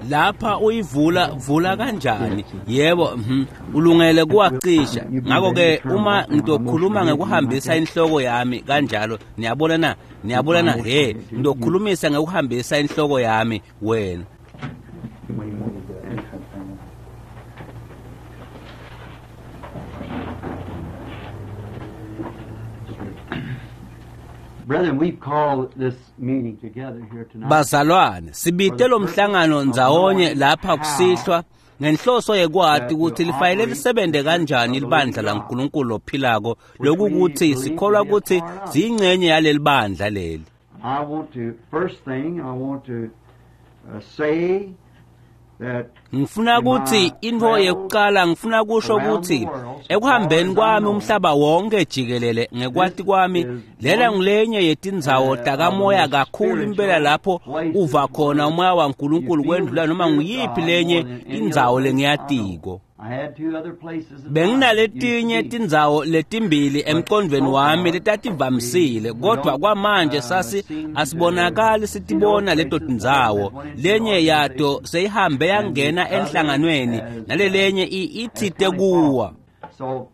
Lapha uyivula vula kanjani? Yebo, ulungele kuwacisha. Ngakho-ke uma ngitokhuluma ngekuhambisa inhloko yami kanjalo, niyabona na? Niyabona na? He, ngitokhulumisa ngekuhambisa inhloko yami wena. Bazalwane, sibite lo mhlangano ndzawonye lapha kusihlwa ngenhloso yekwati ukuthi lifanele lisebenze kanjani libandla laNkulunkulu lophilako, lokukuthi sikholwa ukuthi siyingcenye yaleli bandla leli. I want to, first thing, I want to say that Ngifuna ukuthi intfo yekuqala, ngifuna kusho ukuthi ekuhambeni kwami umhlaba wonke jikelele ngekwati kwami, lena ngulenye yetindzawo takamoya kakhulu impela lapho uva khona umoya waNkulunkulu kwendlula noma nguyiphi lenye indzawo lengiyatiko. I had two other places in Benginaletinye mind. tindzawo letimbili emqondweni wami letativamisile, kodwa kwamanje sasi asibonakali sitibona leto tindzawo. Lenye yato seyihambe yangena enhlanganweni, nalelenye itsite kuwa. So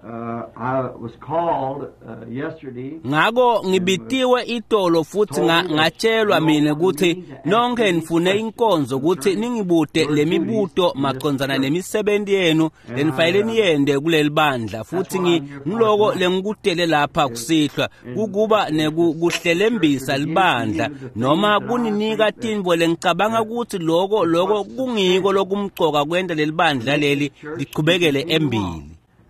I was called yesterday. Ngako ngibitiwe itolo futhi ngatshelwa mina ukuthi nonke nifune inkonzo ukuthi ningibute lemibuto macondzana nemisebenti yenu lenifanele niyende kuleli bandla, futhi ngiloko lengikutele lapha kusihlwa kukuba nekuhlelembisa libandla noma kuninika tintfo lengicabanga ukuthi loko kungiko lokumcoka kwenta leli bandla leli lichubekele embili.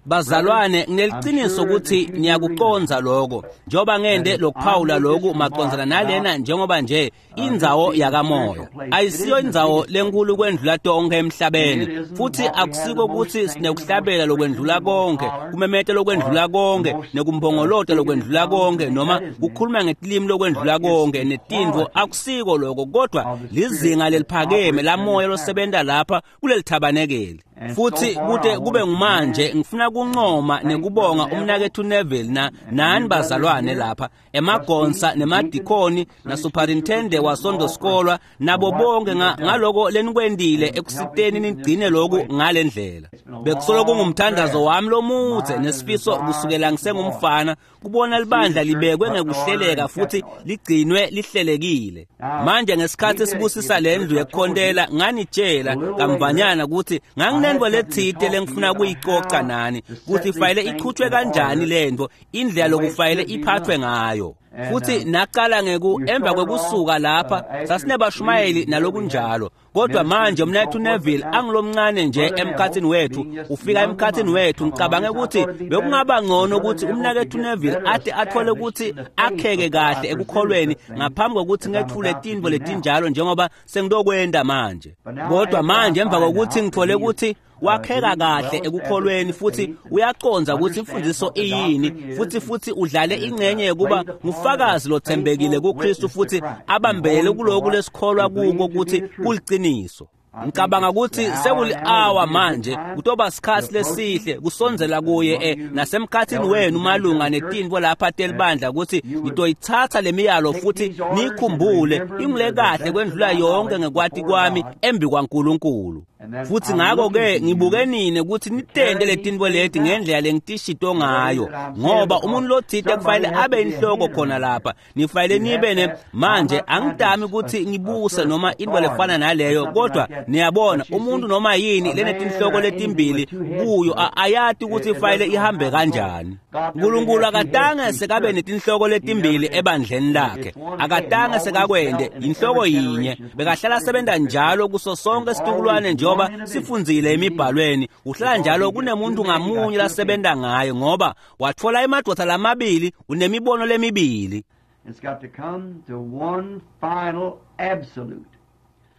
Bazalwane, ngineliciniso ukuthi niyakucondza lokho, njengoba ngende lokuphawula lokhu macondzana nalena, njengoba nje indzawo yakamoya ayisiyo indzawo lenkulu kwendlula tonke emhlabeni, futhi akusiko ukuthi sinekuhlabela lokwendlula konke, kumemeta lokwendlula konke, nekumbongolota lokwendlula konke, noma kukhuluma ngetilimi lokwendlula konke netintfo, akusiko lokho, kodwa lizinga leliphakeme lamoya losebenta lapha kuleli thabanekeli. Futhi kute kube ngumanje ngifuna kuncoma nekubonga umnakethu Neville nani bazalwane lapha emagonsa nemadikoni na superintendent wasondosikolwa nabo bonke ngaloko lenikwendile ekusiteni nigcine lokhu ngalendlela. Bekusolo kungumthandazo wami lomudze nesifiso kusukela ngisengumfana kubona libandla libekwe ngekuhleleka futhi ligcinwe lihlelekile. Manje ngesikhathi sibusisa lendlu yekukhontela nganitshela kamvanyana ukuthi nganginento letsite lengifuna kuyicoca nani ukuthi ifanele ichutshwe kanjani lento, indlela lokufanele iphathwe ngayo. Futhi naqala emva kwekusuka lapha sasinebashumayeli nalokunjalo, kodwa manje umnethu Neville angilomncane nje emkhathini wethu, ufika emkhathini wethu. Ngicabange ukuthi bekungaba ngcono ukuthi umnakethu Neville ate athole ukuthi akheke kahle ekukholweni ngaphambi kokuthi ngethule tintfo letinjalo njengoba sengitokwenta manje. Kodwa manje emva kokuthi ngithole ukuthi wakheka kahle ekukholweni futhi uyacondza ukuthi imfundiso iyini, futhi udlale ingcenye yokuba ngufakazi lothembekile kuKristu futhi abambele kuloko lesikholwa kuko ukuthi kuliciniso. Ngicabanga ukuthi sekuli-hour manje kutoba sikhathi lesihle kusondzela kuye nasemkhathini wenu malunga netintfo lapha telibandla ukuthi nitoyitsatsa lemiyalo futhi niyikhumbule ingule kahle kwendlula yonke ngekwati kwami embi kwaNkulunkulu. Futhi ngakho-ke ngibuke nine ukuthi nitente letintfo leti ngendlela lengitishito ngayo, ngoba umuntu lotsite kufanele abe inhloko khona lapha, nifanele nibe ne manje angidami ukuthi ngibuse noma into lefana naleyo, kodwa niyabona umuntu noma yini lenetinhloko letimbili kuyo ayati ukuthi ifanele ihambe kanjani. uNkulunkulu akatange sekabe netinhloko letimbili ebandleni lakhe, akatange sekakwende inhloko yinye, bekahlala sebenza njalo kuso sonke situkulwane njengoba sifundzile emibhalweni. Uhlala njalo kunemuntu ngamunye lasebenta ngayo, ngoba watfola emadvodza lamabili unemibono lemibili. It's got to come to one final absolute.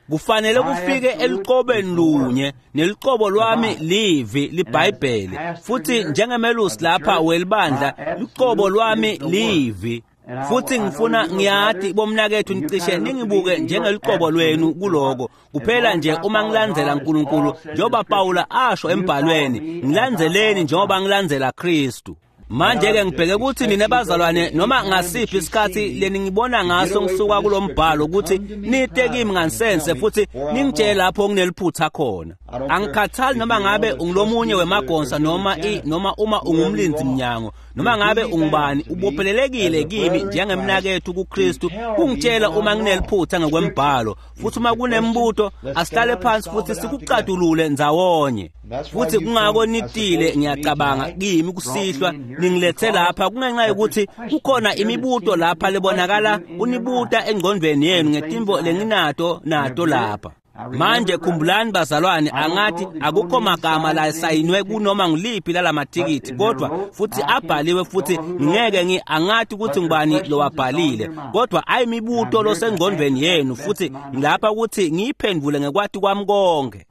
Kufanele kufike eluqobeni lunye, neluqobo lwami livi liBhayibheli. Futhi njengemelusi lapha welibandla, luqobo lwami livi. Futhi ngifuna ngiyati bomnakethu nicishe ningibuke njengeluqobo lwenu kuloko. Kuphela nje uma ngilandzela uNkulunkulu njengoba Pawula asho embhalweni, ngilandzeleni njengoba ngilandzela Kristu. Manje-ke ngibheke ukuthi nina bazalwane noma ngasiphi isikhathi leningibona ngaso ngisuka kulo mbhalo ukuthi nite kimi ngansense futhi ningitshele lapho ngineliphutha khona. Angikhathali noma ngabe ungulomunye wemagonsa noma noma uma ungumlinzi mnyango noma ngabe ungubani, ubophelelekile kimi njengemnakethu kuKristu kungitshela uma ngineliphutha ngokwembhalo. Futhi uma kunembuto asihlale phansi futhi sikucatulule ndzawonye. Futhi kungako nitile ngiyacabanga kimi kusihlwa ningilethe lapha kungenxa yokuthi kukhona imibuto lapha lebonakala unibuta engqondweni yenu ngetimvo lenginato nato lapha. Manje khumbulani bazalwane, angathi akukho magama la sayinwe kunoma ngiliphi lalamathikithi, kodwa futhi abhaliwe futhi ngeke angathi ukuthi ngubani lowabhalile, kodwa ayimibuto losengqondweni yenu futhi ngilapha ukuthi ngiyiphendvule ngekwati kwami konke.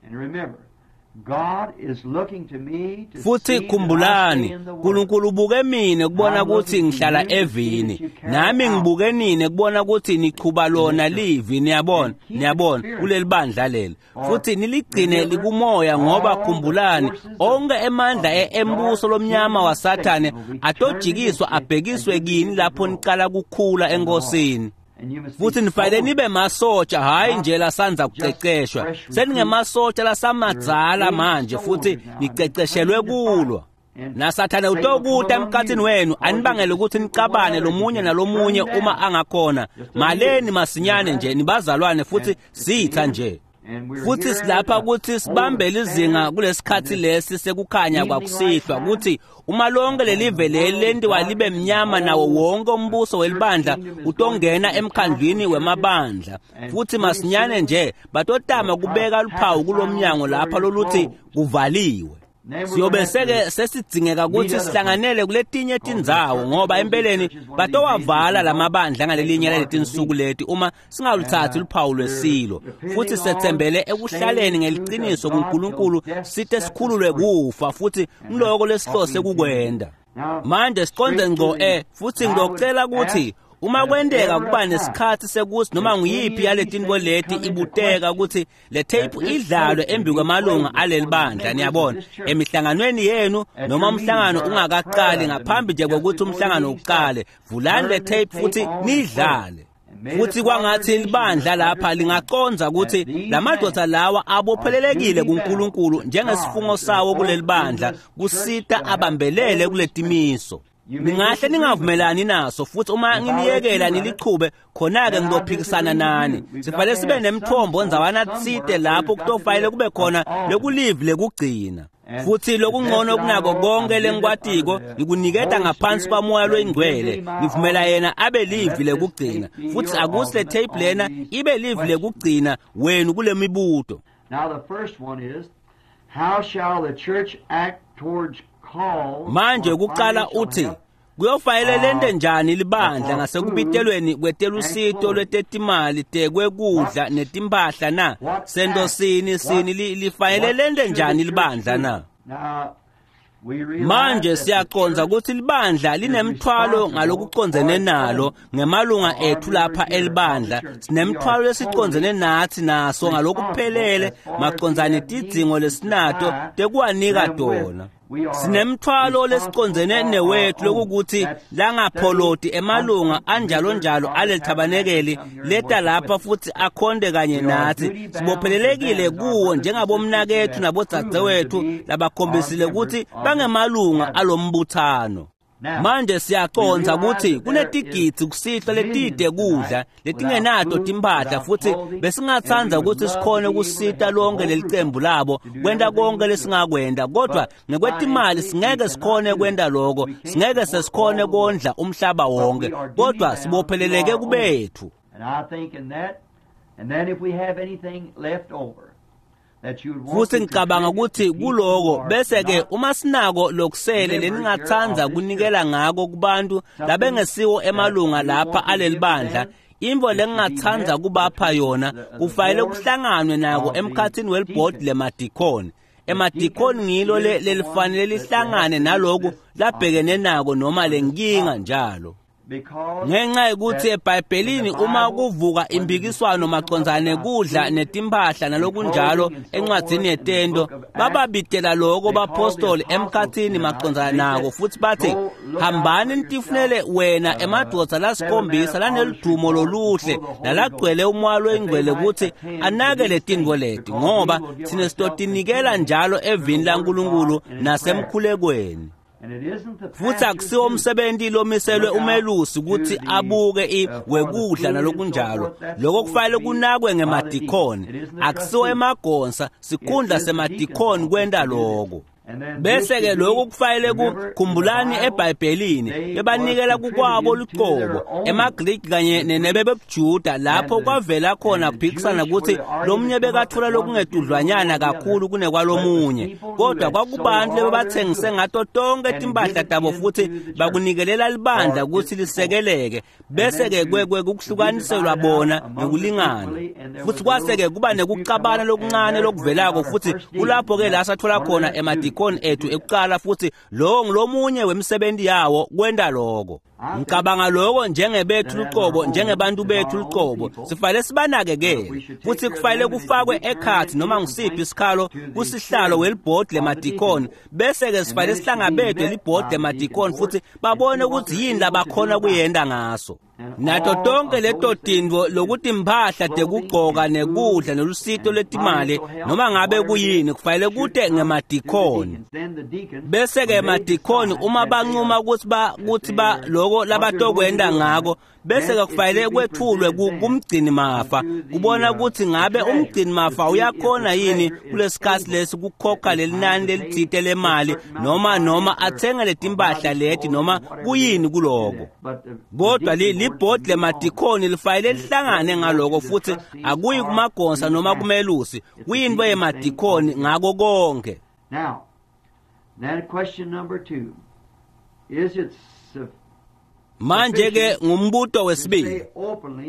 Futhi khumbulani, uNkulunkulu ubuke mina kubona ukuthi ngihlala evini, nami ngibuke nini kubona ukuthi nichuba lona livi. Niyabona, niyabona kuleli bandla leli, futhi niligcine likumoya, ngoba khumbulani onke emandla embuso lomnyama waSathane atojikiswa abhekiswe kini lapho niqala kukhula enkosini. Futhi nifanele nibe masotsha, hhayi nje lasanza kuceceshwa, seningemasotsha lasamadzala manje futhi niceceshelwe kulwa. NaSathane utokuta emkhathini wenu anibangele ukuthi nicabane lomunye nalomunye uma angakhona. Maleni masinyane nje nibazalwane futhi sitha nje. Futhi silapha ukuthi sibambele izinga kulesikhathi lesi sekukhanya kwakusihlwa, ukuthi uma lonke lelive leli lentiwa libe mnyama nawo wonke umbuso welibandla utongena emkhandlwini wemabandla. Futhi masinyane nje batotama kubeka luphawu kulomnyango lapha loluthi kuvaliwe. Siyobe seke sesidzingeka ukuthi sihlanganele kuletinye tindzawo, ngoba empeleni batowavala lamabandla ngalelinye laletinsuku leti uma singaluthathi luphawu lwesilo. Futhi sethembele ekuhlaleni ngeliciniso kuNkulunkulu site sikhululwe kufa, futhi ngiloko lesihlose kukwenda. Manje siqonde ngco futhi ngizocela ukuthi uma kwenteka kuba nesikhathi sekuthi noma nguyiphi yaletinto leti ibuteka ukuthi le tape idlalwe embi kwamalunga aleli bandla, niyabona, emihlanganweni yenu noma umhlangano ungakaqali, ngaphambi nje kokuthi umhlangano uqale, vulani le tape futhi nidlale. Futhi kwangathi libandla lapha lingaqonza ukuthi lamadoda lawa abophelelekile kuNkulunkulu njengesifungo sawo kuleli bandla kusita abambelele kuletimiso. Ningahle ningavumelani naso, futhi uma nginiyekela nilichube khona-ke ngizophikisana nani. Sifanele sibe nemthombo ndzawana tsite lapho kutofanele kube khona lekulivi lekugcina. Futhi lokungcono kunako konke lengikwatiko ngikuniketa ngaphansi kwamoya loyingcwele, ngivumela yena abe livi lekugcina. Futhi akusi le tape lena ibe livi lekugcina wenu kule mibuto. Manje kuqala uthi kuyofanele lente njani libandla ngasekubitelweni kwetelusito lwetetimali tekwekudla netimpahla na? Sento sini sini lifanele lente njani libandla na? Manje siyaqonza ukuthi libandla linemthwalo ngalokucondzene nalo ngemalunga ethu lapha elibandla. Sinemthwalo lesicondzene nathi naso ngalokuphelele macondzane tidzingo lesinato tekuwanika tona. Sinemthwalo lesicondzene newethu lokukuthi langapholoti emalunga anjalo njalo alelithabanekeli leta lapha futhi akhonde kanye nathi. Sibophelelekile kuwo njengabomnakethu nabodzadzewethu labakhombisile ukuthi bangemalunga alombuthano. Manje siyaqonza ukuthi kunetigidzi kusihlwa letide kudla letingenato timphahla, futhi besingatsandza ukuthi sikhone ukusita lonke leli cembu labo kwenta konke lesingakwenta, kodwa ngekwetimali singeke sikhone kwenta lokho, singeke sesikhone kondla umhlaba wonke, kodwa sibopheleleke kubethu. Futhi ngicabanga ukuthi kuloko bese-ke uma sinako lokusele leningatsandza kunikela ngako kubantu labengesiwo emalunga lapha aleli bandla, imvo lengingatsandza kubapha yona kufanele kuhlanganwe nako emkhathini welibhodi lemadikhoni. Emadikhoni ngilo lelifanele lihlangane naloku labhekene nako noma lenkinga njalo. Ngenxa yokuthi eBhayibhelini uma kuvuka impikiswano macondzana nekudla netimpahla nalokunjalo encwadzini yetento, bababitela loko bapostoli emkhatsini macondzana nako futhi bathi, hambani nitifunele wena emadvodza lasikhombisa laneludumo loluhle nalagcwele umoya loyingcwele ukuthi anake letintfo leti, ngoba thina sitotinikela njalo evini laNkulunkulu nasemkhulekweni. Futhi akusiwo umsebenzi lomiselwe umelusi ukuthi abuke wekudla nalokunjalo. Lokho kufanele kunakwe ngemadikhoni, akusiwo emagonsa, sikhundla semadikhoni kwenta loko. Bese-ke lokhu kufanele kukhumbulani eBhayibhelini bebanikela kukwabo luqobo emaGriki kanye nebebebuJuda, lapho kwavela khona kuphikisana ukuthi lomunye bekathola lokungedudlwanyana kakhulu kunekwalomunye, kodwa kwakubantu lebebathengise ngato tonke timpahla tabo futhi bakunikelela libandla ukuthi lisekeleke. Bese-ke kukuhlukaniselwa bona ngekulingana, futhi kwase-ke kuba nekucabana lokuncane lokuvelako, futhi kulapho-ke la sathola khona emadikoni ethu ekuqala, futhi lowo ngilomunye wemisebenzi yawo kwenta lokho. Ngicabanga lokho njengebethu luqobo, njengebantu bethu luqobo, sifanele sibanakekele, futhi kufanele kufakwe ekhathi noma ngisiphi isikhalo kusihlalo welibhodi lemadikoni. Bese-ke sifanele sihlangabedwe libhodi lemadikoni futhi babone ukuthi yini labakhona kuyenda ngaso. Nato tonke leto tintfo lokutimphahla tekugcoka nekudla nelusito lwetimali noma ngabe kuyini kufanele kute ngemadikhoni. Bese-ke emadikhoni uma bancuma ukuthi ba loko labatokwenda ngako, bese-ke kufanele kwethulwe kumgcini mafa kubona ukuthi ngabe umgcini mafa uyakhona yini kulesikhathi lesi kukhokha lelinani lelitsite lemali noma athenge letimpahla leti noma kuyini kuloko. Kodwa libhodi lemadikhoni lifanele lihlangane ngaloko, futhi akuyi kumagonsa noma kumelusi, kuyinto yemadikhoni ngako konke. Now, then question number 2. Is it Manje-ke ngumbuto wesibili,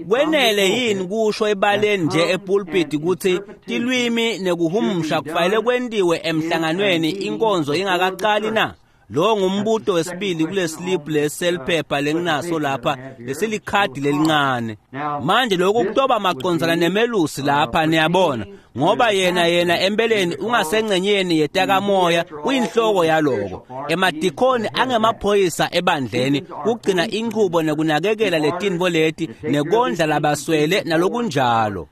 kwenele yini kusho ebaleni nje epulpiti ukuthi tilwimi nekuhumusha kufanele kwentiwe emhlanganweni inkonzo ingakaqali na? Lo ngumbuto wesibili kule slip leseliphepha lenginaso lapha lesilikhadi lelincane. Manje lokhu kutoba macondzana nemelusi lapha, niyabona, ngoba yena empeleni ungasengcenyeni yetakamoya, uyinhloko yaloko. Emadikhoni angemaphoyisa ebandleni kugcina inchubo nekunakekela letintfo leti nekondla labaswele nalokunjalo.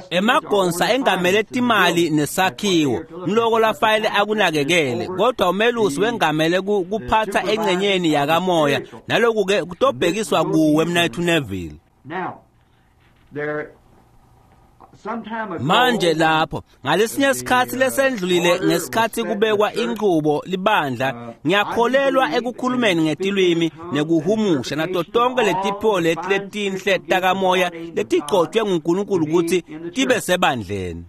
Emagonsa engamele timali nesakhiwo ngiloko lafayele akunakekele, kodwa umelusi wengamele kuphatha engcenyeni yakamoya, naloku-ke kutobhekiswa kuwe Mnayethu Neville. Manje lapho ngalesinye isikhathi lesendlulile, ngesikhathi kubekwa inqubo libandla, ngiyakholelwa ekukhulumeni ngetilwimi nekuhumusha nato tonke letiphiwo leti letinhle takamoya letigcotshwe nguNkulunkulu ukuthi tibe sebandleni.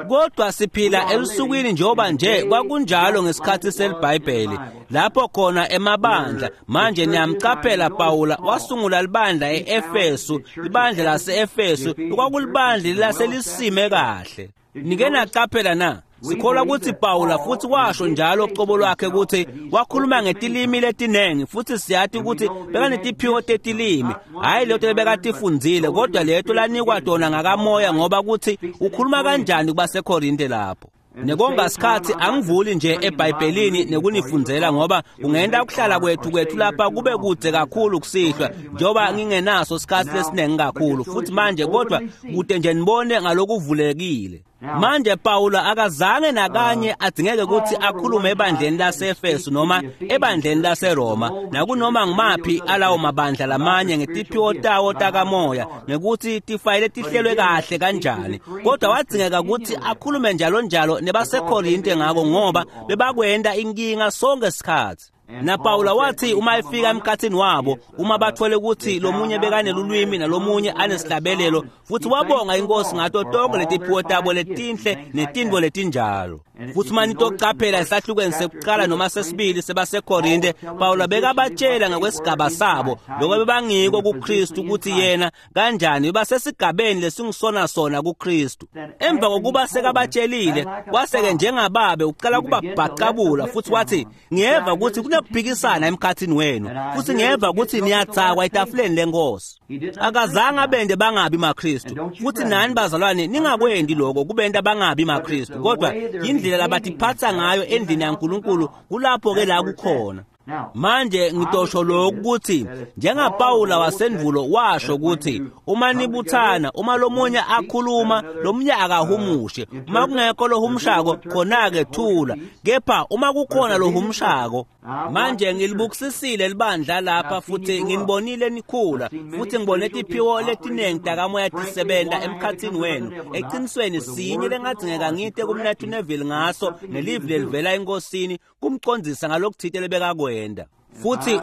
Kodwa siphila elusukwini njengoba nje kwakunjalo ngesikhathi seliBhayibheli, lapho khona emabandla. Manje niyamcaphela Pawula wasungula libandla e-Efesu, libandla lase-Efesu kwakulibandla laselisime kahle. Nike naqaphela na? Sikholwa ukuthi Pawula futhi washo njalo ucobo lwakhe ukuthi wakhuluma ngetilimi letinengi, futhi siyati ukuthi bekanetiphiwo tetilimi, hhayi leto lebekatifundzile, kodwa leto lanikwa tona ngakamoya, ngoba kuthi ukhuluma kanjani kubaseKorinte lapho. Nekonga sikhathi angivuli nje eBhayibhelini nekunifundzela, ngoba kungenta ukuhlala kwethu lapha kube kude kakhulu kusihlwa, njengoba ngingenaso sikhathi lesiningi kakhulu. Futhi manje kodwa kude nje nibone ngalokuvulekile. Manje Pawula akazange nakanye adzingeke ukuthi akhulume ebandleni laseEfesu noma ebandleni laseRoma nakunoma ngimaphi alawo mabandla lamanye ngetiphiwo tawo takamoya ngekuthi tifayile tihlelwe kahle kanjani, kodwa wadzingeka ukuthi akhulume njalo njalo nebaseKorinte ngako, ngoba bebakwenda inkinga sonke sikhathi. Na Pawula wathi uma efika emkhathini wabo, uma bathole ukuthi lomunye bekanelulwimi nalomunye anesihlabelelo, futhi wabonga inkosi ngato tonke letiphiwo tabo letinhle netintfo letinjalo. Futhi uma nitocaphela esahlukweni sekuqala noma sesibili sebaseKorinte, Pawula bekabatshela ngokwesigaba sabo lokho bebangiko kuKristu, ukuthi yena kanjani basesigabeni lesingisona sona kuKristu. Emva kokuba sekabatshelile, kwaseke njengababe uqala kubabhaqabula futhi wathi, ngiyeva ukuthi kunekuphikisana emkhathini wenu, futhi ngiyeva ukuthi niyatsakwa etafuleni lenkosi. Akazange abende bangabi maKristu, futhi nani bazalwane ningakwendi lokho kubenta bangabi maKristu, kodwa indlela labatiphatsa ngayo endlini yaNkulunkulu kulapho-ke la kukhona. Manje ngitosho lokhu ukuthi njengaPawula wasendvulo washo ukuthi uma nibuthana, uma lomunye akhuluma, lomunye akahumushe. Uma kungekho lohumushako, khona-ke thula, kepha uma kukhona lohumushako. Manje ngilibukisisile libandla lapha futhi nginibonile nikhula, futhi ngibone tiphiwo letiningi takamoya tisebenta emkhathini wenu. Eqinisweni sinye lengadzingeka ngite kumnethu Neville ngaso nelivi lelivela enkosini kumcondzisa ngalokuthite lebekakwenda. Futhi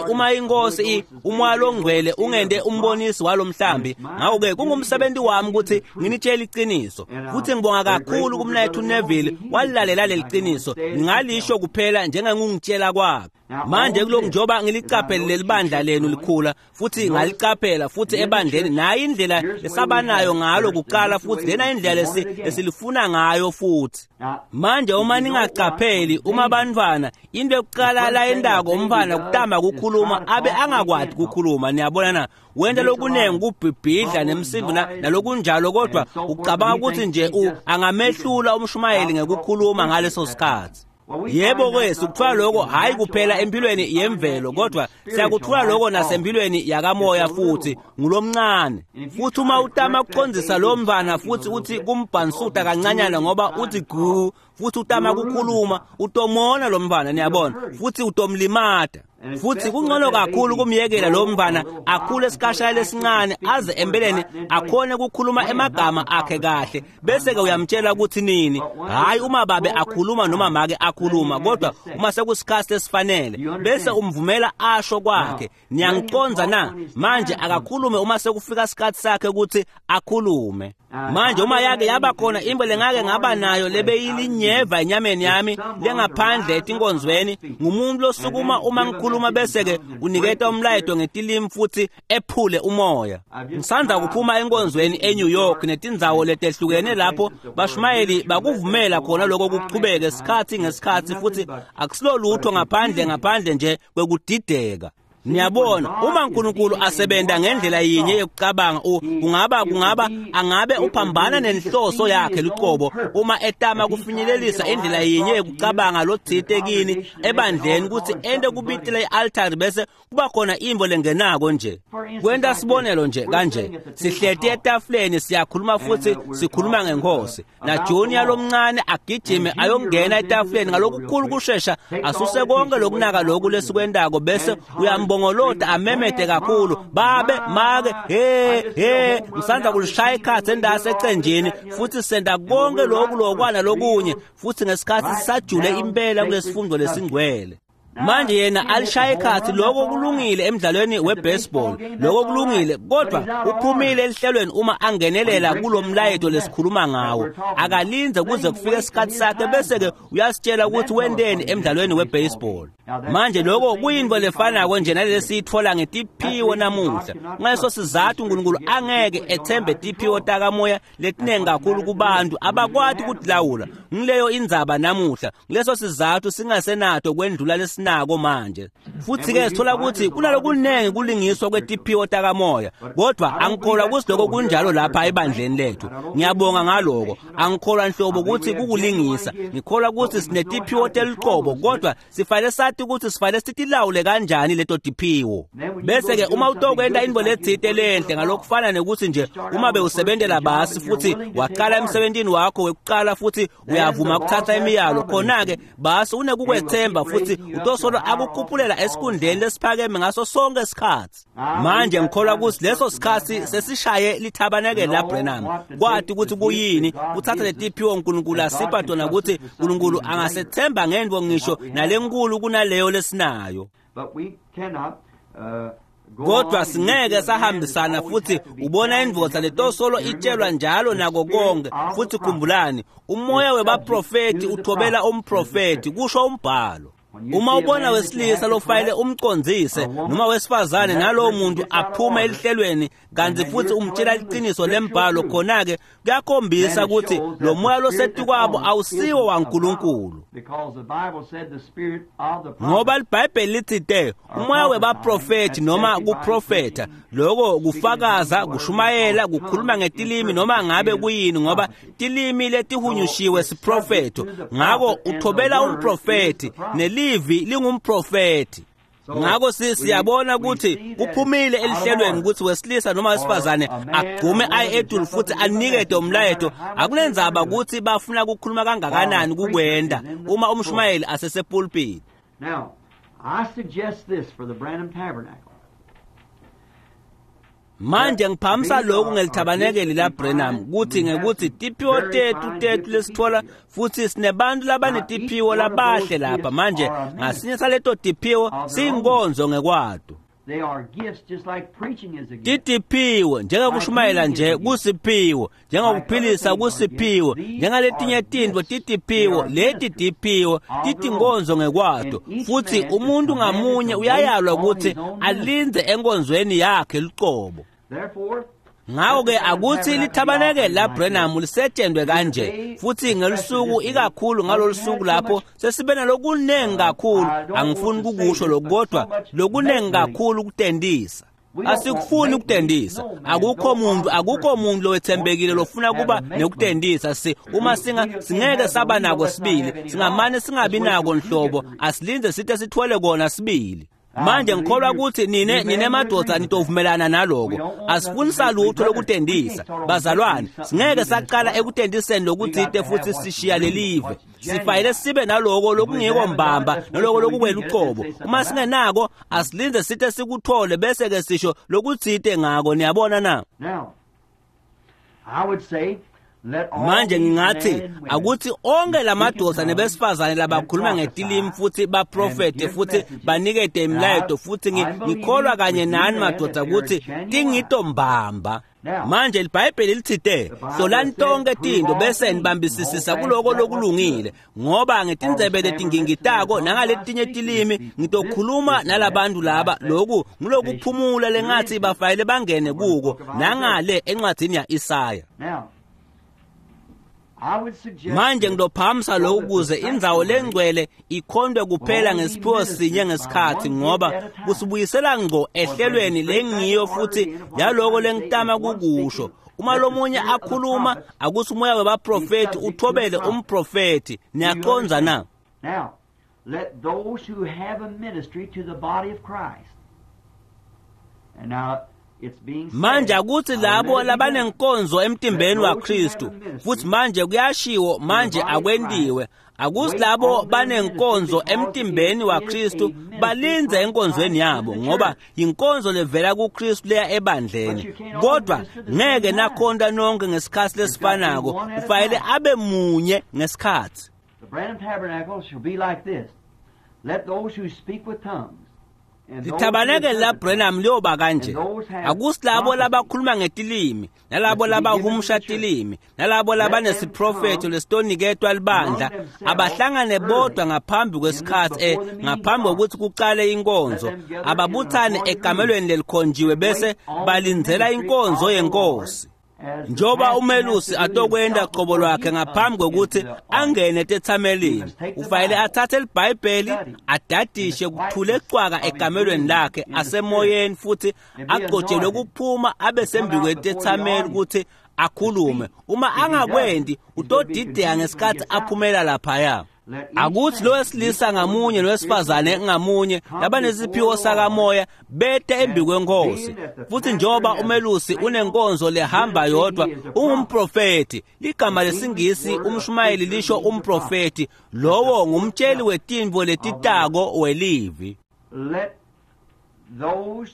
uma inkosi umoya longcwele ungende umbonisi walomhlambi, ngakho-ke kungumsebenzi wami ukuthi nginitshele iqiniso. Futhi ngibonga kakhulu kumnethu Neville walilalela leli qiniso, ngingalisho kuphela njengengungitshela kwakhe. Manje kulokhu njengoba ngilicaphele leli bandla lenu likhula, futhi ngalicaphela futhi ebandleni, nayo indlela lesabanayo ngalo kuqala, futhi lena indlela lesilifuna ngayo futhi. Manje uma ningacapheli, uma bantwana into yokuqala la endako umfana kutama kukhuluma abe angakwati kukhuluma, niyabona na, wenta lokunengi kubhibhidla nemsindo nalokunjalo, kodwa ucabanga ukuthi nje angamehlula umshumayeli ngekukhuluma ngaleso sikhathi. Yebo ke sikuthola lokho hayi kuphela empilweni yemvelo, kodwa siyakuthola lokho nasempilweni yakamoya futhi ngulomncane. Futhi uma utama kucondzisa lo mntwana futhi uthi kumbhansuta kancanyana ngoba uthi gu, futhi utama kukhuluma, utomona lo mntwana, niyabona, futhi utomlimata. Futhi kungcono kakhulu kumyekela lo mntwana akhule esikhashana lesincane aze empeleni akhone ukukhuluma emagama akhe kahle, bese-ke uyamtshela ukuthi nini. Hhayi uma babe akhuluma noma make akhuluma, kodwa uma sekusikhathi esifanele bese umvumela asho kwakhe. Niyangiconza na? Manje akakhulume uma sekufika isikhathi sakhe ukuthi akhulume. Manje uma yake yaba khona into lengake ngaba nayo lebeyilinyeva enyameni yami lengaphandle etinkonzweni, ngumuntu losukuma uma ngikhuluma bese-ke uniketa umlayeto ngetilimi futhi ephule umoya. Ngisanda kuphuma enkonzweni eNew York netindzawo letehlukene lapho bashumayeli bakuvumela khona lokho kuchubeke isikhathi ngesikhathi, futhi akusilo lutho ngaphandle nje kwekudideka. Niyabona, uma uNkulunkulu asebenta ngendlela yinye yokucabanga, kungaba angabe uphambana nenhloso yakhe luqobo uma etama kufinyelelisa indlela yinye yokucabanga lothite kini ebandleni ukuthi ente kubitile i-altari bese kuba khona imvo lengenako nje. Kwenta sibonelo nje kanje, sihleti etafuleni siyakhuluma futhi sikhuluma ngenkosi, na Junior lomncane agijime ayongena etafuleni ngalokukhulu kushesha asuse konke lokunaka lokhu lesikwentako, bese uyambongolota amemede kakhulu, babe make he ngisanda kulishaya ikhathi endase ecenjini, futhi senda konke lokhu lokwana lokunye, futhi ngesikhathi sisajule impela kulesifundo lesingcwele. Manje yena alishaya ikhathi, lokho kulungile emdlalweni webaseball, lokho kulungile, kodwa uphumile elihlelweni uma angenelela kulomlayeto lesikhuluma ngawo. Akalinze kuze kufike isikhathi sakhe bese-ke uyasitshela ukuthi wenteni emdlalweni webaseball. Manje lokho kuyinto lefanako nje nalesi siyithola ngetiphiwo namuhla. Ngaleso sizathu uNkulunkulu angeke ethembe tiphiwo takamoya letiningi kakhulu kubantu abakwati ukutilawula. Ngileyo indzaba namuhla. Kuleso sizathu singasenato kwendlula lesinako manje. Futhi-ke sithola ukuthi kunalokunengi kulingiswa kwetiphiwo takamoya, kodwa angikholwa ukuthi lokho kunjalo lapha ebandleni lethu. Ngiyabonga ngaloko. Angikholwa nhlobo ukuthi kukulingisa. Ngikholwa ukuthi sinetiphiwo teluqobo, kodwa sifanele sathi ukuthi sifanele sitilawule kanjani leto tiphiwo. Bese-ke uma utokwenta intfo letsite lenhle ngalokufana nekuthi nje uma bewusebentela basi futhi waqala emsebentini wakho wekuqala futhi uyavuma ukuthatha imiyalo, khona-ke basi unekukwethemba futhi utosolo akukhuphulela esikhundleni lesiphakeme ngaso sonke isikhathi. Manje ngikholwa ukuthi leso sikhathi sesishaye lithabanekele laBranham, kwati ukuthi kuyini kuthatha letiphiwo uNkulunkulu asipha tona, ukuthi uNkulunkulu angasethemba ngento ngisho nalenkulu kunaleyo lesinayo. But we cannot Kodwa singeke sahambisana futhi ubona indvodza letosolo itshelwa njalo nako konke. Futhi khumbulani, umoya webaprofeti uthobela umprofeti, kusho umbhalo. Uma ubona wesilisa lofayele umcondzise noma wesifazane nalowo muntu aphume elihlelweni kanti futhi umtshela iqiniso lembhalo, khona-ke kuyakhombisa ukuthi lo moya losetikwabo awusiwo waNkulunkulu. Ngoba liBhayibheli lithi te umoya webaprofethi noma kuprofetha, lokho kufakaza, kushumayela, kukhuluma ngetilimi noma ngabe kuyini, ngoba tilimi letihunyushiwe siprofetho. Ngako uthobela umprofethi nelivi lingumprofethi. Ngako siyabona ukuthi kuphumile elihlelweni ukuthi wesilisa noma wesifazane agqume aye etulu futhi anikete umlayeto. Akunendzaba ukuthi bafuna ukukhuluma kangakanani kukwenda uma umshumayeli asesepulpit. Now, I suggest this for the Branham Tabernacle. Manje ngiphamisa lokhu ngelithabanekeli la Branham kuthi ngekuthi tiphiwo tethu lesithola futhi sinebantu labanetiphiwo labahle lapha. Manje ngasinye saleto tiphiwo siyinkonzo ngekwato. They are gifts just like preaching is a gift. Titiphiwo njengokushumayela nje kusiphiwo, njengokuphilisa kusiphiwo, njengaletinye tintfo titiphiwo, leti tiphiwo titinkonzo ngekwato. Futhi umuntu ngamunye uyayalwa ukuthi alindze enkonzweni yakhe luqobo. Therefore, Ngako-ke akuthi lithabanekeli la Branham lisetshenzwe kanje futhi ngelusuku ikakhulu ngalolu suku lapho sesibe nalokunengi kakhulu. Angifuni kukusho lokhu, kodwa lokunengi kakhulu kutendisa. Asikufuni ukutendisa. Akukho muntu lowethembekile lofuna kuba nekutendisa. Uma singeke saba nako sibili, singamane singabi nako nhlobo, asilindze sithe sithwele kona sibili. Manje ngikholwa ukuthi nine madoda nitovumelana naloko. Asifuni salutho lokutendisa bazalwane. Singeke saqala ekutendiseni lokuthite futhi sishiya lelive. Sifayele sibe naloko lokungiko mbamba naloko lokukweluqobo. Uma singenako asilindze sithe sikuthole bese ke sisho lokuthite ngako. Niyabona na? Now, I would say Manje ngingathi akuthi onke lamadoda nebesifazane labakhuluma ngetilimi futhi baprofete futhi banikete imilayeto, futhi ngikholwa kanye nani madoda ukuthi tingito mbamba. Manje liBhayibheli lithite hlolani tonke tinto bese nibambisisisa kuloko lokulungile, ngoba ngetindzebe letingingitako nangaletinye tilimi ngitokhuluma nalabantu laba. Loku ngulokuphumula lengathi bafayele bangene kuko nangale encwadzini ya-Isaya. Manje ngilophamisa lokhu ukuze indzawo lengcwele ikhondwe kuphela ngesiphiwo sinye ngesikhathi, ngoba kusibuyisela ngqo ehlelweni lengiyo futhi yaloko lengitama kukusho. Uma lomunye akhuluma akuthi umoya webaprofethi uthobele umprofethi. Niyaqonza na? Now, let those who have a ministry to the body of Christ. And now Manje akuthi labo labanenkonzo emtimbeni waKristu, futhi manje kuyashiwo, manje akwentiwe, akuthi labo banenkonzo emtimbeni waKristu balindze enkonzweni yabo, ngoba inkonzo levela kuKristu leya ebandleni. Kodwa ngeke nakhonta nonke ngesikhathi lesifanako, kufanele abe munye ngesikhathi. The Branham Tabernacle shall be like this. Let those who speak with tongues Lithabanekeli la Branham liyoba kanje. Akusi labo labakhuluma ngetilimi, nalabo labahumusha tilimi, nalabo labanesiprofetho lesitoniketwa libandla, abahlangane bodwa ngaphambi kwesikhathi, ngaphambi kokuthi kuqale inkonzo, ababuthane ekamelweni lelikhonjiwe bese balindzela inkonzo yenkosi. Njoba umelusi atokwenda qobo lwakhe ngaphambi kokuthi angene tethamelini, ufanele athathe liBhayibheli adadishe kuthule cwaka ekamelweni lakhe asemoyeni, futhi agcotshelwe kuphuma abe sembi kwetethameli ukuthi akhulume. Uma angakwendi utodideka ngesikhathi aphumela laphaya. Akuthi lo wesilisa ngamunye nowesifazane ngamunye labanesiphiwo sakamoya bete embi kwenkosi. Futhi njoba umelusi unenkonzo lehamba yodwa, ungumprofethi. Ligama lesingisi umshumayeli lisho umprofethi, lowo ngumtsheli wetintfo letitako welivi.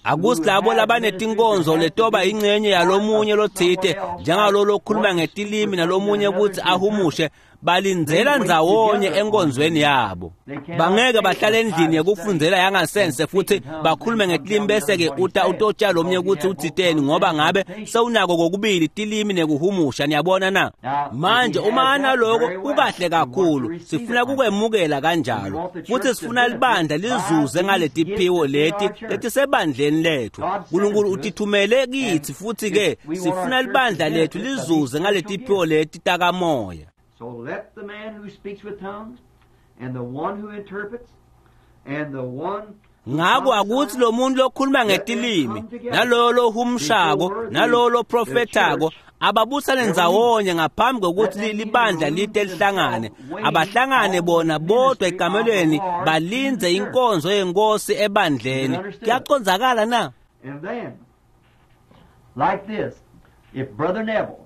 Akusi labo labanetinkonzo letoba ingcenye yalomunye lothite, njengalolo okhuluma ngetilimi nalomunye ukuthi ahumushe, Balindzela ndzawonye enkonzweni yabo. Bangeke bahlale endlini yekufundzela yangasense futhi bakhulume ngetilimi bese-ke uta utotshela lomnye ukuthi uthiteni, ngoba ngabe sewunako kokubili tilimi nekuhumusha. Niyabona na? Manje uma analoko kukahle kakhulu, sifuna kukwemukela kanjalo, futhi sifuna libandla lizuze ngaletiphiwo leti letisebandleni lethu. Nkulunkulu utithumele kithi, futhi-ke sifuna libandla lethu lizuze ngaletiphiwo leti takamoya. So let the man who speaks with tongues and the one who interprets and the one Ngako akuthi lo muntu lokhuluma ngetilimi nalowo lohumshako nalowo loprofethako ababuthane ndzawonye ngaphambi kokuthi libandla lite lihlangane. Abahlangane bona bodwa ekamelweni balindze inkonzo yenkosi ebandleni. Kuyacondzakala na? And then, like this, if Brother Neville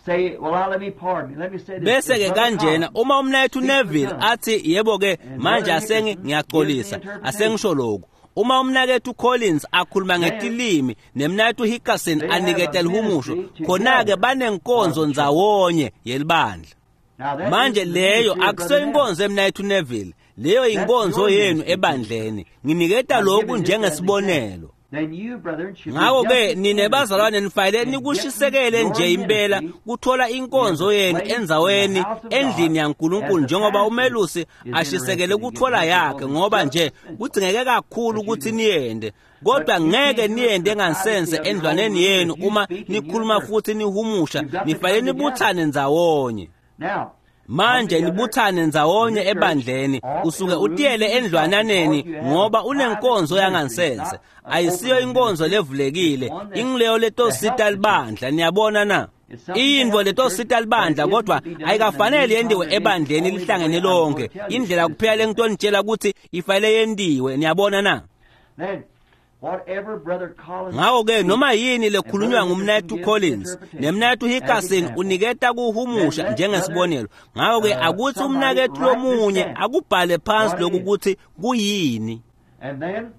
say, well, now let me pardon me, let me say this. Bese If ke Brother kanjena Collins uma umnayethu Neville athi yebo ke manje Brother asengi Hickerson ngiyaxolisa gives the interpretation. asengisho lokhu, uma umnakethu Collins akhuluma ngetilimi nemnakethu Hickerson They have aniketa a lihumusho, ministry khona-ke together banenkonzo of the church. ndzawonye yelibandla. Now that Manje is the leyo ministry of Brother akusiyo Neville. inkonzo emnayethu Neville, leyo That's inkonzo your yenu ministry. ebandleni. Nginiketa I'm lokhu giving this as an njengesibonelo. example. Then you, brethren, should be Ngakho ke just nine bazalwane nifanele in nikushisekele getting nje your impela ministry kuthola inkonzo in the yenu place endzaweni in the house of endlini God, yaNkulunkulu, as the njengoba pastor umelusi is ashisekele interested in kuthola getting yakhe, because ngoba it's nje just essential kudzingeke kakhulu that you ukuthi do. niyende. Kodwa But you ngeke can't do it niyende in the ngansense privacy of your own endlwaneni room. yenu If you uma speak and you nikhuluma interpret. futhi nihumusha, You've got to nifanele come together. nibuthane ndzawonye. Now, Manje come together nibuthane ndzawonye in the church, ebandleni, off usuke in a room utiyele to yourself endlwananeni because you have a ngoba private unenkonzo ministry. It's yangansense. not an Ayisiyo open inkonzo ministry. levulekile, It's one that ingileyo to help letosita the church. libandla. Niyabona na? It's something to Intfo help the church, letosita but it libandla isn't kodwa to be done in a ayikafanele new yendiwe congregation ebandleni only the lihlangene way I'm going lonke. to tell you Indlela to kuphela do it. lengitonitshela ukuthi ifanele yendiwe. Niyabona na? Then, whatever Brother Collins Ngakho ke speaks noma yini and lekhulunywa Brother Hickerson ngumnayethu gives the Collins interpretation nemnayethu as Hickerson example, uniketa then kuhumusha let brother njengesibonelo. Ngakho ke akuthi somebody umnakethu write this lomunye down, akubhale phansi what it lokhu is. ukuthi kuyini. And then,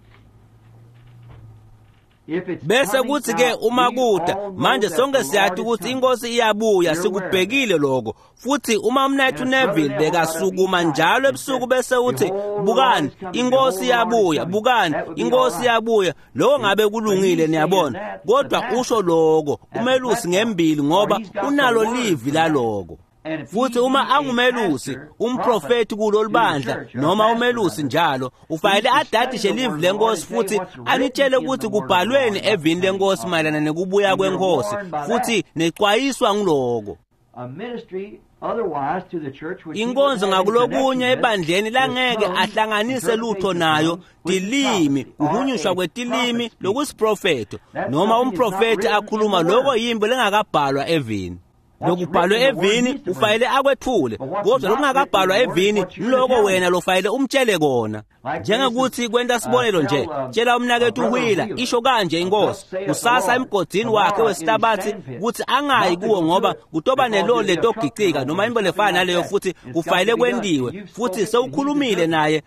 if it's Bese coming kuthi ke out, uma we kuda all know manje that the sonke Lord siyathi is ukuthi coming. inkosi iyabuya, We're aware of that. sikubhekile lokho. Futhi uma umnayethu And if Brother Neville Neville got up each bekasukuma night njalo and ebusuku said, bese uthi Behold, the Lord bukani is coming, inkosi behold, the Lord is iyabuya, coming, bukani that would be all inkosi right. iyabuya, lokho See? ngabe But kulungile, he's saying niyabona. that, the Kodwa usho pastor lokho at the umelusi platform, ngembili or ngoba he's got the unalo word livi for that. laloko. And if he Futhi be uma a angumelusi pastor, prophet umprofeti to kulolu the bandla church, or a noma pastor umelusi rather, njalo he's ufanele to study adadishe the livi word of the Lord lenkosi and tell you futhi what's written anitshele in ukuthi the word of the Lord kubhalweni about the evini coming lenkosi of the mayelana Lord. nekubuya And you're kwenkosi, warned by that. futhi necwayiswa ngiloko. A ministry otherwise to the church which he wouldn't Inkonzo have any ngakulokunye connection with ebandleni is langeke tongues, ahlanganise lutho interpretation of nayo, tongues, which is tilimi, prophecy, or kuhunyushwa a kwetilimi prophet speaking. lokusiprofetho, That's noma something that's not umprofethi written in akhuluma the lokho Word. yimbo lengakabhalwa evini. What's Lokubhalwe written in the Word evini needs to bring. ufanele akwethule, But what's kodwa not written in lokungakabhalwa the Word is evini what you're to ngiloko tell wena him. lofanele umtshele kona. Like, for instance, Njengokuthi kwenta sibonelo tell nje, tshela umnakethu Brother Wheeler, Wheeler, isho kanje inkosi, thus saith the kusasa Lord, emgodini wakhe tomorrow in his wesihlabathi sandpit, kuthi angayi not to kuwo go to ngoba it kutoba because neloli there'll be a truck letogicika run noma over into or something lefana like naleyo, that. futhi It's got kufanele to be done. And kwendiwe, you've futhi spoken and he's sewukhulumile interpreted. naye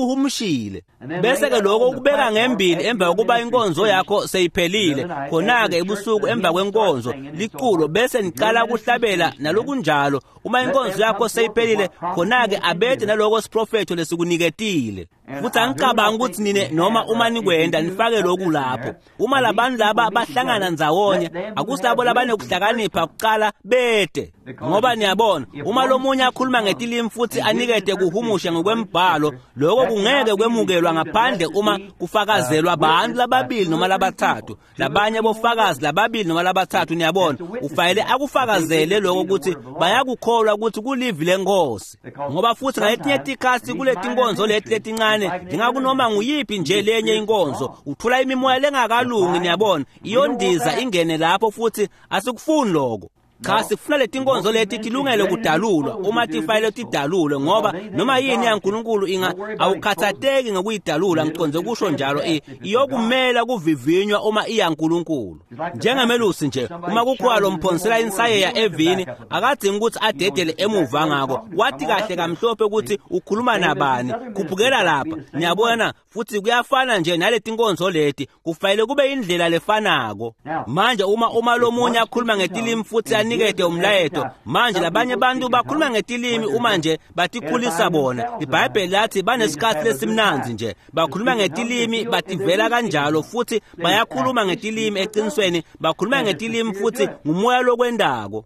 sewukuhumshile. And then lay Bese ke that lokho on the ukubeka platform ngembili after emva your kokuba ministry's inkonzo finished yakho the seyiphelile, other night, after khona-ke the church, ebusuku the emva hymn starts kwenkonzo singing and so liculo forth. bese If your niqala ministry's kuhlabela finished then, nalokunjalo. Uma let inkonzo them yakho come forth with seyiphelile, what prophecy khona-ke has been abethe given. naloko siprofetho lesikuniketile. And Futhi I do angicabangi not ukuthi think we nine noma have, uma if you nikwenda do, nifake put lokhu this in lapho. there. Uma When these labantu laba people meet bahlangana together, ndzawonye, let them who have akusilabo wisdom first labanekuhlakanipha come. kuqala bete. Because Ngoba you see, niyabona, if uma one lomunye speaks in akhuluma tongues ngetilimi futhi and gives anikete kuhumusha interpretation according to ngokwembhalo, Scripture, lokho that kungeke cannot be kwemukelwa received ngaphandle unless it uma be kufakazelwa bantu witnessed by lababili two noma or three labathathu, people. Two or labanye three more bofakazi witnesses. lababili noma labathathu. See, Niyabona, that's a witness to ufanele that. That they akufakazele witness to lokho be the ukuthi word of the Lord. bayakukholwa ukuthi kulivi lenkosi. Because Ngoba futhi ngaletinye sometimes tikhatsi in these kuleti minor nkonzo leti ministries, just letincane, like in any other njengakunoma ministry, nguyiphi you nje get lenye spirits that's inkonzo, wrong. uthola imimoya The lengakalungi, pride. niyabona, We don't want iyondiza that. ingene lapho, futhi asikufuni lokho. Cha, No. sifuna leti We want nkonzo these leti ministries tilungele ready to be kudalulwa, exposed uma if they're to be tifanele exposed. tidalulwe, Because ngoba anything noma of yini God can, yaNkulunkulu inga don't worry about exposing. awukhathateki ngokuyidalula, It'll, ngiconze it'll kusho stand the njalo, test if it's of God. iyokumela kuvivinywa uma iyaNkulunkulu. It's like the pastor. Njengemelusi nje, Somebody uma kukhona challenges him on lomphonsela the word, he insayeya don't have to evini, back up about it. akadzingi ukuthi He knows adedele just exactly emuva what he's ngako. talking about. Wathi Come on up kahle here. kamhlophe ukuthi See? ukhuluma Same as these nabani, other ministries khuphukela got to be lapha. the same way. Niyabona, futhi kuyafana nje naleti nkonzo leti, kufanele kube indlela lefanako. Now, Manje uma if lomunye one akhuluma speaks in ngetilimi tongues futhi and gives anikete umlayeto. Manje labanye abantu bakhuluma ngetilimi uma nje batikhulisa bona. IBhayibheli lathi banesikhathi lesimnandzi nje, bakhuluma ngetilimi bativela kanjalo, futhi bayakhuluma ngetilimi eqinisweni, bakhuluma ngetilimi futhi ngumoya lokwendako.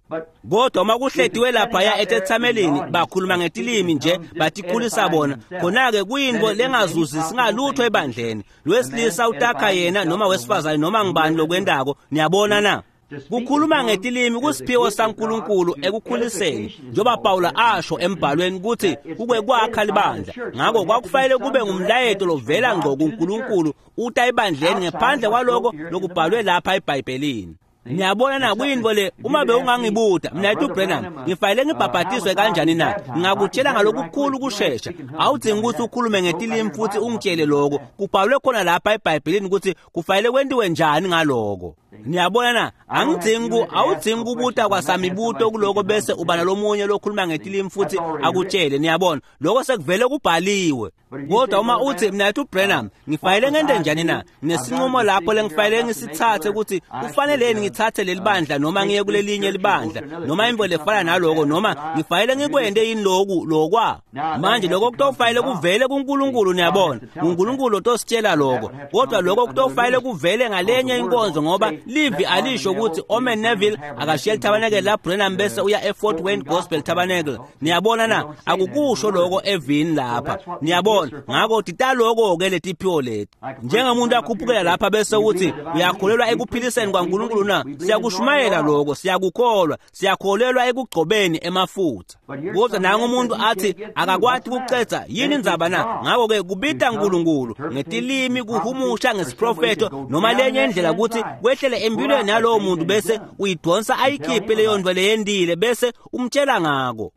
Kodwa uma kuhletiwe laphaya etethamelini bakhuluma ngetilimi nje batikhulisa bona, khona-ke kuyinto lengazuzisi ngalutho ebandleni. Lwesilisa utakha yena noma wesifazane noma ngibani lokwendako. Niyabona na? Kukhuluma ngetilimi kusiphiwo saNkulunkulu ekukhuliseni, njengoba Pawula asho embhalweni ukuthi kukwekwakha libandla. Ngakho kwakufanele kube ngumlayeto lovela ngqo kuNkulunkulu uta ebandleni, ngephandle kwaloko lokubhalwe lapha eBhayibhelini. Niyabona na kuyinto le, uma bewungangibuta mina ethi uBrenham ngifanele ngibhabhatiswe kanjani na, ngingakutshela ngalokukhulu ukushesha. Awudingi ukuthi ukhulume ngetilimi futhi ungitshele lokho kubhalwe khona lapha eBhayibhelini ukuthi kufanele kwentiwe njani ngaloko. Niyabona na, angidingi awudingi kubuta kwasamibuto kuloko bese uba nalomunye lokhuluma ngetilimi futhi akutshele. Niyabona, lokho sekuvele kubhaliwe. Kodwa uma uthi mina ethi uBrenham ngifanele ngente njani na, nginesinqumo lapho lengifanele ngisithathe ukuthi kufanele ngithathe leli bandla noma ngiye kulelinye libandla noma into lefana naloko, noma ngifanele ngikwente yini loku lokwa. Manje lokho kutofanele kuvele kuNkulunkulu. Niyabona, uNkulunkulu otositshela lokho. Kodwa lokho kutofanele kuvele ngalenye inkonzo, ngoba livi alisho ukuthi Omen Neville akashiye iTabernacle la Brenham bese uya eFort Wayne Gospel Tabernacle. Niyabona na, akukusho lokho evini lapha. Niyabona, ngakho titaloko-ke letiphiwo leti. Njengomuntu akhuphukela lapha bese uthi uyakholelwa ekuphiliseni kwaNkulunkulu na, siyakushumayela lokho, siyakukholwa, siyakholelwa ekugcobeni emafutha. Kodwa nangu umuntu athi akakwati ukucetha, yini indzaba na? Ngakho-ke kubita uNkulunkulu ngetilimi, kuhumusha ngesiprofetho noma lenye indlela ukuthi kwehlele empilweni yalowo muntu, bese uyidonsa ayikhiphe leyo nto leyendile bese umtshela ngako.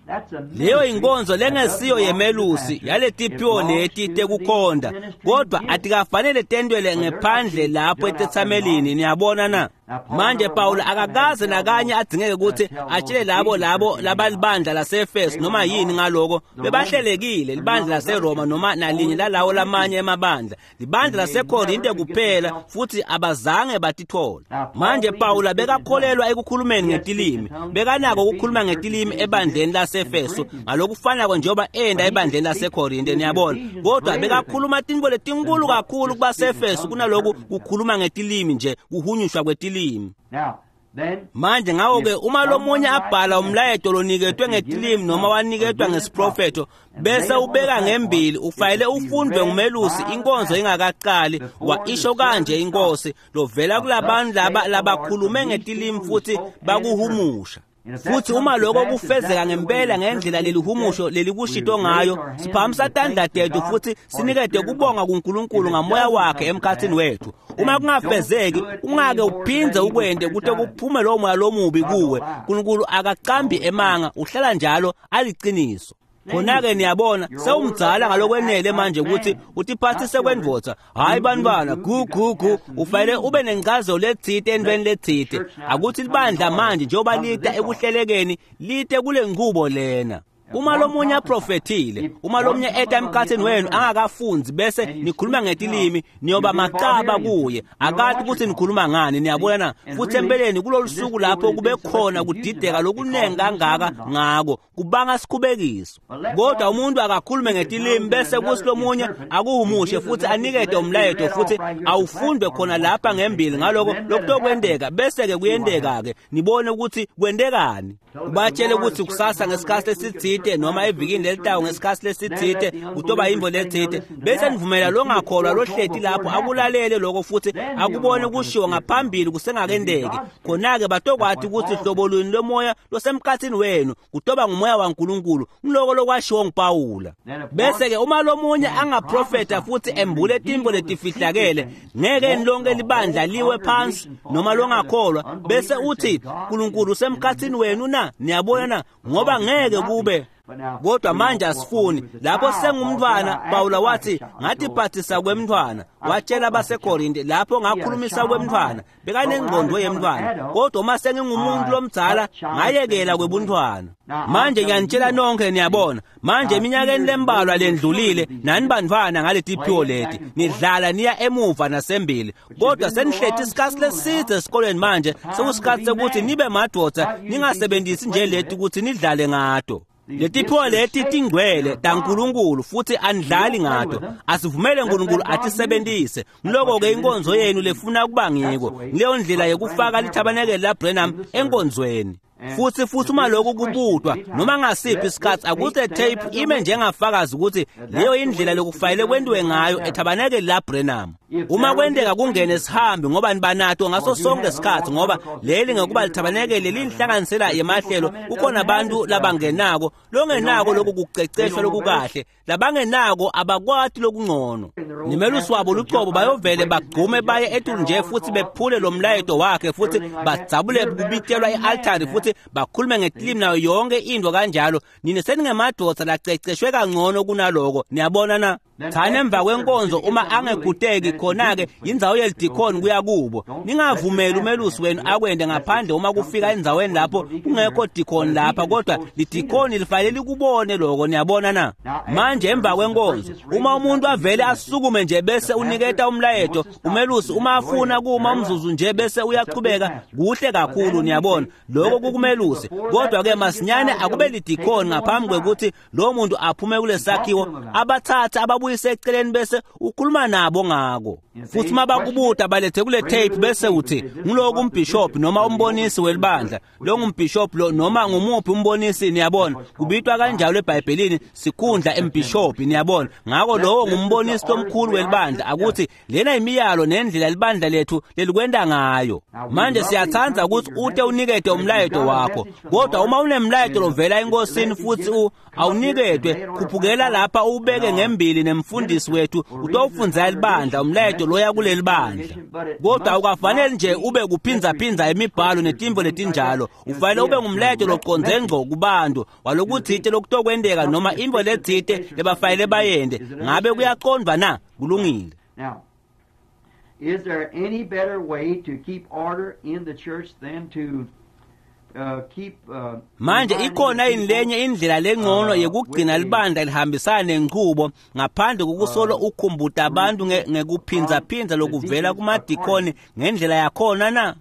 Leyo inkonzo lengesiyo yemelusi yaletiphiwo leti tekukhonda, kodwa atikafanele tentwele ngephandle lapho etethamelini. Niyabona na? Manje Pawula akakaze nakanye adzingeke ukuthi atshele labo labalibandla laseEfesu noma yini ngaloko. Bebahlelekile libandla laseRoma noma nalinye lalawo lamanye emabandla, libandla laseKorinte kuphela, futhi abazange batithola. Manje Pawula bekakholelwa ekukhulumeni ngetilimi, bekanako ukukhuluma ngetilimi ebandleni laseEfesu ngalokufanako njengoba enda ebandleni laseKorinte. Niyabona, kodwa bekakhuluma tintfo letinkulu kakhulu kubaseEfesu kunaloku kukhuluma ngetilimi nje, kuhunyushwa kwetilimi. Manje ngakho-ke uma lomunye abhala umlayeto loniketwe ngetilimi noma waniketwa ngesiprofetho bese ubeka ngembili, ufanele ufundwe ngumelusi inkonzo ingakaqali. Wa isho kanje inkosi lovela kulabantu laba labakhulume ngetilimi futhi bakuhumusha. Futhi uma lokho kufezeka ngempela ngendlela lelihumusho lelikushito ngayo, siphakamisa tandla tethu futhi sinikete kubonga kuNkulunkulu ngamoya wakhe emkhathini wethu. Uma kungafezeki, ungake uphindze ukwente kute kuphume lowo moya lomubi kuwe. Unkulunkulu akacambi emanga, uhlala njalo aliciniso. Khona-ke niyabona, sewumdzala ngalokwenele manje ukuthi utiphathise kwendvodza. Hhayi bantwana, gu gu gu, ufanele ube nencazelo letsite entweni letsite. Akuthi libandla manje njengoba lita ekuhlelekeni, lite kule nqubo lena. Uma lomunye aprofethile, uma lomunye eta emkhathini wenu angakafunzi bese nikhuluma ngetilimi, niyoba macaba kuye. Akati ukuthi nikhuluma ngani. Niyabona na? Futhi empeleni kulolu suku lapho kube khona kudideka lokunengi kangaka ngako, kubanga sikhubekiso. Kodwa umuntu akakhulume ngetilimi bese kuthi lomunye akuhumushe futhi anikete umlayeto futhi awufundwe khona lapha ngembili ngaloko lokutokwenteka, bese-ke kuyenteka-ke nibone ukuthi kwentekani. Ubatshele ukuthi kusasa ngesikhathi lesitsite noma evikini lelitawo ngesikhathi lesitsite kutoba yintfo letsite, bese nivumela longakholwa lohleti lapho akulalele lokho futhi akubone kushiwo ngaphambili kusengakendeki. Khona-ke batokwati ukuthi hlobo luni lomoya losemkhathini wenu kutoba ngumoya waNkulunkulu, ngiloko lokwashiwo nguPawula. Bese-ke uma lomunye angaprofetha futhi embule tintfo letifihlakele, ngeke lonke libandla liwe phansi noma longakholwa bese uthi uNkulunkulu usemkhathini wenu na? Niyabona na? Ngoba ngeke kube. Kodwa manje asifuni. Lapho sengumntwana, Pawula wathi, ngatiphathisa kwemntwana. Watshela baseKorinte, lapho ngakhulumisa kwemntwana, bekanengqondo yemntwana. Kodwa uma sengingumuntu lomdzala, ngayekela kwebuntwana. Manje ngiyanitshela nonke, niyabona. Manje eminyakeni lembalwa lendlulile, nani bantwana ngaletiphiwo leti, nidlala niya emuva nasembili. Kodwa senihleti isikhathi leside esikolweni manje, sekusikhathi sekuthi nibe madoda, ningasebenzisi nje leti ukuthi nidlale ngato. Letiphiwo leti tingcwele taNkulunkulu futhi anidlali ngato. Asivumele uNkulunkulu atisebenzise. Ngiloko-ke inkonzo yenu lefuna kuba ngiko. Leyo ndlela yekufaka lithabanekeli laBranham enkonzweni. Futhi uma lokhu kubutwa noma ngasiphi isikhathi, akuse tape ime njengafakazi ukuthi leyo indlela lokufanele kwentiwe ngayo ethabanekeli laBranham. Uma kwenteka kungene sihambi, ngoba nibanato ngaso sonke isikhathi, ngoba leli ngekuba lithabanekele linhlanganisela yemahlelo, kukhona abantu labangenako longenako lokhu kuceceshwa lokukahle, labangenako abakwati lokungcono. Nimelusi wabo lucobo bayovele bagqume baye etulu nje futhi bephule lo mlayeto wakhe, futhi badzabule kubitelwa i-altari, futhi bakhulume ngetilimi nayo yonke into kanjalo. Nine seningemadoda laceceshwe kangcono kunaloko, niyabona na? Thani emva kwenkonzo uma angeguteki khona-ke indzawo yelidikhoni kuya kubo. Ningavumeli umelusi wenu akwende ngaphandle uma kufika endzaweni lapho kungekho dikhoni lapha, kodwa lidikhoni lifanele likubone loko, niyabona na? Manje emva kwenkonzo uma umuntu avele asukume nje bese uniketa umlayeto, umelusi uma afuna kuma umzuzu nje bese uyachubeka, kuhle kakhulu, niyabona, lokho kukumelusi. Kodwa-ke masinyane akube lidikhoni ngaphambi kwekuthi lowo muntu aphume kulesakhiwo, abathathe ababuyise eceleni bese ukhuluma nabo ngako. Futhi uma bakubuta balethe kule tape bese uthi ngiloku umbhishophi noma umbonisi welibandla, lo ngumbhishophi lo noma ngumuphi umbonisi, niyabona, kubitwa kanjalo eBhayibhelini sikhundla embhishophi, niyabona. Ngako lowo ngumbonisi lomkhulu welibandla, akuthi lena imiyalo nendlela libandla lethu lelikwenta ngayo. Manje siyathanda ukuthi ute unikete umlayeto wakho, kodwa uma unemlayeto lovela enkosini futhi awuniketwe, khuphukela lapha uwubeke ngembili nemfundisi wethu utowufundzela libandla umlayeto loya kuleli bandla. Kodwa awukafanele nje ube kuphinzaphindza imibhalo netimvo letinjalo, ufanele ube ngumlayeto loconze ngco kubantu walokutsite lokutokwenteka noma intfo letsite lebafanele bayente. Ngabe kuyacondvwa na? Kulungile. Now, is there any better way to keep order in the church than to Manje ikhona yini lenye indlela lengcono yekugcina libandla lihambisana nenchubo ngaphandle kokusolo ukhumbuta abantu ngekuphindzaphindza lokuvela kumadikoni ngendlela yakhona na?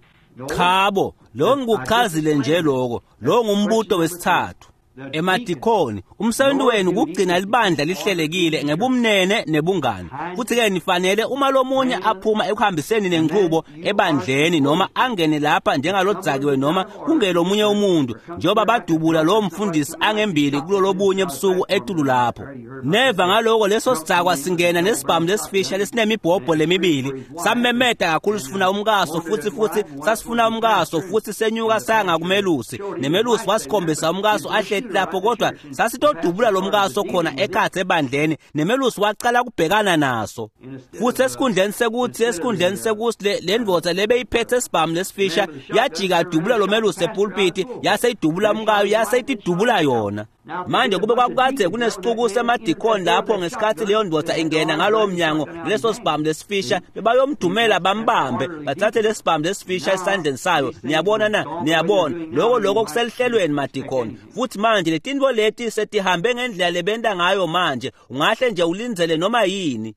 Chabo, lo ngikuchazile nje loko, lo ngumbuto wesithathu. Emadikoni, umsebenzi wenu kugcina libandla lihlelekile ngebumnene nebungani. Futhi-ke nifanele uma lomunye aphuma ekuhambiseni nenchubo ebandleni noma angene lapha njengalodzakiwe noma kungelomunye umuntu, njengoba badubula lowo mfundisi angembili kulolobunye busuku etulu lapho. Neva ngaloko leso sidzakwa singena nesibhamu lesifisha lesinemibhobho lemibili, samemeta kakhulu sifuna umkaso, futhi sasifuna umkaso, futhi senyuka saya ngakumelusi, nemelusi wasikhombisa umkaso ahleti lapho, kodwa sasitodubula lo mkaso khona ekhatsi ebandleni, nemelusi wacala kubhekana naso. Futhi esikhundleni sekuthi le ndvodza lebeyiphethe esibhamu lesifisha yajika dubula lo melusi epulpiti, yase idubula umkayo, yase itidubula yona. Manje kube kwakukade kunesicuku semadikoni lapho ngesikhathi leyo ndvodza ingena ngalowo mnyango leso sibhamu lesifisha, bebayomdumela bambambe bathathe lesibhamu lesifisha esandleni sayo. Niyabona na? Niyabona lokho kuselihlelweni madikoni. Futhi manje letinto leti setihambe ngendlela lebenta ngayo manje, ungahle nje ulindzele noma yini.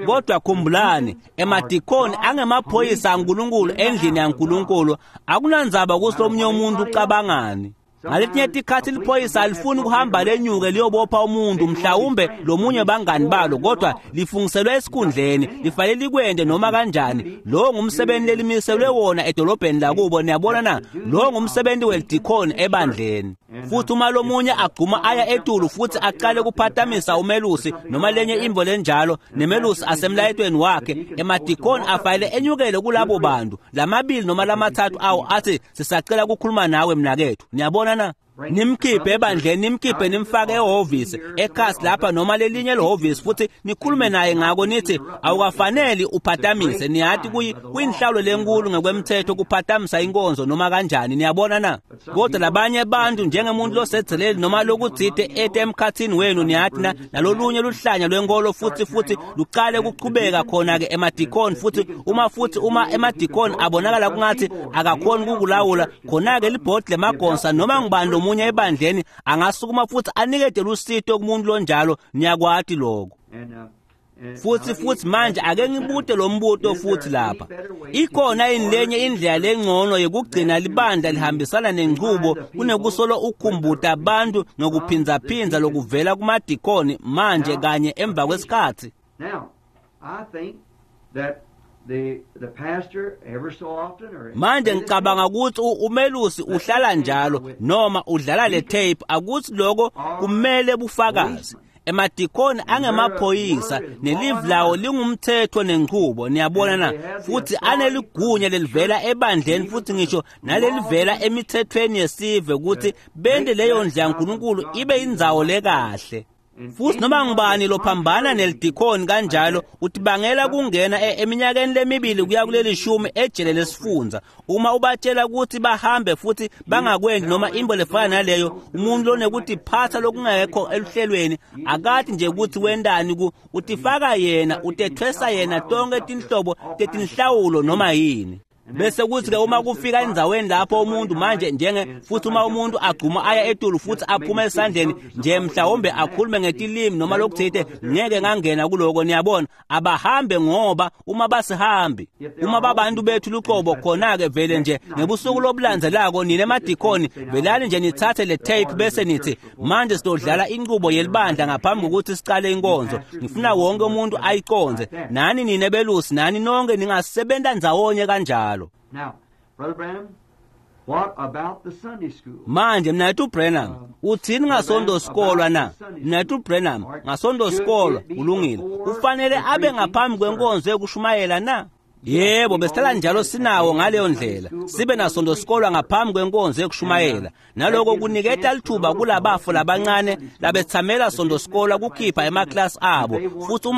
Kodwa khumbulani, emadikoni angemaphoyisa aNkulunkulu endlini yaNkulunkulu. Akunandzaba ukuthi omunye umuntu ucabangani. Ngaletinye tikhathi liphoyisa alifuni ukuhamba lenyuke liyobopha umuntu, mhlawumbe lomunye bangani balo, kodwa lifungiselwe esikhundleni, lifanele likwende noma kanjani. Lo ngumsebenzi lelimiselwe wona edolobheni lakubo, niyabona na? Lo ngumsebenzi welidikoni ebandleni. Futhi uma lomunye agcuma aya etulu futhi aqale kuphatamisa umelusi noma lenye imvo lenjalo, nemelusi asemlayetweni wakhe, emadikoni afanele enyukele kulabo bantu lamabili noma lamathathu awo, athi sisacela ukukhuluma nawe mnakethu. Niyabona na? Nimkhiphe ebandleni, nimkhiphe nimfake ehhovisi ekhasi lapha noma lelinye lehhovisi, futhi nikhulume naye ngako, nithi awukafaneli uphatamise. Niyati kuyinhlawulo lenkulu ngekwemthetho kuphatamisa inkonzo noma kanjani, niyabona na? Kodwa labanye abantu njengemuntu losedzeleli noma lokutsite ete emkhathini wenu, niyati na, nalolunye luhlanya lwenkolo futhi lucale kuchubeka khona-ke emadikoni. Futhi uma emadikoni abonakala kungathi akakhoni kukulawula, khona-ke libhodi lemagonsa noma ngubani lomunye ebandleni angasukuma futhi anikete lusito kumuntu lonjalo. Niyakwati lokho. Futhi manje ake ngibute lo mbuto futhi lapha. Ikhona yini lenye indlela lengcono yokugcina libandla lihambisana nenchubo kunekusolo ukhumbuta abantu ngokuphindzaphinza lokuvela kumadikoni manje kanye emva kwesikhathi? Manje ngicabanga ukuthi umelusi uhlala njalo noma udlala le tape, akuthi lokho kumele bufakazi. Emadikoni angemaphoyisa nelive lawo lingumthetho nenchubo, niyabona na? Futhi aneligunya lelivela ebandleni futhi ngisho nalelivela emithethweni yesive ukuthi bente leyo ndlela kaNkulunkulu ibe indzawo lekahle. Futhi noma ngubani lophambana nelidikoni kanjalo utibangela kungena eminyakeni lemibili kuya kuleli shumi ejele lesifundza. Uma ubatshela ukuthi bahambe futhi bangakwendi noma into lefana naleyo, umuntu lonekutiphatha lokungekho eluhlelweni akathi nje ukuthi wendani utifaka yena, utethwesa yena tonke tinhlobo tetinhlawulo noma yini. Bese kuthi ke uma kufika endzaweni lapho umuntu manje njenge futhi uma umuntu agcuma aya etulu futhi aphuma esandleni nje mhlawumbe akhulume ngetilimi noma lokuthite, ngeke ngangena kuloko, niyabona. Abahambe ngoba uma basihambi, uma babantu bethu luqobo, khona-ke vele nje ngebusuku lobulandzelako nine emadikoni velani nje nithathe le tape bese nithi manje sidodlala inqubo yelibandla ngaphambi kokuthi siqale inkonzo. Ngifuna wonke umuntu ayiconze, nani nine belusi, nani nonke ningasebenta ndzawonye kanjalo. Now, Brother Branham, what about the Sunday school? Manje mnethu Branham, uthini ngasonto sikolwa na? Mnethu Branham, ngasonto sikolwa ulungile. Ufanele abe ngaphambi kwenkonzo yokushumayela na? Yebo, besihlala njalo sinawo ngaleyo ndlela. Sibe nasonto sikolwa ngaphambi kwenkonzo yokushumayela. Naloko kuniketa lithuba kulabafo labancane labethamela sonto sikolwa kukhipha emaklasi abo. Futhi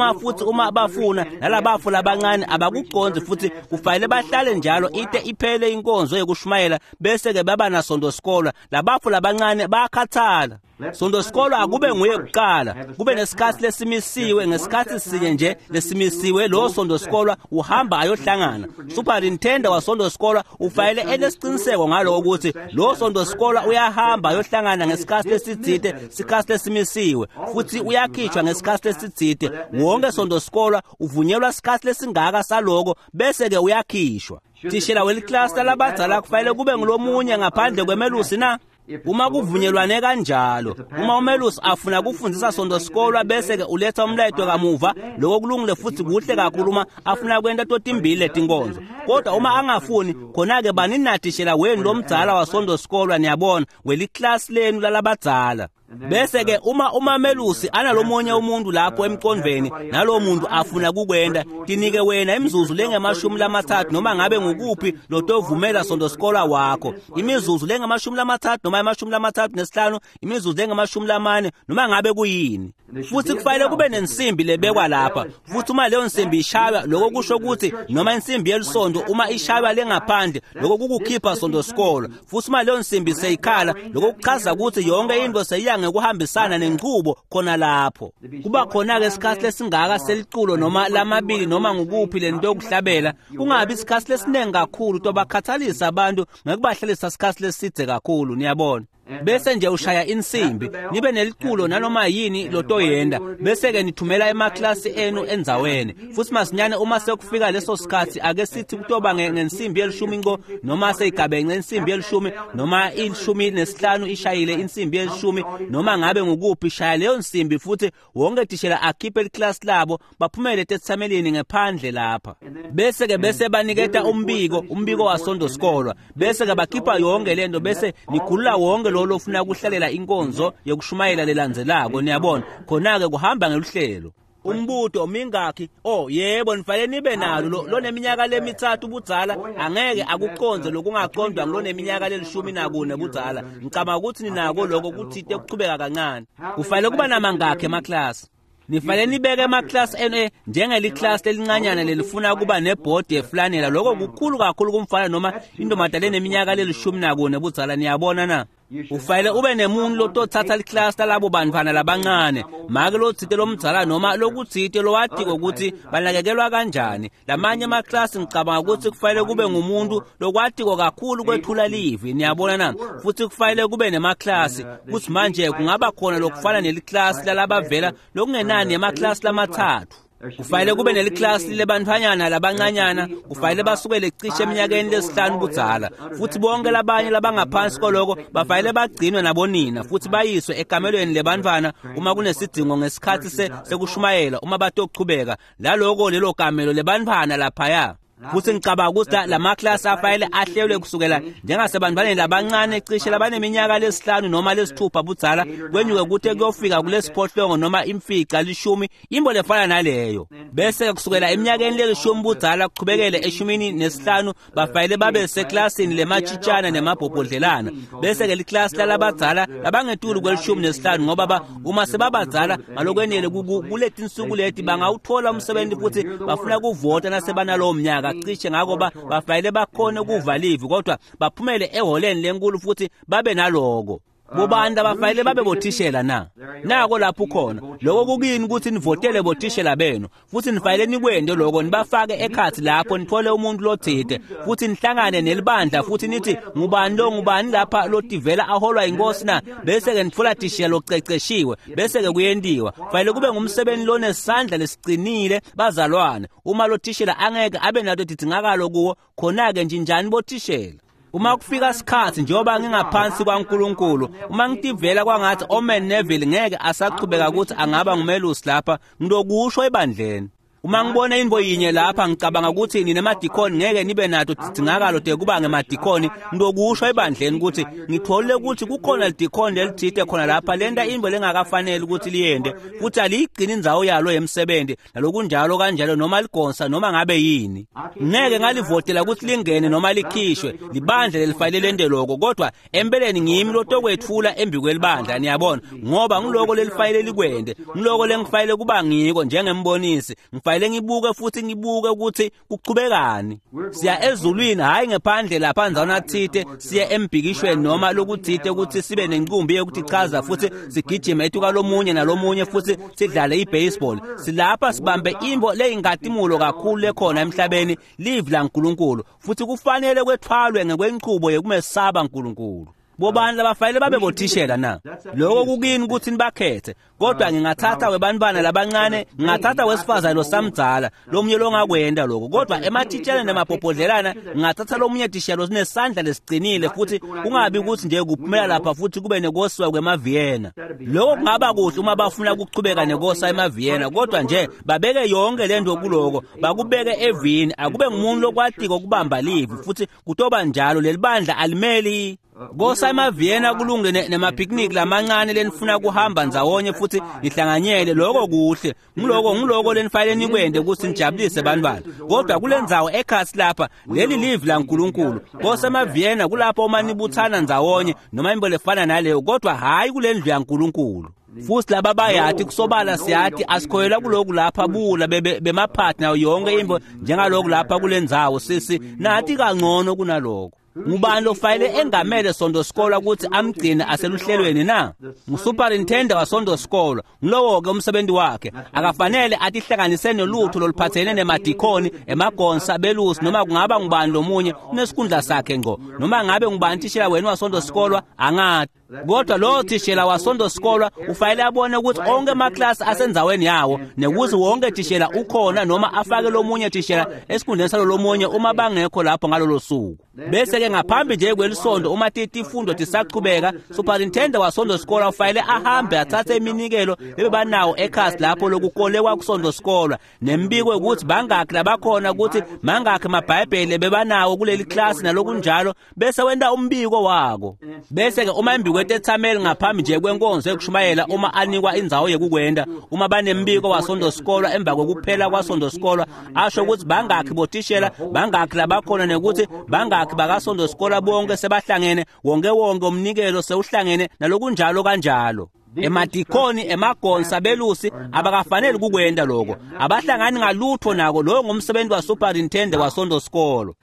uma bafuna nalabafo labancane abakuconzi futhi kufanele bahlale njalo ite iphele inkonzo yokushumayela bese ke baba nasonto sikolwa. Labafo labancane bayakhathala. Sonto sikolwa akube nguye kuqala, kube nesikhathi lesimisiwe, ngesikhathi sinye nje lesimisiwe lo sonto sikolwa uhamba ayohlangana. Superintendent wasonto sikolwa ufanele enesiqiniseko ngaloko ukuthi lo sonto sikolwa uyahamba ayohlangana ngesikhathi lesitsite, sikhathi lesimisiwe, futhi uyakhishwa ngesikhathi lesitsite. Wonke sonto sikolwa uvunyelwa sikhathi lesingaka saloko bese ke uyakhishwa. Thishela weliklasi labadzala kufanele kube ngulomunye ngaphandle kwemelusi na? Uma kuvunyelwane kanjalo, uma umelusi afuna kufundzisa sonto sikolwa bese ke uletha umlayeto kamuva, lokho kulungile futhi kuhle kakhulu uma afuna kwenta totimbili letinkonzo. Kodwa uma angafuni, khona-ke baninatishela wenu lomdzala wasonto sikolwa, niyabona, weliklasi lenu lalabadzala. Bese ke uma umamelusi analomunye umuntu lapho emqondweni nalowo muntu afuna kukwenda, tinike wena imizuzu lengamashumi-30 noma ngabe ngukuphi lotovumela sonto sikolwa wakho. Imizuzu lengamashumi-30 noma 35, imizuzu lengamashumi-40 noma ngabe kuyini. Futhi kufanele kube nensimbi lebekwa lapha. Futhi uma leyo nsimbi ishaywa, lokho kusho ukuthi noma insimbi yelisonto uma ishaywa lengaphandle, lokho kukukhipha sonto sikolwa. Futhi uma leyo nsimbi seyikhala, lokho kuchaza ukuthi yonke into seyiya ngekuhambisana nenchubo khona lapho. Kuba khona ke isikhathi lesingaka seliculo noma lamabili noma ngukuphi lento yokuhlabela, kungabi isikhathi lesiningi kakhulu tobakhathalisa abantu ngekubahlalisa isikhathi leside kakhulu, niyabona. Bese nje ushaya insimbi, nibe neliculo nanoma yini lotoyenda, bese ke nithumela emaklasi enu endzaweni. Futhi masinyane uma sekufika leso sikhathi, ake sithi kutoba ngensimbi yelishumi nco noma seyigabenxe insimbi yelishumi noma 15 ishayile insimbi yelishumi noma ngabe ngukuphi, shaya leyo nsimbi futhi wonke tishela akhiphe liklasi labo baphumele tethamelini ngephandle lapha. Bese ke bese baniketa umbiko wasonto sikolwa, bese ke bakhipha yonke lento, bese nikhulula wonke lo lofuna kuhlalela inkonzo yokushumayela lelandzelako, niyabona. Khona ke kuhamba ngeluhlelo. Umbuto mingakhi? Oh yebo, nifanele nibe nalo. Loneminyaka lemithathu budzala angeke akucondze lokungacondwa nguloneminyaka le-14 budzala. Ngicabanga ukuthi ninako lokho kuthite kuchubeka kancane. Kufanele kuba namangakhi emaklasi? Nifanele nibeke emaklasi enu njengeliklasi lelincanyana lelifuna kuba nebhodi yeflanela. Lokho kukhulu kakhulu kumfana noma intombazane leneminyaka le-14 budzala. Niyabona na? Ufanele ube nemuntu lotothatha liklasi lalabo bantfwana labancane, make lotsite lomdzala noma lokutsite lowatiko ukuthi banakekelwa kanjani. Lamanye emaklasi ngicabanga ukuthi kufanele kube ngumuntu lokwatiko kakhulu kwethula livi. Niyabona na? Futhi kufanele kube nemaklasi kutsi manje kungaba khona lokufana neliklasi lalabavela lokungenani emaklasi lamathathu. Kufanele kube neliklasi lebantfwanyana labancanyana, kufanele basukele cishe eminyakeni lesihlanu budzala, futhi bonke labanye labangaphansi koloko bafanele bagcinwe nabonina futhi bayiswe ekamelweni lebantfwana uma kunesidingo ngesikhatsi sekushumayela uma batochubeka laloko lelo kamelo lebantfwana laphaya. Futhi ngicabanga ukuthi lamaklasi afanele ahlelwe kusukela njengasebantwaneni labancane cishe labaneminyaka lesihlanu noma lesithupha budzala kwenyuke kute kuyofika kulesiphohlongo noma imfica 10, imbo lefana naleyo. Bese kusukela eminyakeni lelishumi budzala kuchubekele 15 bafanele babe seklasini lematshitshana nemabhobhodlelana. Bese-ke liklasi lalabadzala labangetulu kwe-15 ngoba uma sebabadzala ngalokwenele kuletinsuku leti bangawuthola umsebenzi futhi bafuna kuvota nasebanalowo mnyaka cishe, ngako bafanele bakhone ukuva livi kodwa baphumele eholeni lenkulu futhi babe naloko. Bobani abafanele babe bothishela na? Nako lapho khona. Lokho kukini ukuthi nivotele bothishela benu futhi nifanele nikwente lokho, nibafake ekhathi lapho nithole umuntu lothite futhi nihlangane nelibandla futhi nithi ngubani lo, ngubani lapha lotivela aholwa inkosi na? Bese-ke nitfola thishela loceceshiwe, bese-ke kuyentiwa. Kufanele kube ngumsebenzi lonesandla lesiqinile bazalwane. Uma lo thishela angeke abe nato tidingakalo kuwo, khona-ke njinjani bothishela? Uma kufika isikhathi njengoba ngingaphansi kwaNkulunkulu, uma ngitivela kwangathi Omen Neville ngeke asachubeka ukuthi angaba ngumelusi lapha, ngilokusho ebandleni. Uma ngibona into yinye lapha ngicabanga ukuthi ninemadikoni ngeke nibe nato tidingakalo tekuba ngemadikoni, ngilokusho ebandleni ukuthi ngitholile ukuthi kukhona lidikoni lelithite khona lapha lenta into lengakafanele ukuthi liyende futhi aliyigcini indzawo yalo yemsebenzi nalokunjalo kanjalo, noma ligonsa noma ngabe yini. Ngeke ngalivotela ukuthi lingene noma likhishwe, libandla lelifanele lente lokho, kodwa empeleni ngimi lotokwetfula embi kwelibandla. Niyabona, ngoba ngiloko lelifanele likwente, ngiloko lengifanele kuba ngiko njengembonisi. Ngifanele ngibuke futhi ngibuke ukuthi kuchubekani. Siya ezulwini, hhayi ngephandle lapha ndzawana thite, siye embhikishweni noma lokuthite ukuthi sibe nenqumbi yokuthi chaza futhi sigijime etuka lomunye nalomunye futhi sidlale ibaseball. Silapha sibambe imbo leyingatimulo kakhulu lekhona emhlabeni, livi laNkulunkulu, futhi kufanele kwethwalwe ngekwenchubo yekumesaba uNkulunkulu. Bobani labafanele babe bothishela na? Lokho kukini ukuthi nibakhethe, kodwa ngingathatha webantwana labancane, ngingathatha wesifazane losamdzala lomunye longakwenda lokho, kodwa emathitsheleni nemabhobhodlelana ngingathatha lomunye thishela losinesandla lesiqinile futhi kungabi ukuthi nje kuphumela lapha futhi kube nekosiwa kwemaVienna. Lokho kungaba kuhle uma bafuna ukuchubeka nekosa emaVienna, kodwa nje babeke yonke lento kuloko, bakubeke evini, akube ngumuntu lokwatiko ukubamba livi futhi kutoba njalo. Lelibandla alimeli kosa emaVienna kulunge nemapicnic lamancane lenifuna kuhamba ndzawonye futhi nihlanganyele, lokho kuhle, ngiloko lenifanele nikwente ukuthi nijabulise bantwana, kodwa kulendzawo ekhasi lapha leli livi laNkulunkulu. Kosa emaVienna kulapho uma nibuthana ndzawonye noma imbo lefana naleyo, kodwa hhayi kule ndlu yaNkulunkulu. Futhi laba bayati kusobala siyati asikhoyela kuloku lapha bula bemaphathi nayo yonke imbo njengaloku lapha kulendzawo sisi nathi kangcono kunaloko. Ngubani lofanele engamele sonto sikolwa ukuthi amgcine aseluhlelweni na? Ngusuperintendent wasonto sikolwa. Ngilowo-ke umsebenzi wakhe. Akafanele atihlanganise nolutho loluphathene nemadikoni, emagonsa, belusi noma kungaba ngubani lomunye unesikhundla sakhe ngqo. Noma ngabe ngubani thishela wena wasonto sikolwa angati. Kodwa lo thishela wasonto sikolwa ufanele abone ukuthi onke amaklasi asendzaweni yawo nekuthi wonke thishela ukhona noma afake lomunye thishela esikhundleni salo lomunye uma bangekho lapho ngalolo suku. Bese-ke ngaphambi nje kwelisonto uma tifundo tisachubeka, superintendent wasonto sikolwa ufanele ahambe athathe iminikelo lebebanawo ekhasi lapho lokukolekwa kusonto sikolwa nembiko ukuthi bangakhi labakhona, ukuthi mangakhi amabhayibheli bebanawo kuleli klasi nalokunjalo, bese wenta umbiko wako. Bese-ke uma embikweni kwetetsameli ngaphambi nje kwenkonzo yekushumayela uma anikwa indzawo yekukwenta. Uma banembiko wasondosikolwa emva kwekuphela kwasondosikolwa, asho ukuthi bangakhi botishela, bangakhi labakhona, nekuthi bangakhi bakasondosikolwa bonke sebahlangene, wonke wonke umnikelo sewuhlangene nalokunjalo kanjalo. Emadikoni, emagonsa, belusi abakafaneli kukwenta lokho, abahlangani ngalutho nako. Lowo ngumsebenzi wasuperintendent wasondosikolo.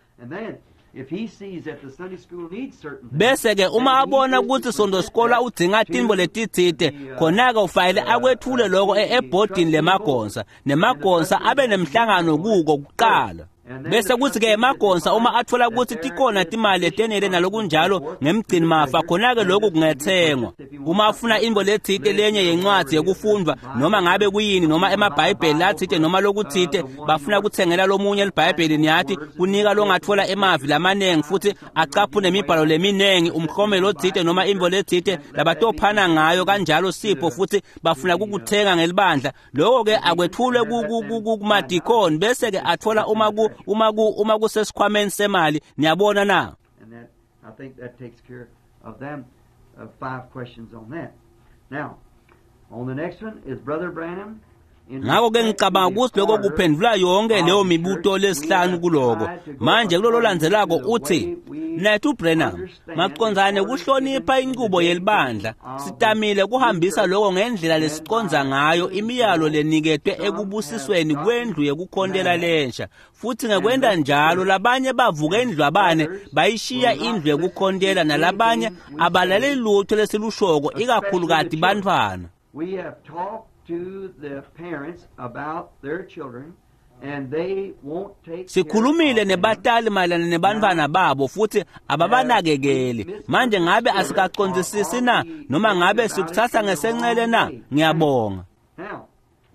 Bese-ke uma abona ukuthi sondosikolwa udzinga tintfo letitsite, khona-ke ufanele akwethule loko ebhodini lemagonsa, nemagonsa abe nemhlangano kuko kuqala. Bese kuthi-ke emagonsa uma atfola ukuthi tikhona timali letenele nalokunjalo ngemgcini mafa, khona-ke lokhu kungethengwa. Uma afuna intfo letsite lenye yencwadzi yekufundvwa noma ngabe kuyini, noma emabhayibheli latsite noma lokutsite, bafuna kutsengela lomunye libhayibheli, niyati, kunika longatfola emavi lamanengi futhi acaphune imibhalo leminengi, umklomelo otsite noma intfo letsite labatophana ngayo kanjalo sipho, futhi bafuna kukuthenga ngelibandla. Lokho-ke akwethulwe kumadikoni, bese-ke atfola uma kusesikhwameni semali. Niyabona na? And that, I think that takes care of them, 5 questions on that. Now, on the next one is Brother Branham. Ngakho-ke ngicabanga ukuthi lokho kuphendvula yonke leyo mibuto lesihlanu kuloko. Manje kulolo landzelako uthi, Mnethu Branham, macondzane kuhlonipha inqubo yelibandla, sitamile kuhambisa lokho ngendlela lesiconza ngayo imiyalo leniketwe ekubusisweni kwendlu yekukhontela lensha, futhi ngekwenta njalo labanye bavuka endlwabane bayishiya indlu yekukhontela, nalabanye abalaleli lutho lesilushoko, ikakhulukati bantfwana. We have talked to the parents about their children, and they won't take Sikhulumile nebatali mayelana nebantfwana babo futhi ababanakekeli. Manje ngabe asikacondzisisi na, noma ngabe sikutsatsa ngesencele na? Ngiyabonga. Now,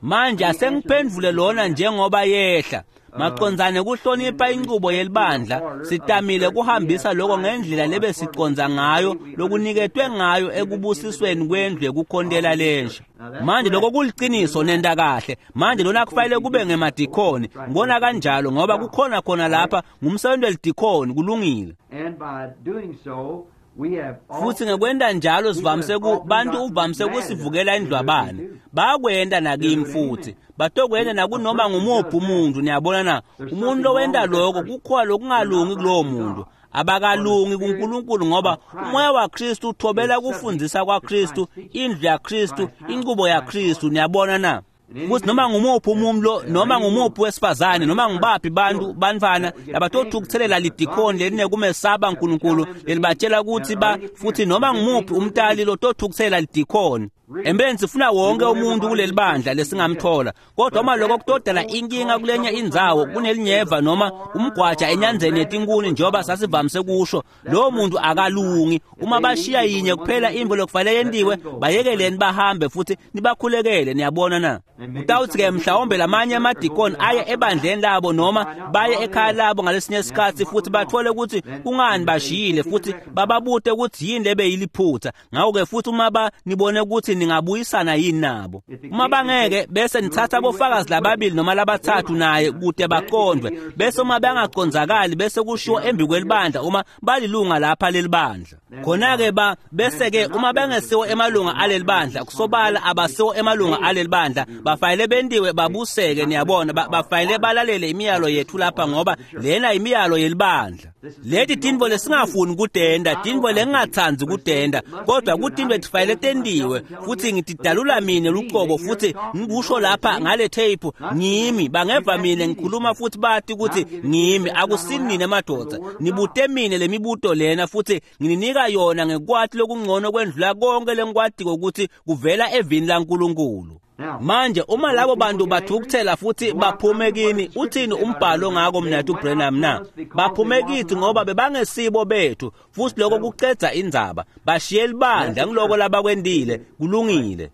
Manje asengiphendvule lona njengoba yehla. Macondzane kuhlonipha inqubo yelibandla, sitamile kuhambisa lokho ngendlela lebesiconza ngayo lokuniketwe ngayo ekubusisweni kwendlu yekukhontela lensha. Manje lokho kuliciniso, nenta kahle. Manje lona kufanele kube ngemadikoni, ngibona kanjalo, ngoba kukhona khona lapha ngumsebenzi welidikoni. Kulungile. And by doing so, we have Futhi ngekwenta njalo sivamise bantu uvamise kusivukela indlwabane. Bakwenta nakimi futhi batokwenta nakunoma ngumuphi umuntu. Niyabona na? Umuntu lowenta lokho, kukhona lokungalungi kulowo muntu. Abakalungi kuNkulunkulu, ngoba umoya waKristu uthobela kufundzisa kwaKristu, indlu yaKristu, inqubo yaKristu. Niyabona na? Futhi noma ngumuphi umuntu, noma ngumuphi wesifazane, noma ngubaphi bantu bantfwana labatothukuthelela lidikhoni lelinekumesaba uNkulunkulu lelibatshela ukuthi ba, futhi noma ngumuphi umtali lotothukuthelela lidikhoni. Empeleni sifuna wonke umuntu kuleli bandla lesingamthola, kodwa uma lokho kutodala inkinga kulenye indzawo, kunelinyeva noma umgwaja enyanzeni yetinkuni, njengoba sasivamise kusho, lowo muntu akalungi. Uma bashiya yinye kuphela intfo lokufanele yentiwe, bayekeleni bahambe futhi nibakhulekele. Niyabona na? Utawuthi-ke mhlawumbe lamanye amadikoni aye ebandleni labo noma baye ekhaya labo ngalesinye isikhathi futhi bathole ukuthi kungani bashiyile, futhi bababute ukuthi yini lebeyiliphutha. Ngakho-ke futhi uma nibone ukuthi ningabuyisana yini nabo, uma bangeke, bese nithatha bofakazi lababili noma labathathu naye kute baqondwe. Bese uma bangacondzakali, bese kushiwo embi kwelibandla uma balilunga lapha leli bandla. Khona-ke bese-ke uma bengesiwo emalunga aleli bandla, kusobala abasiwo emalunga aleli bandla, bafanele bentiwe babuseke. Niyabona, bafanele balalele imiyalo yethu lapha, ngoba lena imiyalo yelibandla. Leti tintfo lesingafuni kutenta, tintfo lengingatsandzi kutenta, kodwa kutintfo letifanele tentiwe, futhi ngitidalula mine lucobo futhi ngikusho lapha ngale tape. Ngimi bangeva mine ngikhuluma futhi bati ukuthi ngimi, akusini nine madvodza. Nibute mine lemibuto lena futhi ngininika yona ngekwati lokungcono kwendlula konke lengikwatiko ukuthi kuvela evini laNkulunkulu. Manje uma labo bantu bathukuthela futhi baphume kini, uthini umbhalo ngako Mnethu Branham na? Baphume kithi ngoba bebangesibo bethu, futhi lokho kucedza indzaba. Bashiye libandla, ngiloko labakwentile. Kulungile.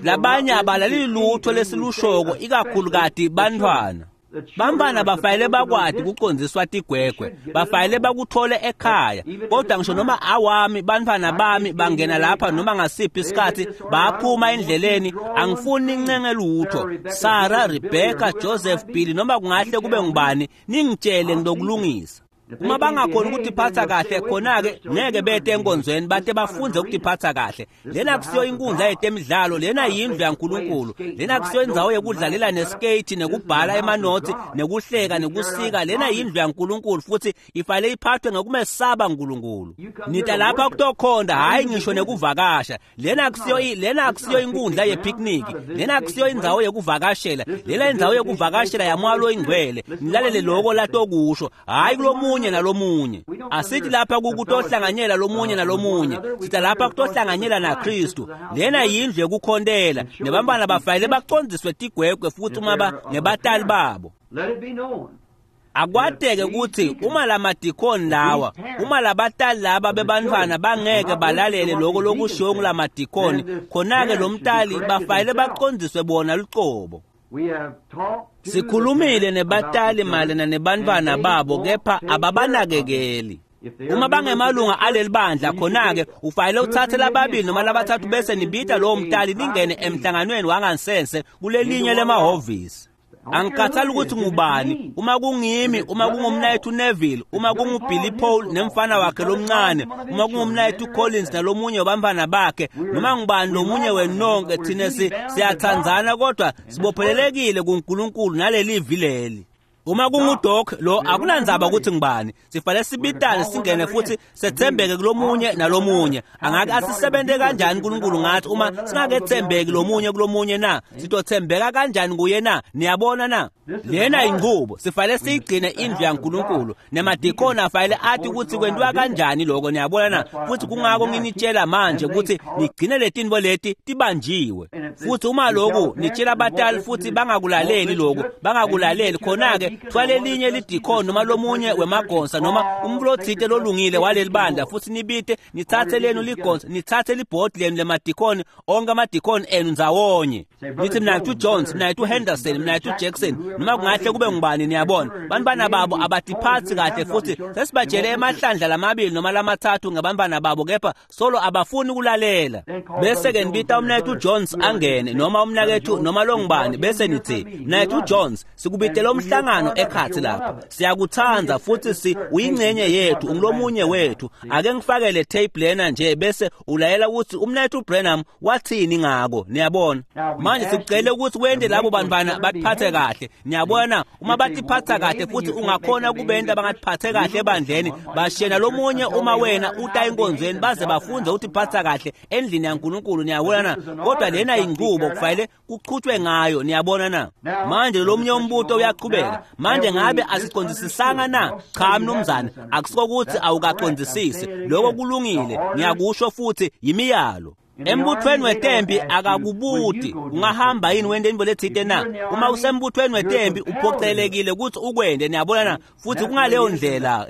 Labanye abalaleli lutho lesilushoko, ikakhulukati bantfwana. Bantfwana bafanele bakwati kucondziswa tigwegwe, bafanele bakuthole ekhaya. Kodwa ngisho noma awami bantfwana bami bangena lapha noma ngasiphi isikhathi baphuma endleleni, angifuni nincenge lutho. Sarah, Rebecca, Joseph, Billy, noma kungahle kube ngubani, ningitshele ngilokulungisa. Uma bangakhoni ukutiphatsa kahle khona-ke ngeke bete enkonzweni bate bafunze ukutiphatsa kahle. Lena kusiyo inkundla yetemidlalo, lena yindlu yaNkulunkulu. Lena kusiyo indzawo yekudlalela neskate nekubhala emanothi nekuhleka nekusika. Lena yindlu yaNkulunkulu futhi ifanele iphathwe ngokumesaba uNkulunkulu. Nita lapha kutokhonda, hhayi ngisho nekuvakasha. Lena akusiyo inkundla yepicnic. Lena akusiyo indzawo yekuvakashela. Lena indzawo yekuvakashela yaMoya loyiNgcwele. Nilalele loko latokusho, hhayi kulomunye nalomunye. Asithi lapha kutohlanganyela lomunye nalomunye, sita lapha kutohlanganyela naKristu. Lena yindlu yekukhontela, nebantwana bafanele bacondziswe tigwegwe futhi uma ngebatali babo. Akwateke ukuthi uma lamadikoni lawa, uma labatali laba bebantfwana bangeke balalele loko lokushiwo ngulamadikoni, khona-ke lo mtali bafanele bacondziswe bona lucobo. Sikhulumile nebatali mayelana nebantfwana babo, kepha ababanakekeli. Uma bangemalunga aleli bandla, khona-ke ufanele uthathe lababili noma labathathu bese nibita lowo mtali ningene emhlanganweni wangansense kulelinye lemahhovisi. Angikhathali ukuthi ngubani, uma kungimi, uma kungumnayethu Neville, uma kunguBilly Paul nemfana wakhe lomncane, uma kungumnayethu Collins nalomunye wabantwana bakhe, noma ngubani lomunye wenonke, thina siyathandzana kodwa sibophelelekile kuNkulunkulu nalelivi leli. Uma kunguDoc lo akunandzaba ukuthi ngibani, sifanele sibitane singene futhi sethembeke kulomunye nalomunye. Angake asisebente kanjani uNkulunkulu ngathi uma singakethembeki lomunye kulomunye na? Sitothembeka kanjani kuye na? Niyabona na? Lena inqubo sifanele siyigcine indlu yaNkulunkulu, nemadikoni afanele athi ukuthi kwentiwa kanjani lokho. Niyabona na? Futhi kungako nginitshela manje ukuthi nigcine letintfo leti tibanjiwe. Futhi uma lokhu nitshela abatali futhi bangakulaleli lokhu, bangakulaleli, khona-ke thwale elinye lidikoni noma lomunye wemagonsa noma umlothite lolungile waleli bandla, futhi nibite nithathe lenu ligonsa, nithathe libhodi lenu lemadikoni, onke amadikoni enu ndzawonye. Nithi mnayethu Jones, mnayethu Henderson, mnayethu Jackson, noma kungahle kube ngubani. Niyabona, bantwana babo abatiphathi kahle futhi sesibatshele emahlandla lamabili noma lamathathu ngabantwana babo, kepha solo abafuni ukulalela. Bese-ke nibita umnayethu Jones angene, noma umnakethu noma longubani, bese nithi mnayethu Jones, sikubitele umhlangano ekhathi lapha, siyakuthanda futhi si uyingcenye yethu, ungulomunye wethu. Ake ngifakele tape lena nje bese ulayela ukuthi umnayethu Branham wathini ngako. Niyabona, manje sikucele ukuthi wende labo bantwana batiphathe kahle. Niyabona, uma batiphatha kahle futhi ungakhona kubenta bangatiphathe kahle ebandleni, bashena lomunye uma wena uta enkonzweni baze bafunde ukuthi phatha kahle endlini yaNkulunkulu. Niyabona na? Kodwa lena inqubo kufanele kuqhutshwe ngayo. Niyabona na? Manje lomunye umbuto uyaqhubeka. Manje ngabe asicondzisisanga na? Cha mnumzane, akusiko ukuthi awukacondzisisi. Lokho kulungile, ngiyakusho futhi yimiyalo. Embuthweni wetempi akakubuti ungahamba yini wende intfo letsite na. Uma usembuthweni wetempi uphocelekile ukuthi ukwende. Niyabona na? Futhi kungaleyo ndlela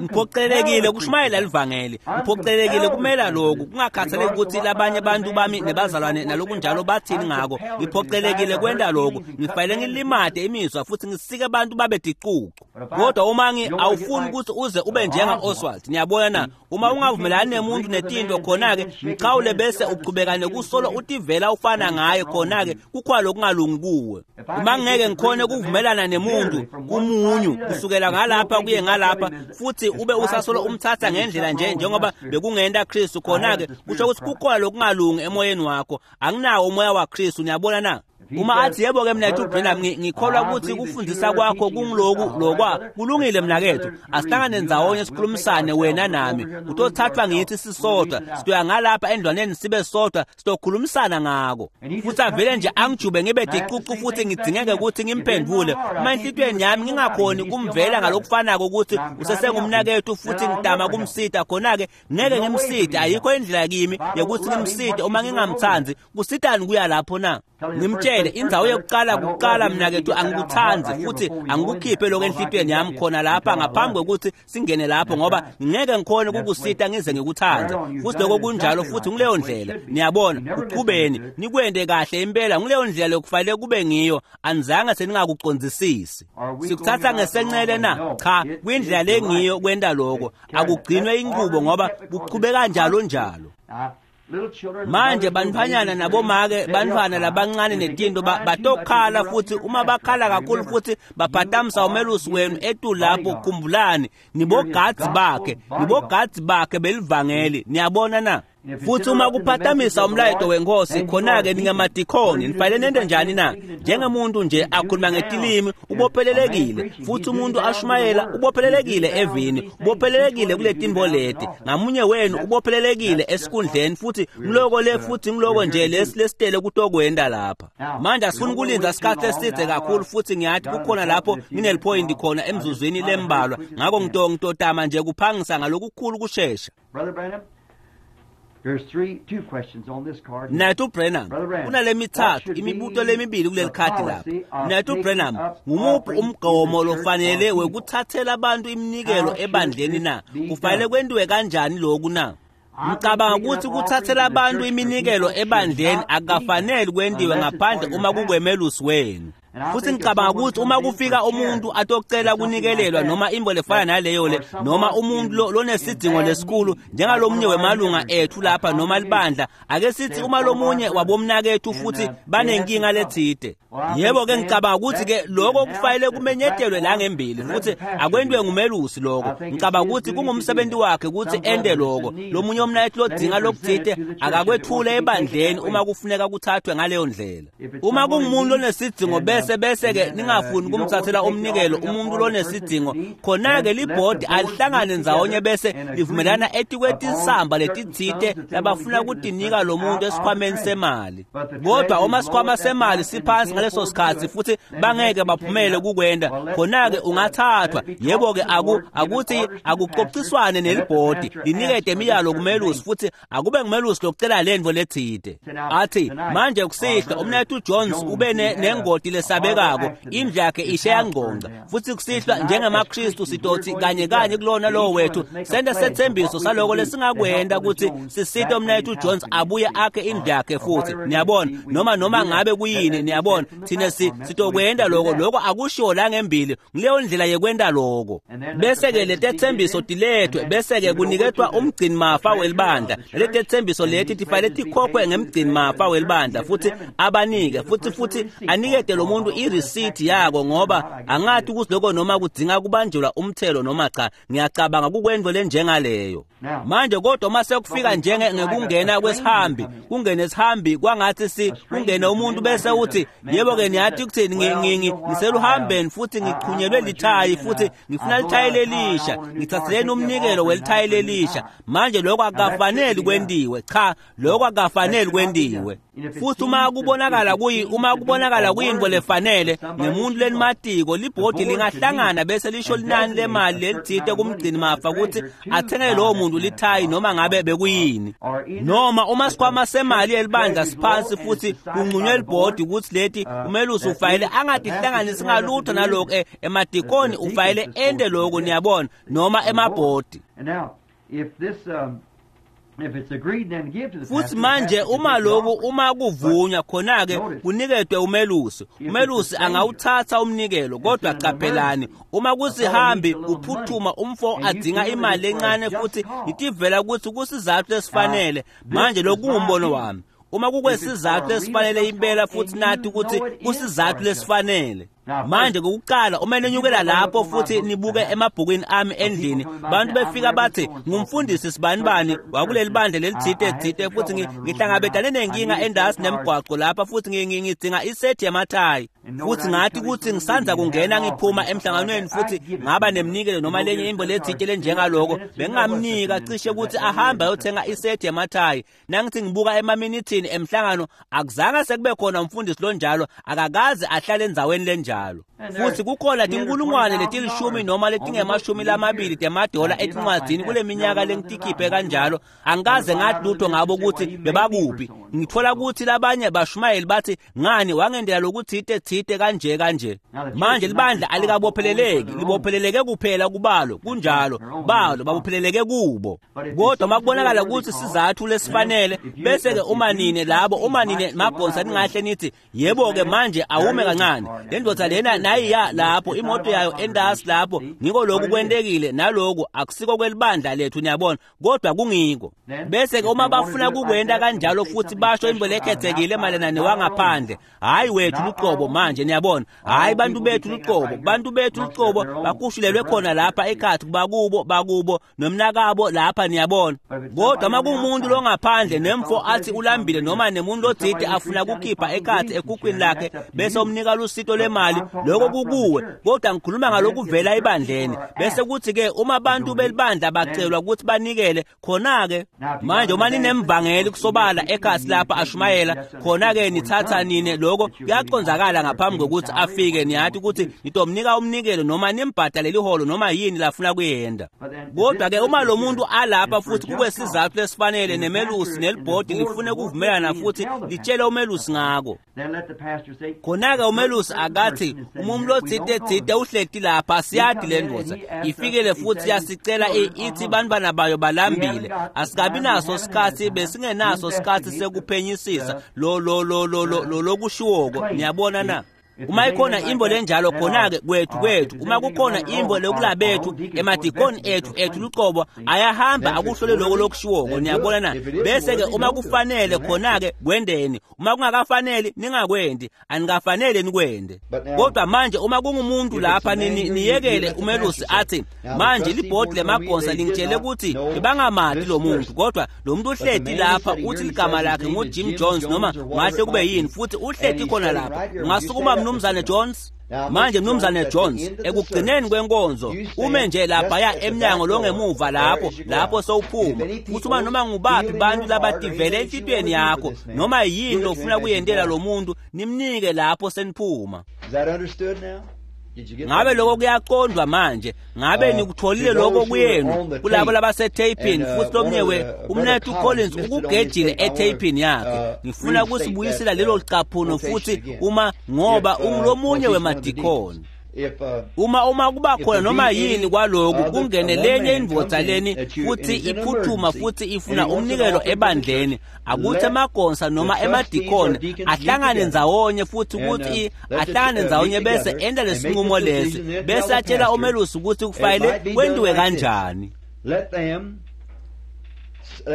ngiphocelekile kushumayela livangeli, ngiphocelekile kumela lokhu, kungakhathaleki ukuthi labanye abantu bami nebazalwane nalokunjalo bathini ngako. Ngiphocelekile kwenta lokhu, ngifanele ngilimate imizwa futhi ngisike abantu babe ticucu. Kodwa uma awufuni ukuthi uze ube njenga Oswald. Niyabona na? Uma ungavumelani nemuntu netinto, khona-ke mchawule bese uchubeka nekusolo utivela ufana ngaye, khona-ke kukhona lokungalungi kuwe. Uma ngeke ngikhone kuvumelana nemuntu kumunyu kusukela ngalapha kuye ngalapha, futhi ube usasolo umthatha ngendlela nje njengoba bekungenta Kristu, khona-ke kusho ukuthi kukhona lokungalungi emoyeni wakho. Anginawo umoya waKristu. Niyabona na? Uma athi yebo-ke mnakethu Branham, ngikholwa ukuthi kufundisa kwakho kungiloku lokwa kulungile mnakethu, asihlangane ndzawonye sikhulumisane wena nami, utothathwa ngithi sisodwa, sitoya ngalapha endlwaneni sibe sodwa, sitokhulumisana ngako. Futhi avele nje angijube ngibe ticucu futhi ngidingeke ukuthi ngimphendvule. Uma enhlitiyweni yami ngingakhoni kumvela ngalokufanako ukuthi usesengumnakethu futhi ngidama kumsita, khona-ke ngeke ngimsite. Ayikho indlela kimi yokuthi ngimsite uma ngingamthandi. Kusitani kuya lapho na? Ngimtshele indzawo yokuqala kuqala mnakethu, angikuthandi futhi angikukhiphe lokho enhlitiyweni yami khona lapha ngaphambi kokuthi singene lapho, ngoba ngeke ngikhone ukukusita ngize ngikuthande. Futhi lokho kunjalo, futhi nguleyo ndlela. Niyabona, uqhubeni nikwende kahle impela, nguleyo ndlela lokufanele kube ngiyo. Anizange seningakucondzisisi. Sikuthatha ngesencele na? Cha, kwindlela lengiyo kwenta lokho. Akugcinwe inqubo ngoba kuqhubeka njalo njalo. Manje bantfwanyana nabomake, bantfwana labancane netinto batokhala, futhi uma bakhala kakhulu futhi baphatamisa umelusi wenu etulu lapho, khumbulani nibogadzi bakhe, nibogadzi bakhe belivangeli. Niyabona na? Futhi uma kuphatamisa umlayeto wenkosi, khona-ke ningamadikhoni, nifanele nente njani na? Njengemuntu nje akhuluma ngetilimi, ubophelelekile. Futhi umuntu ashumayela, ubophelelekile evini, ubophelelekile kule tintfo leti. Ngamunye wenu ubophelelekile esikhundleni, futhi ngiloko le, futhi ngiloko nje lesi lesitele kutokwenta lapha. Manje asifuni kulinda isikhathi eside kakhulu, futhi ngiyathi kukhona lapho ngineliphoyinti khona emzuzwini lembalwa, ngakho ngitotama nje kuphangisa ngalokukhulu kushesha. Brother Branham, there's two questions on this card. Mnaketfu Branham, kunale mithathu imibuto lemibili kuleli khadi lapha. Mnaketfu Branham, ngumuphi umgomo lofanele wekuthathela abantu iminikelo ebandleni na? Kufanele kwentiwe kanjani lokhu na? Ngicabanga ukuthi kuthathela abantu iminikelo ebandleni akukafanele kwentiwe ngaphandle uma kukwemelusi wenu. Futhi ngicabanga ukuthi uma kufika umuntu atocela kunikelelwa noma into lefana naleyo le, noma umuntu lonesidingo lesikhulu njengalomunye wemalunga ethu lapha noma libandla, ake sithi uma lomunye wabomnakethu futhi banenkinga lethide, yebo ke ngicabanga ukuthi ke lokho kufanele kumenyetelwe la ngembili, futhi akwentiwe ngumelusi lokho. Ngicabanga ukuthi kungumsebenzi wakhe ukuthi ende lokho. Lomunye umnakethu lodinga lokuthide akakwethule ebandleni uma kufuneka kuthathwe ngaleyo ndlela. Uma kungumuntu onesidingo bese ke ningafuni kumthathela umnikelo umuntu lonesidingo, khona-ke libhodi alihlangane ndzawonye bese livumelana etikwetinsamba letitsite labafuna kutinika lo muntu esikhwameni semali. Kodwa uma sikhwama semali siphansi ngaleso sikhathi futhi bangeke baphumele kukwenda, khona-ke ungathathwa. Yebo-ke akuthi akuxoxiswane nelibhodi linikete imiyalo kumelusi, futhi akube ngumelusi lokucela lentfo letsite. Athi manje kusihlwa umnaketfu Jones ube nengoti lesabekako, indlu yakhe ishe yangqongqa, futhi kusihlwa njengemaKristu sitothi kanye kanye kulona lowo wethu sente sethembiso saloko lesingakwenta ukuthi sisite umnaketfu Jones abuye akhe indlu yakhe futhi. Niyabona, noma ngabe kuyini, niyabona, thina sitokwenta lokho. Lokho akushiwo la ngembili, ngileyo ndlela yekwenta lokho. Bese-ke letethembiso tilethwe, bese-ke kuniketwa umgcinimafa welibandla. Letethembiso leti tifanele tikhokhwe ngemgcinimafa welibandla, futhi abanike futhi anikete lo muntu irisiti yako, ngoba angathi ukuthi lokho noma kudzinga kubanjelwa umthelo noma cha. Ngiyacabanga kukwento lenjengaleyo. Manje kodwa uma sekufika njenge ngekungena kwesihambi, kungene isihambi kwangathi kungene umuntu bese uthi yebo ke niyathi ukuthini, ngiseluhambeni futhi ngichunyelwe lithayi futhi ngifuna lithayi lelisha, ngithatheleni umnikelo welithayi lelisha. Manje lokho akukafanele kwentiwe, cha, lokho akukafanele kwentiwe. Futhi uma kubonakala kuyinto lefanele ngemuntu lenimatiko, libhodi lingahlangana bese lisho linani lemali lelithite kumgcini mafa ukuthi athengele lowo muntu lithayi noma ngabe bekuyini. Noma uma sikhwama semali yelibandla siphansi futhi kunqunywe libhodi ukuthi leti umelusi ufanele angatihlanganisi ngalutho nalokho, emadikoni ufanele ente lokho, niyabona, noma emabhodi. Futhi manje uma lokhu uma kuvunywa, khona-ke kuniketwe umelusi. Umelusi angawuthatha umnikelo, kodwa qaphelani, uma kusihambi kuphuthuma umfo adinga imali encane futhi itivela ukuthi kusizathu esifanele. Manje lokhu kungumbono wami. Uma kukwesizathu esifanele impela futhi nathi ukuthi kusizathu lesifanele. Manje kokuqala uma nenyukela lapho futhi nibuke emabhukwini ami endlini, bantu befika bathi ngumfundisi sibanibani wakuleli bandla lelithite thite, futhi ngihlangabetane nenkinga endasi nemgwaqo lapha futhi ngidinga isethi yamathayi. Futhi ngathi ukuthi ngisanza kungena ngiphuma emhlanganweni futhi ngaba nemnikelo noma lenye into lethite lenjengaloko, bengingamnika cishe ukuthi ahambe ayothenga isethi yamathayi. Nangithi ngibuka emaminithini emhlangano, akuzange sekube khona umfundisi lonjalo, akakaze ahlale endzaweni lenjalo. Futhi kukhona tinkulungwane letilishumi noma letingemashumi lamabili temadola etincwadzini kule minyaka lengitikhiphe kanjalo, angikaze ngathi lutho ngabo ukuthi bebakuphi. Ngitfola kutsi labanye bashumayeli batsi ngani wangendela lokutsite tsite kanje kanje. Manje libandla alikabopheleleki, libopheleleke kuphela kubalo, kunjalo, balo babopheleleke kubo. Kodwa makubonakala kutsi sizatfu lesifanele, bese-ke uma nine labo, uma nine magonsa ningahle nithi yebo-ke manje awume kancane, le ndvodza lena nayiya lapho, imoto yayo endasi lapho, ngiko lokhu kwentekile naloku akusiko kwelibandla lethu, niyabona, kodwa kungiko. Bese-ke uma bafuna kukwenta kanjalo futhi basho into lekhethekile mayelana newangaphandle, hhayi wethu luqobo manje, niyabona, hhayi bantu bethu luqobo, bantu bethu luqobo bakushulelwe khona lapha ekhathi bakubo bakubo nomnakabo lapha, niyabona. Kodwa uma kuwumuntu longaphandle nemfo athi ulambile noma nemuntu lotsite afuna kukhipha ekhathi ekhukhwini lakhe bese umnika lusito lwemali, lokho kukuwe. Kodwa ngikhuluma ngalokuvela ebandleni. Bese kuthi-ke uma abantu belibandla bacelwa ukuthi banikele, khona-ke manje uma ninemvangeli kusobala ekhasi lapha ashumayela, khona-ke nithatha nine lokho kuyacondzakala ngaphambi kokuthi afike, niyathi ukuthi nitomnika umnikelo noma nimbhadale liholo noma yini lafuna kuyenda. Kodwa-ke uma lo muntu alapha futhi kube sizathu lesifanele nemelusi nelibhodi lifune kuvumelana futhi litshele umelusi ngako, khona-ke umelusi akathi umuntu lotsite tsite uhleti lapha, siyati le ndvodza ifikile futhi yasicela ithi bantwana bayo balambile, asikabi naso sikhathi, besingenaso sikhathi sekuphenyisisa lo lo lo lo lo lokushiwoko, niyabona na? Uma ikhona imbo lenjalo, khona-ke kwethu kwethu, uma kukhona imbo lokulabethu emadikoni ethu ethu luqobo ayahamba akuhlole lokho lokushiwoko, niyabona na? Bese-ke uma kufanele, khona-ke kwendeni, uma kungakafaneli ningakwendi, anikafanele nikwende. Kodwa manje uma kungumuntu lapha, niyekele umelusi athi manje libhodi lemagonsa lingitshele ukuthi bebangamati lo muntu, kodwa lo muntu uhleti lapha uthi ligama lakhe nguJim Jones noma ngahle kube yini, futhi uhleti khona lapha. Ungasukuma Mnumzane Jones? Manje Mnumzane Jones, ekugcineni kwenkonzo ume nje laphaya emnyango longemuva lapho, lapho sowuphuma, futhi uma noma ngubaphi bantu labativele enhlitiyweni yakho noma yini lofuna kuyentela lo muntu, nimnike lapho seniphuma. Ngabe lokho kuyaqondwa manje? Ngabe nikutholile lokho kuyenu kulabo labasetheyipini? Futhi lomnye umnethu Collins ukugejile etheyipini yakhe. Ngifuna kusibuyisela lelo caphuno futhi uma ngoba ungulomunye wemadikoni. Uma kuba khona noma yini kwaloku kungene lenye indvodza leni futhi iphuthuma futhi ifuna umnikelo ebandleni, akuthi emagonsa noma emadikoni ahlangane ndzawonye futhi ukuthi ahlangane ndzawonye bese enda lesinqumo lesi, bese atshela umelusi ukuthi kufanele kwentiwe kanjani.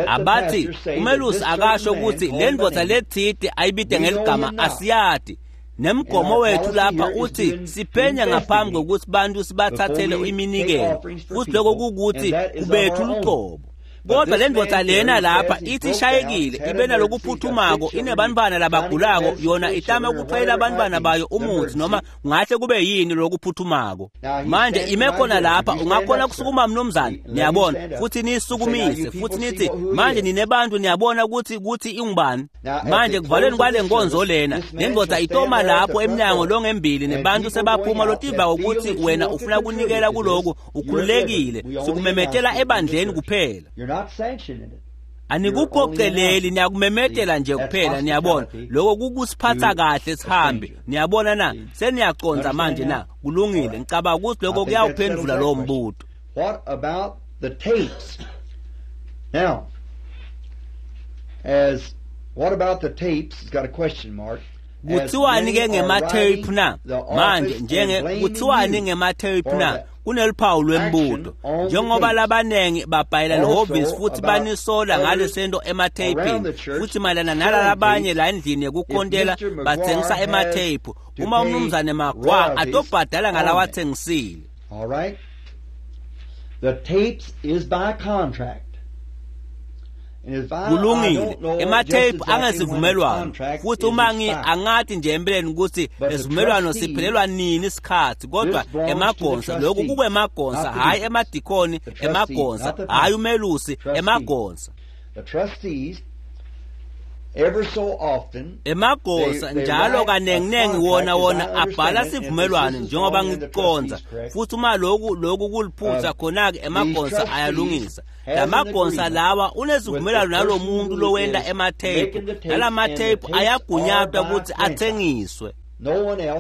Abathi umelusi akasho ukuthi le ndvodza letsite ayibide ngeligama asiyati. Nemgomo wethu lapha uthi siphenya ngaphambi kokuthi bantu sibathathele iminikelo, futhi lokho kukuthi kubethu luqobo. Kodwa le ndvodza lena lapha ithi ishayekile, ibe nalokuphuthumako, inebantwana labagulako, yona itama ukuthwalela abantwana bayo umuthi noma kungahle kube yini lokuphuthumako. Manje ime khona lapha, ungakhona kusukuma mnumzane, niyabona, futhi niyisukumise futhi nithi manje ninebantu, niyabona ukuthi kuthi ingubani. Manje kuvalweni kwale nkonzo lena, le ndvodza itoma lapho emnyango longembili nebantu sebaphuma lotiva ukuthi wena ufuna kunikela kuloku, ukhululekile, sikumemetela ebandleni kuphela. Anikuphoceleli, niyakumemetela nje kuphela, niyabona. Lokho kukusiphatha kahle sihambe, niyabona na? Seniyaconza manje na? Kulungile, ngicabanga ukuthi lokho kuyawuphendula lowo mbuto. What about the tapes? Now, as what about the tapes? It's got a question mark. Kuthiwani ke ngematheyiphu na? Manje njenge kuthiwani ngematheyiphu na? Kuneliphawu lwembuto. Njengoba labanengi babhayela lihhovisi futhi banisola ngalesento ematheyipini, futhi mayelana nalalabanye la endlini yekukhontela bathengisa ematheyiphu, uma umnumzane Magwa atobhadala ngalawathengisile. All right. The tapes is by contract. Kulungile, ematheyiphu angesivumelwano, futhi uma angathi nje empeleni ukuthi lesivumelwano siphelelwa nini isikhathi, kodwa emagonsa lokhu kukwemagonsa, hhayi emadikoni, emagonsa, hhayi umelusi, emagonsa. Emagonsa njalo kanenginengi wona abhala sivumelwano njengoba ngikuconza, futhi uma lokhu kuliphutha, khona-ke emagonsa ayalungisa. lamagonsa lawa unesivumelwano nalomuntu lowenta ematheyiphu, nalamatheyiphu ayagunyatwa ukuthi athengiswe.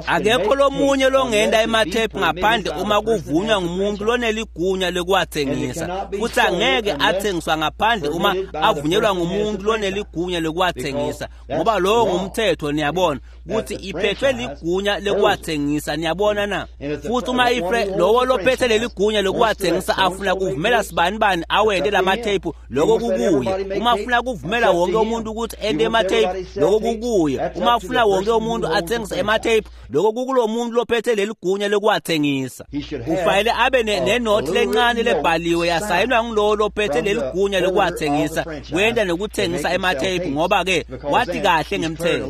Akekho lomunye longenta ematheyiphu ngaphandle uma kuvunywa ngumuntu loneligunya lokuwathengisa, futhi angeke athengiswa ngaphandle uma avunyelwa ngumuntu loneligunya lokuwathengisa, ngoba lowo ngumthetho. Niyabona ukuthi iphethwe ligunya lokuwathengisa, niyabona na? Futhi uma lowo lophethe leligunya lokuwathengisa afuna kuvumela sibanibani awente lamatheyiphu, lokho kukuye. Uma afuna kuvumela wonke umuntu ukuthi ente ematheyiphu, lokho kukuye. Uma afuna wonke umuntu athengise ematheyiphu, lokho kukulo muntu lophethe leligunya lokuwathengisa. Kufanele abe nenothi lencane lebhaliwe yasayinwa ngulowo lophethe leligunya lokuwathengisa, kwenta nokuthengisa ematheyiphu, ngoba-ke wathi kahle ngemthetho.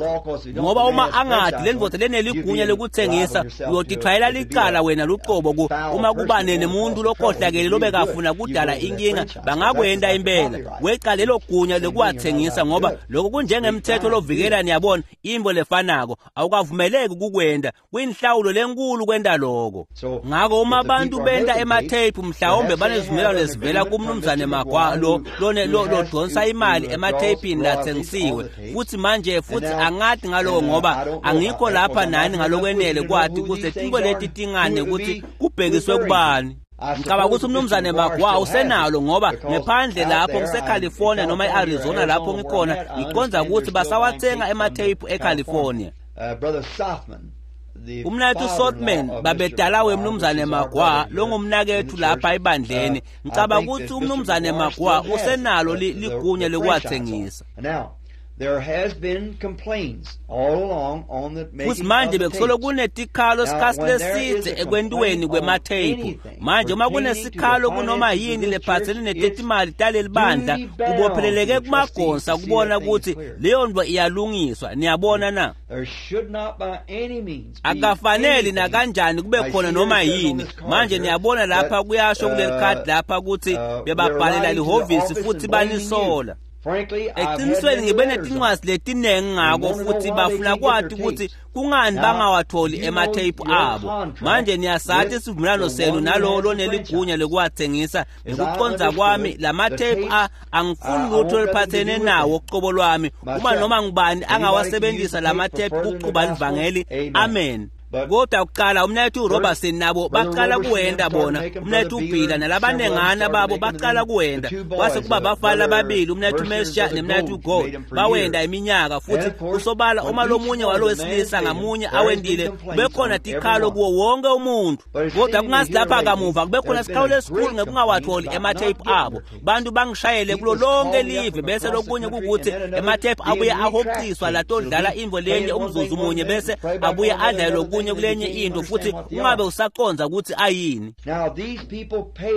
Ngoba uma angadi lendvodza leneligunya lokuthengisa, uyotithwayela licala wena luqobo. Uma kuba nemuntu lokhohlakele lobekafuna kudala inkinga, bangakwenta impela weca lelo gunya lokuwathengisa, ngoba lokho kunjengemthetho lovikela, niyabona, into lefanako awukavumeleki kukwenta, kuyinhlawulo lenkulu kwenta lokho. Ngako uma abantu benta ematheyiphu, mhlawumbe banezivumelwano lesivela kumnumzane Magwa lo lodonsa imali ematheyipini lathengisiwe. Futhi manje futhi angadi ngaloko, ngoba angikho lapha nani ngalokwenele kwati ukuthi tinto leti tingane ukuthi kubhekiswe kubani. Ngicabanga ukuthi umnumzane Magwa usenalo, ngoba ngephandle lapho ngiseCalifornia noma e-Arizona lapho ngikhona, ngiqonda ukuthi basawathenga ematheyiphu eCalifornia. Umnakethu Sothman, babedala wemnumzane Magwa longumnakethu lapha ebandleni, ngicabanga ukuthi umnumzane Magwa usenalo ligunya lokuwathengisa. Futhi manje bekusolo kunetikhalo sikhathi leside ekwentiweni kwematheyiphu. Manje uma kunesikhalo kunoma yini lephathelene netetimali taleli bandla, kubopheleleke kumagonsa kubona ukuthi leyo nto iyalungiswa. Niyabona na? Akafaneli nakanjani kube khona noma yini. Manje niyabona lapha kuyasho kuleli khadi lapha ukuthi bebabhalela lihhovisi futhi banisola. Eqinisweni ngibe netincwadi letiningi ngako, futhi bafuna kwati ukuthi kungani bangawatholi ematheyiphu abo. Manje niyasathi isivumelwano senu nalowo loneligunya lokuwathengisa. Ngekuqonda kwami lamatheyiphu angifuni lutho oluphathene nawo uqobo lwami. Uma noma ngubani angawasebenzisa lamatheyiphu ukuqhuba livangeli, amen. Kodwa kuqala umnakethu Robertson nabo baqala kuwenda bona, umnakethu Bhila nalabanengana babo baqala kuwenda, kwase kuba bafana ababili, umnakethu Mesha nemnakethu Gold, bawenda iminyaka. Futhi kusobala uma lomunye walo wesilisa ngamunye awendile, kubekhona tikhalo kuwo wonke umuntu. Kodwa kungasi lapha kamuva kubekhona sikhalo lesikhulu ngekungawatholi ematheyiphu abo. Bantu bangishayele kulo lonke live, bese lokunye kukuthi ematheyiphu abuye ahoqiswa latodlala imvo lenye umzuzu munye, bese abuye adlale lokunye kulenye into, futhi ungabe usaqonda ukuthi ayini.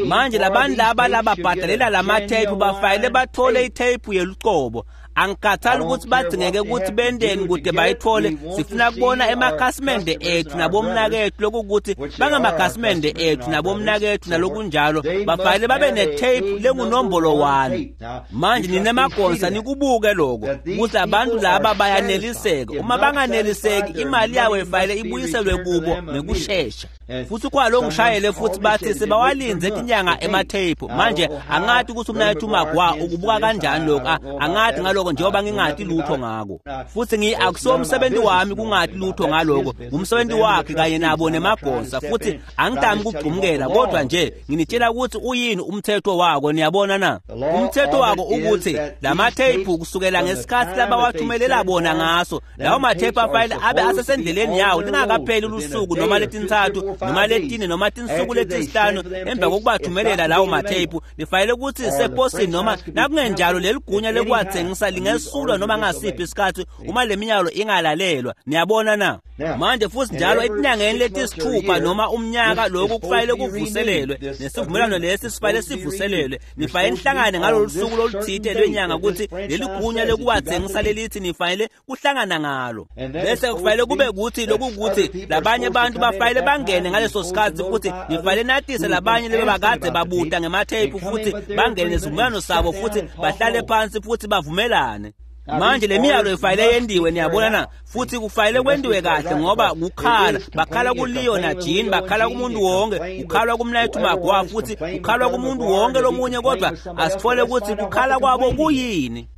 Manje labantu laba lababhadalela lamatheyiphu bafanele bathole itheyiphu yelucobo. Angikhathali ukuthi badingeke ukuthi bendeni kude bayithole. Sifuna kubona emakhasimende ethu nabomnakethu, lokukuthi bangamakhasimende ethu nabomnakethu nalokunjalo, bafanele babe netheyiphu lengunombolo 1. Manje ninemagonsa nikubuke lokho ukuthi abantu laba bayaneliseka. Uma banganeliseki, imali yabo ifanele ibuyiselwe kubo ngekushesha. Futhi kwalo ngishayele futhi bathi sebawalinze tinyanga ematheyiphu. Manje angathi ukuthi umnakethu Magwa ukubuka kanjani lokho, angathi ngaloko njengoba ngingati lutho ngako. Futhi akusiwo umsebenzi wami kungati lutho ngaloko, ngumsebenzi wakhe kanye nabo nemagonsa. Futhi angidami ukugxumukela, kodwa nje nginitshela ukuthi uyini umthetho wako. Niyabona na? Umthetho wako ukuthi lamatheyiphu kusukela ngesikhathi labawathumelela bona ngaso, lawo matheyiphu afanele abe asesendleleni yawo lingakapheli lusuku noma letintsatfu noma letine noma tinsuku letisihlanu emva kokubathumelela lawo matheyiphu. Lifanele ukuthi seposini, noma nakungenjalo leligunya lokuwathengisa lingesulwa noma ngasiphi isikhathi uma le minyalo ingalalelwa. Niyabona na? Manje futhi njalo etinyangeni letisithupha noma umnyaka, lokhu kufanele kuvuselelwe, nesivumelwano lesi sifanele sivuselelwe. Nifanele nihlangane ngalolu suku loluthile lwenyanga ukuthi leligunya lokuwathengisa lelithi nifanele kuhlangana ngalo. Bese kufanele kube kuthi lokukuthi labanye abantu bafanele bangene ngaleso sikhathi, futhi nifanele natise labanye lebebakade babuta ngematheyiphu futhi bangene nesivumelwano sabo futhi bahlale phansi futhi bavumelane. Manje le miyalo ifanele yendiwe, niyabona na, futhi kufanele kwendiwe kahle ngoba kukhala, bakhala kuLeo na Jean, bakhala kumuntu wonke, kukhalwa kumnayethu Magwa, futhi kukhalwa kumuntu wonke lomunye, kodwa asithole ukuthi kukhala kwabo kuyini.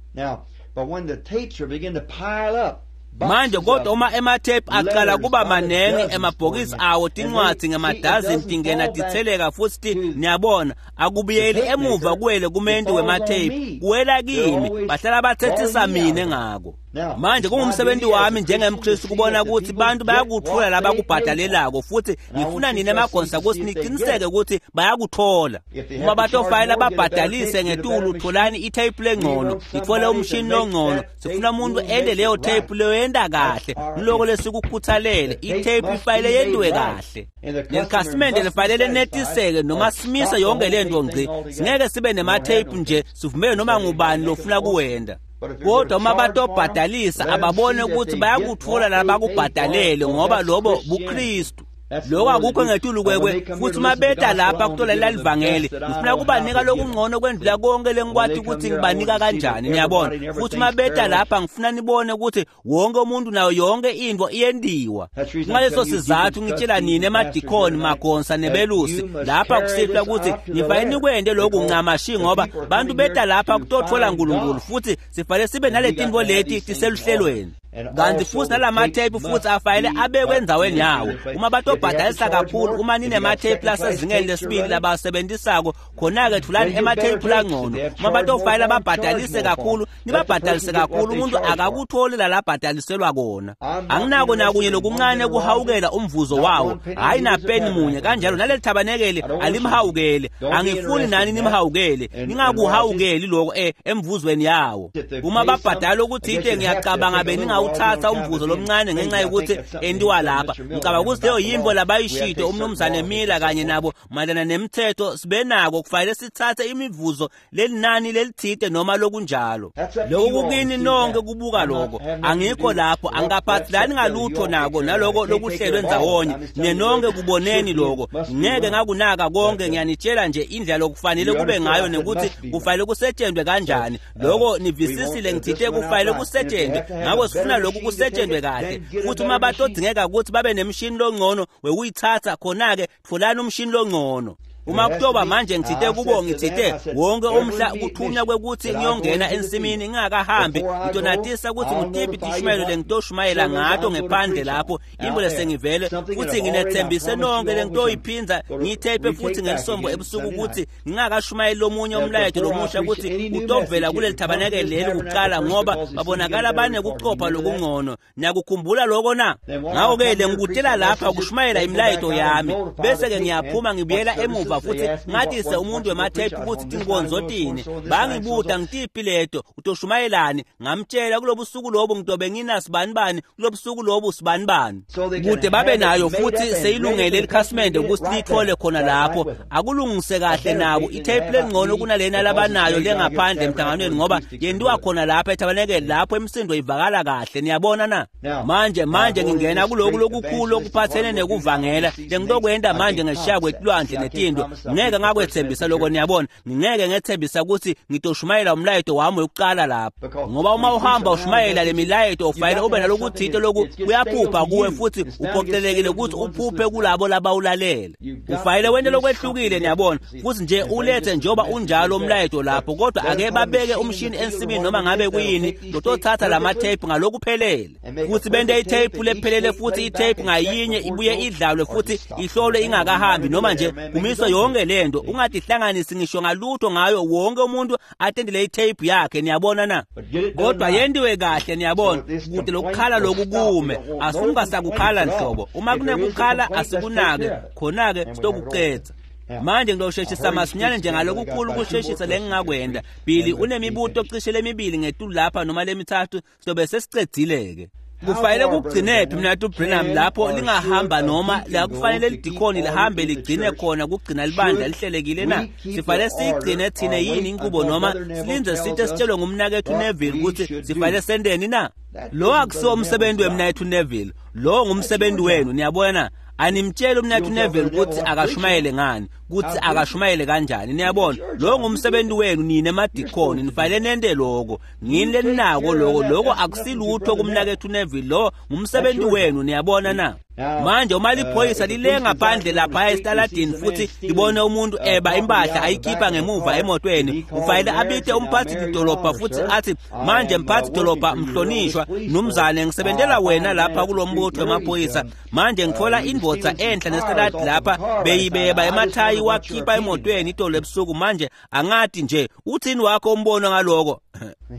Manje kodwa uma emathephu aqala kuba manengi, emabhokisi awo tincwadzi ngemadazini tingena titheleka futhi niyabona akubuyeli emuva kuwele kumendi wemathephu, kuwela kimi, bahlala bathethisa mine ngako. Manje kungumsebenzi wami njengemKristu kubona ukuthi bantu bayakuthola labakubhadalelako, futhi ngifuna nina emagonsa ukuthi niqiniseke ukuthi bayakuthola. Uma batofayela babhadalise ngetulu, tholani itape lengcono, nithole umshini longcono. Sifuna umuntu ende leyo tape leyo yenda kahle, ngiloko lesikukhuthalele. Itape ifanele yendiwe kahle, nelikhasimende lifanele lenetiseke noma simise yonke lento ngci. Singeke sibe nematheyiphu nje sivumele noma ngubani lofuna kuwenda. Kodwa uma batobhadalisa ababone ukuthi bayakuthola labakubhadalele, ngoba lobo buKristu. Lokho akukho ngetulu kwekwe, futhi uma beta lapha kutolalela livangeli, ngifuna kubanika lokungcono kwendlula konke lengikwati ukuthi ngibanika kanjani, niyabona. Futhi uma beta lapha ngifuna nibone ukuthi wonke umuntu nayo yonke into iyendiwa. Ngaleso sizathu ngitshela nina emadikoni, magonsa nebelusi lapha kusihlwa ukuthi nifanele nikwende lokhu ncamashi, ngoba bantu beta lapha kutothola uNkulunkulu, futhi sifanele sibe naletinto leti tiseluhlelweni. Kanti futhi nalamatheyiphu futhi afanele abekwe endaweni yawo. Uma batobhadalisa kakhulu, uma ninematheyiphu lasezingeni lesibili labasebenzisako, khona-ke thulani ematheyiphu langcono. Uma batofanele babhadalise kakhulu, nibabhadalise kakhulu. Umuntu akakutholi lalabhadaliselwa kona. Anginako nakunye lokuncane kuhawukela umvuzo wawo, hhayi napeni munye. Kanjalo naleli thabanekeli alimhawukele, angifuni nani nimhawukele, ningakuhawukeli lokho emvuzweni yawo. Uma babhadala okuthile, ngiyacabanga beningawuthatha umvuzo lomncane ngenxa yokuthi endiwa lapha. Ngicabanga ukuthi leyo yimbo labayishito umnumzane Miller kanye nabo mayelana nemithetho sibenako, kufanele sithathe imivuzo lelinani lelithide noma lokunjalo. Lokho kukini nonke kubuka lokho. Angikho lapho, angikaphathelani ngalutho nako naloko lokuhlelwe ndzawonye. Nenonke kuboneni lokho. Ngeke ngakunaka konke, ngiyanitshela nje indlela lokufanele kube ngayo nekuthi kufanele kusetshenzwe kanjani. Lokho nivisisile, ngithite kufanele kusetshenzwe. Ngakho sifuna lokhu kusetshenzwe kahle. Futhi uma batodingeka ukuthi babe nemshini longcono wekuyithatha, khona-ke tholani umshini longcono. Uma kutoba manje ngithite kubo, ngithite wonke umhla kuthunywa kwekuthi ngiyongena ensimini ngingakahambi, ngitonatisa ukuthi ngutiphi tishumayelo lengitoshumayela ngato ngephandle lapho, imbo lesengivele, futhi nginethembise nonke lengitoyiphinza ngiyitheyiphe futhi ngelisombo ebusuku ukuthi ngingakashumayeli lomunye umlayeto lomusha ukuthi utovela kuleli thabanekeli leli kuqala, ngoba babonakala banekucopha lokungcono. Niyakukhumbula lokho na? Ngakho-ke lengikutela lapha kushumayela imilayeto yami, bese-ke ngiyaphuma ngibuyela emuva futhi ngatise umuntu wemathephu ukuthi tinkonzo tini. Bangibuta ngitiphi leto, utoshumayelani? Ngamtshela kulobusuku lobu ngitobe nginasibanibani, kulobusuku lobu sibanibani, kude babe nayo futhi seyilungele likhasimende ukuthi lithole khona lapho. Akulungise kahle nabo itape lengcono kunalena labanayo lengaphandle emhlanganweni, ngoba yendiwa khona lapha ethabanekeli lapho imisindo ivakala kahle. Niyabona na? Manje ngingena kuloku lokukhulu okuphathene nekuvangela lengitokwenda manje ngeshiya kwetulwandle netinto. Ngeke ngakwethembisa lokho, niyabona. Ngingeke ngethembisa ukuthi ngitoshumayela umlayeto wami wokuqala lapha, ngoba uma uhamba ushumayela le milayeto ufanele ube nalokuthinte loku kuyaphupha kuwe, futhi uphoqelekile ukuthi uphuphe kulabo labawulalele. Ufanele wente lokwehlukile, niyabona, futhi nje ulethe njengoba unjalo umlayeto lapho. Kodwa ake babeke umshini ensimini noma ngabe kuyini lotothatha lamatheyiphu ngalokuphelele, futhi bente itheyiphu lephelele, futhi itheyiphu ngayinye ibuye idlalwe futhi ihlolwe ingakahambi noma nje kumiswe yonke lento. Ungatihlanganisi ngisho ngalutho ngayo, wonke umuntu atendele itheyiphu yakhe, niyabona na? Kodwa yendiwe kahle, niyabona, kude lokukhala loku kume. Asungasakukhala nhlobo. Uma kunekukhala asikunake, khona-ke sitokucetha. Manje ngizosheshisa masinyane nje ngalokukhulu ukusheshisa lengingakwenda. Billy unemibuto cishe lemibili ngetulu lapha noma lemithathu, sizobe sesicedzile-ke. Kufanele kugcinephi mnatu Branham lapho lingahamba noma la kufanele lidikhoni lihambe ligcine khona kugcina libandla lihlelekile na? Sifanele siyigcine thine yini inkubo noma silinze sithe sitshelwe ngumnakethu Neville ukuthi sifanele sendeni na? Lo akusiwo umsebenzi wemnakethu Neville, lo ngumsebenzi wenu, niyabona. Animtsheli umnethu Neville ukuthi akashumayele ngani, ukuthi akashumayele kanjani. Niyabona, lo ngumsebenzi wenu nina emadikoni, nifanele nente lokho. Ngini leninako lokho, lokho akusilutho kumnakethu Neville, lo ngumsebenzi wenu, niyabona na? Manje uma liphoyisa lilenga phandle lapha esitaladini futhi libone umuntu eba impahla ayikhipha ngemuva emotweni, ufanele abite umphathi dolobha futhi athi, manje mphathi dolobha mhlonishwa mnumzane, ngisebentela wena lapha kulombutho wemaphoyisa. Manje ngithola indvodza enhla nesitaladi lapha beyibeba emathayi wakhipha emotweni itolo ebusuku. Manje angathi nje uthini wakho umbono ngaloko?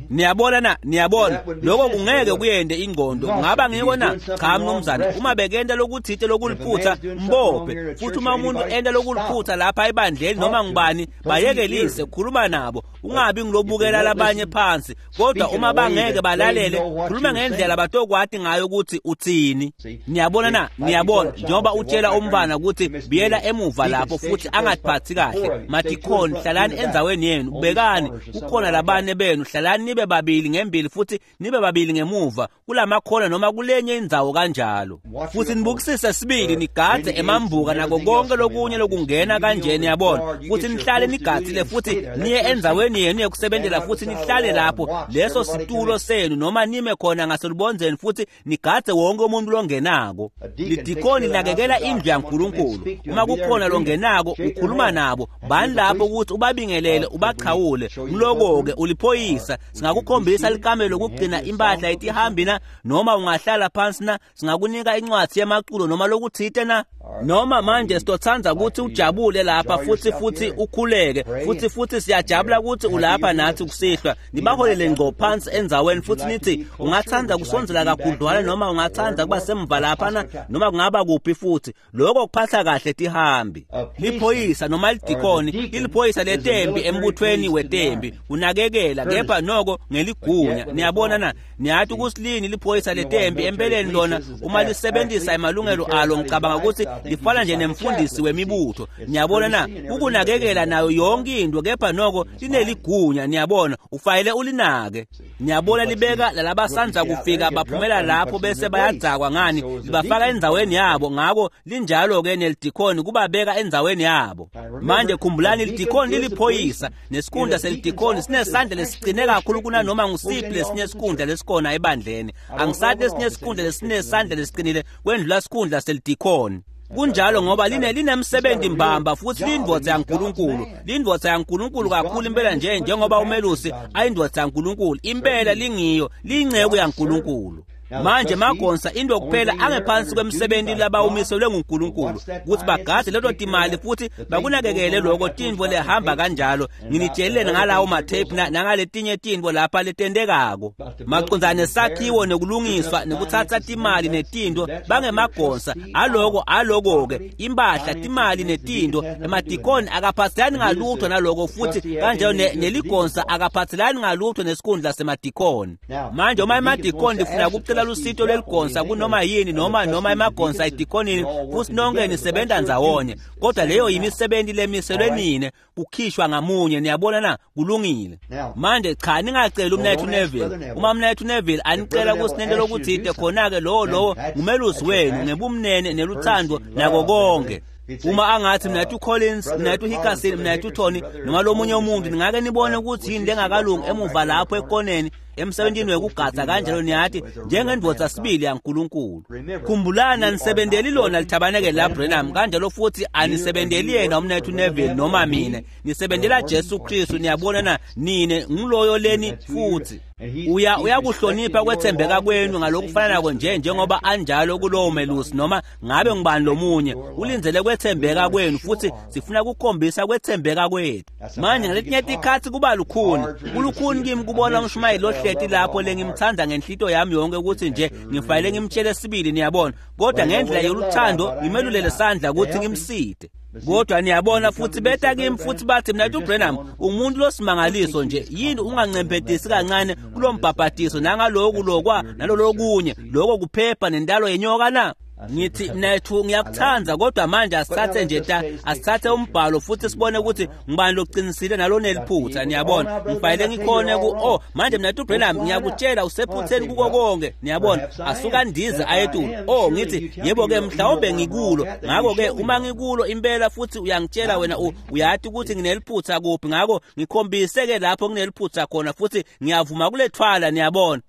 Niyabona na? Niyabona, lokho kungeke kuyende ingqondo. Kungaba ngiko na? Cha mnumzane, uma bekenta lokuthite lokuliphutha mbophe. Futhi uma umuntu enta lokuliphutha lapha ebandleni noma ngubani, bayekelise, khuluma nabo, ungabi ngilobukela labanye phansi. Kodwa uma bangeke balalele, khuluma ngendlela batokwati ngayo ukuthi uthini. Niyabona na? Niyabona, njengoba utshela umntwana ukuthi biyela emuva lapho futhi angatiphathi kahle. Madikhoni, hlalani endzaweni yenu, ubekani kukhona labane benu, hlalani nibe babili ngembili futhi nibe babili ngemuva kulamakhona noma kulenye indzawo kanjalo. Futhi nibukisise sibili, nigadze emambuka nako konke lokunye lokungena kanje, niyabona. Futhi nihlale nigadzile futhi niye endzaweni yenu yokusebentela futhi nihlale lapho leso situlo senu, noma nime khona ngaselubondzeni futhi nigadze wonke umuntu longenako. Lidikoni linakekela indlu yaNkulunkulu. Uma kukhona longenako ukhuluma nabo, bani lapho ukuthi ubabingelele ubachawule. Mloko-ke uliphoyisa, singakukhombisa likamelo lokugcina impahla etihambi na, noma ungahlala phansi na, singakunika incwadi yemaculo noma lokuthite na. Noma manje sitotsandza ukuthi ujabule lapha futhi futhi ukhuleke futhi futhi siyajabula ukuthi ulapha nathi kusihlwa. Nibaholele ngqo phansi endzaweni futhi nithi ungathanda kusondzela kakhudlwana noma ungathanda kuba semva lapha na, noma kungaba kuphi futhi. Lokho kuphatha kahle tihambi. Liphoyisa noma lidikoni liliphoyisa letembi embuthweni wetembi, unakekela kepha noko ngeligunya. Niyabona na? Niyathi ukusilini liphoyisa letembi empeleni lona uma lisebenzisa emalungelo alo, ngicabanga ukuthi lifana nje nemfundisi wemibutho. Niyabona na? Ukunakekela nayo yonke into kepha noko lineligunya. Niyabona, ufanele ulinake. Niyabona, libeka lalabasanza kufika baphumela lapho bese bayadzakwa ngani, libafaka endzaweni yabo. Ngako linjalo ke nelidikoni kubabeka endzaweni yabo. Manje khumbulani, lidikoni liliphoyisa, nesikhundla selidikoni sinesandla lesiqine kakhulu kunanoma ngusiphi lesinye isikhundla lesikhona ebandleni. Angisathi lesinye isikhundla lesinesandla lesiqinile kwendlula sikhundla selidikoni. Kunjalo ngoba linemsebenzi mbamba futhi lindvodza yaNkulunkulu. Lindvodza yaNkulunkulu kakhulu impela nje njengoba umelusi ayindvodza yaNkulunkulu. Impela lingiyo, liyinceku yaNkulunkulu. Manje magonsa into kuphela angephansi kwemsebenzi labawumiselwe nguNkulunkulu ukuthi bagadze leto timali futhi bakunakekele lokho tintfo lehamba kanjalo. Nginitshelile ngalawo matepe nangaletinye tintfo lapha letentekako macondzana nesakhiwo nekulungiswa nekuthatha timali netinto. Bangemagonsa aloko aloko-ke impahla timali netinto. Emadikoni akaphathelani ngalutho naloko futhi kanjalo neligonsa akaphathelani ngalutho nesikhundla semadikoni. Manje uma emadikoni lifuna kucela lusito lweligonsa kunoma yini noma emagonsa edikonini, futhi nonke nisebenza ndzawonye, kodwa leyo yimisebenzi lemiselwe nine kukhishwa ngamunye. Niyabona na? Kulungile. Manje cha, ningaceli umnethu Neville. Uma umnethu Neville anicela kusinento lokuthite, khona-ke lowo ngumelusi wenu ngebumnene neluthando nako konke. Uma angathi mnethu Collins, mnethu Hickerson, mnethu Tony noma lomunye umuntu, ningake nibone ukuthi yini lengakalungi emuva lapho ekoneni emsebentini wekugadza kanjalo, niyathi njengendvodza sibili yaNkulunkulu. Khumbulani, anisebenteli lona lithabanekele la Branham kanjalo futhi anisebenteli yena umnethu Neville noma mina, nisebentela Jesu Kristu. Niyabona na? Nine ngiloyo leni futhi uyakuhlonipha kwethembeka kwenu ngalokufananako nje njengoba anjalo kulowo melusi noma ngabe ngubani lomunye. Ulindzele kwethembeka kwenu futhi sifuna kukhombisa kwethembeka kwethu. Manje ngaletinye tikhatsi kuba lukhuni, kulukhuni kimi kubona umshumayeli lohleti lapho lengimthanda ngenhlito yami yonke ukuthi nje ngifanele ngimtshele sibili, niyabona, kodwa ngendlela yoluthando ngimelulele sandla ukuthi ngimside. Kodwa niyabona futhi beta kimi futhi bathi, mnethu Branham umuntu losimangaliso nje, yini ungancemphetisi kancane kulombhabhadiso nangaloku lokwa nalolokunye lokho kuphepha nentalo yenyoka na? Ngithi mnethu ngiyakuthanda, kodwa manje asithathe nje asithathe umbhalo futhi sibone ukuthi ngibani loqinisile naloneliphutha. Niyabona, ngifanele ngikhone ku manje mnethu Branham ngiyakutshela usephutheni kuko konke. Niyabona, asuka ndize ayetulu. Ngithi yebo ke mhlawumbe ngikulo, ngakho ke uma ngikulo impela futhi uyangitshela wena uyathi ukuthi ngineliphutha kuphi, ngakho ngikhombise ke lapho ngineliphutha khona futhi ngiyavuma kulethwala. Niyabona,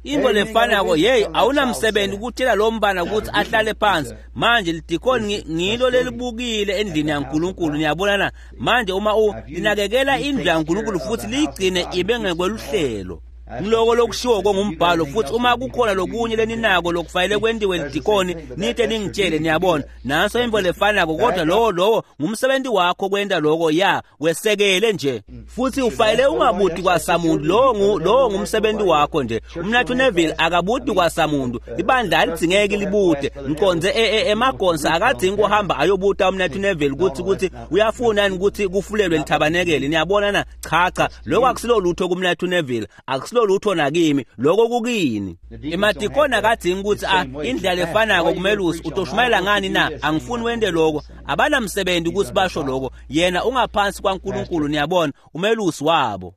into lefanako. Hey, awunamsebenzi ukutshela lo mbana ukuthi ahlale phansi. Manje lidikoni ngilo lelibukile endlini yaNkulunkulu. Niyabona na? Manje uma linakekela indlu yaNkulunkulu futhi liyigcine ibe ngekweluhlelo, ngiloko lokushiwo kongumbhalo. Futhi uma kukhona lokunye leninako lokufanele kwentiwe lidikoni, nite ningitshele. Niyabona, nanso into lefanako, kodwa lowo ngumsebenzi wakho kwenta lokho. Ya wesekele nje futhi ufanele ungabuti kwasamuntu. Lowo ngumsebenzi wakho nje. Umnathu Neville akabuti kwasamuntu, ibandla alidingeki libute. Ngiqonze emagonsa akadingi kuhamba ayobuta umnathu Neville ukuthi uyafuna yini ukuthi kufulelwe lithabanekele. Niyabona na? Cha, lokho akusilo lutho kumnathu Neville, akusilo lutho nakimi, lokho kukini. Emadikoni akadingi ukuthi indlela efanako kumelusi utoshumayela ngani na, angifuni wente lokho. Abanamsebenzi ukuthi basho lokho, yena ungaphansi kwaNkulunkulu. Niyabona, umelusi wabo.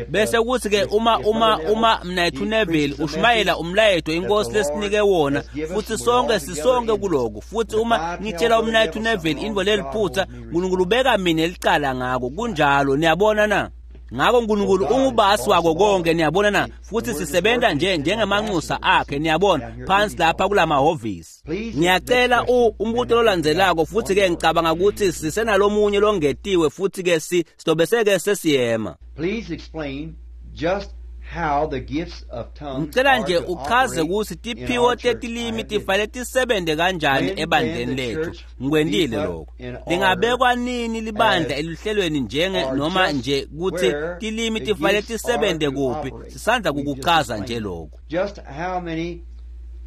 Bese kuthi ke uma mnethu Neville ushumayela umlayeto inkosi lesinike wona, futhi sonke sisonke kuloko. Futhi uma ngitshela umnethu Neville into leliphutha, uNkulunkulu ubeka mina elicala ngako. Kunjalo. Niyabona na? Ngakho uNkulunkulu ungubasi wako konke. Niyabona na? Futhi sisebenza nje njengemanxusa akhe. Niyabona, phansi lapha kulamahhovisi. Ngiyacela umbuto lolandzelako, futhi ke ngicabanga ukuthi sisenalomunye longetiwe, futhi ke sitobese-ke sesiyema. Please explain just how the gifts of tongues Ngicela nje uchaze ukuthi tiphiwo tetilimi tifanele tisebente kanjani ebandleni lethu. Ngikwentile lokho. Lingabekwa nini libandla eluhlelweni njenge noma nje ukuthi tilimi tifanele tisebente kuphi? Sisandla kukuchaza nje lokho. Just how many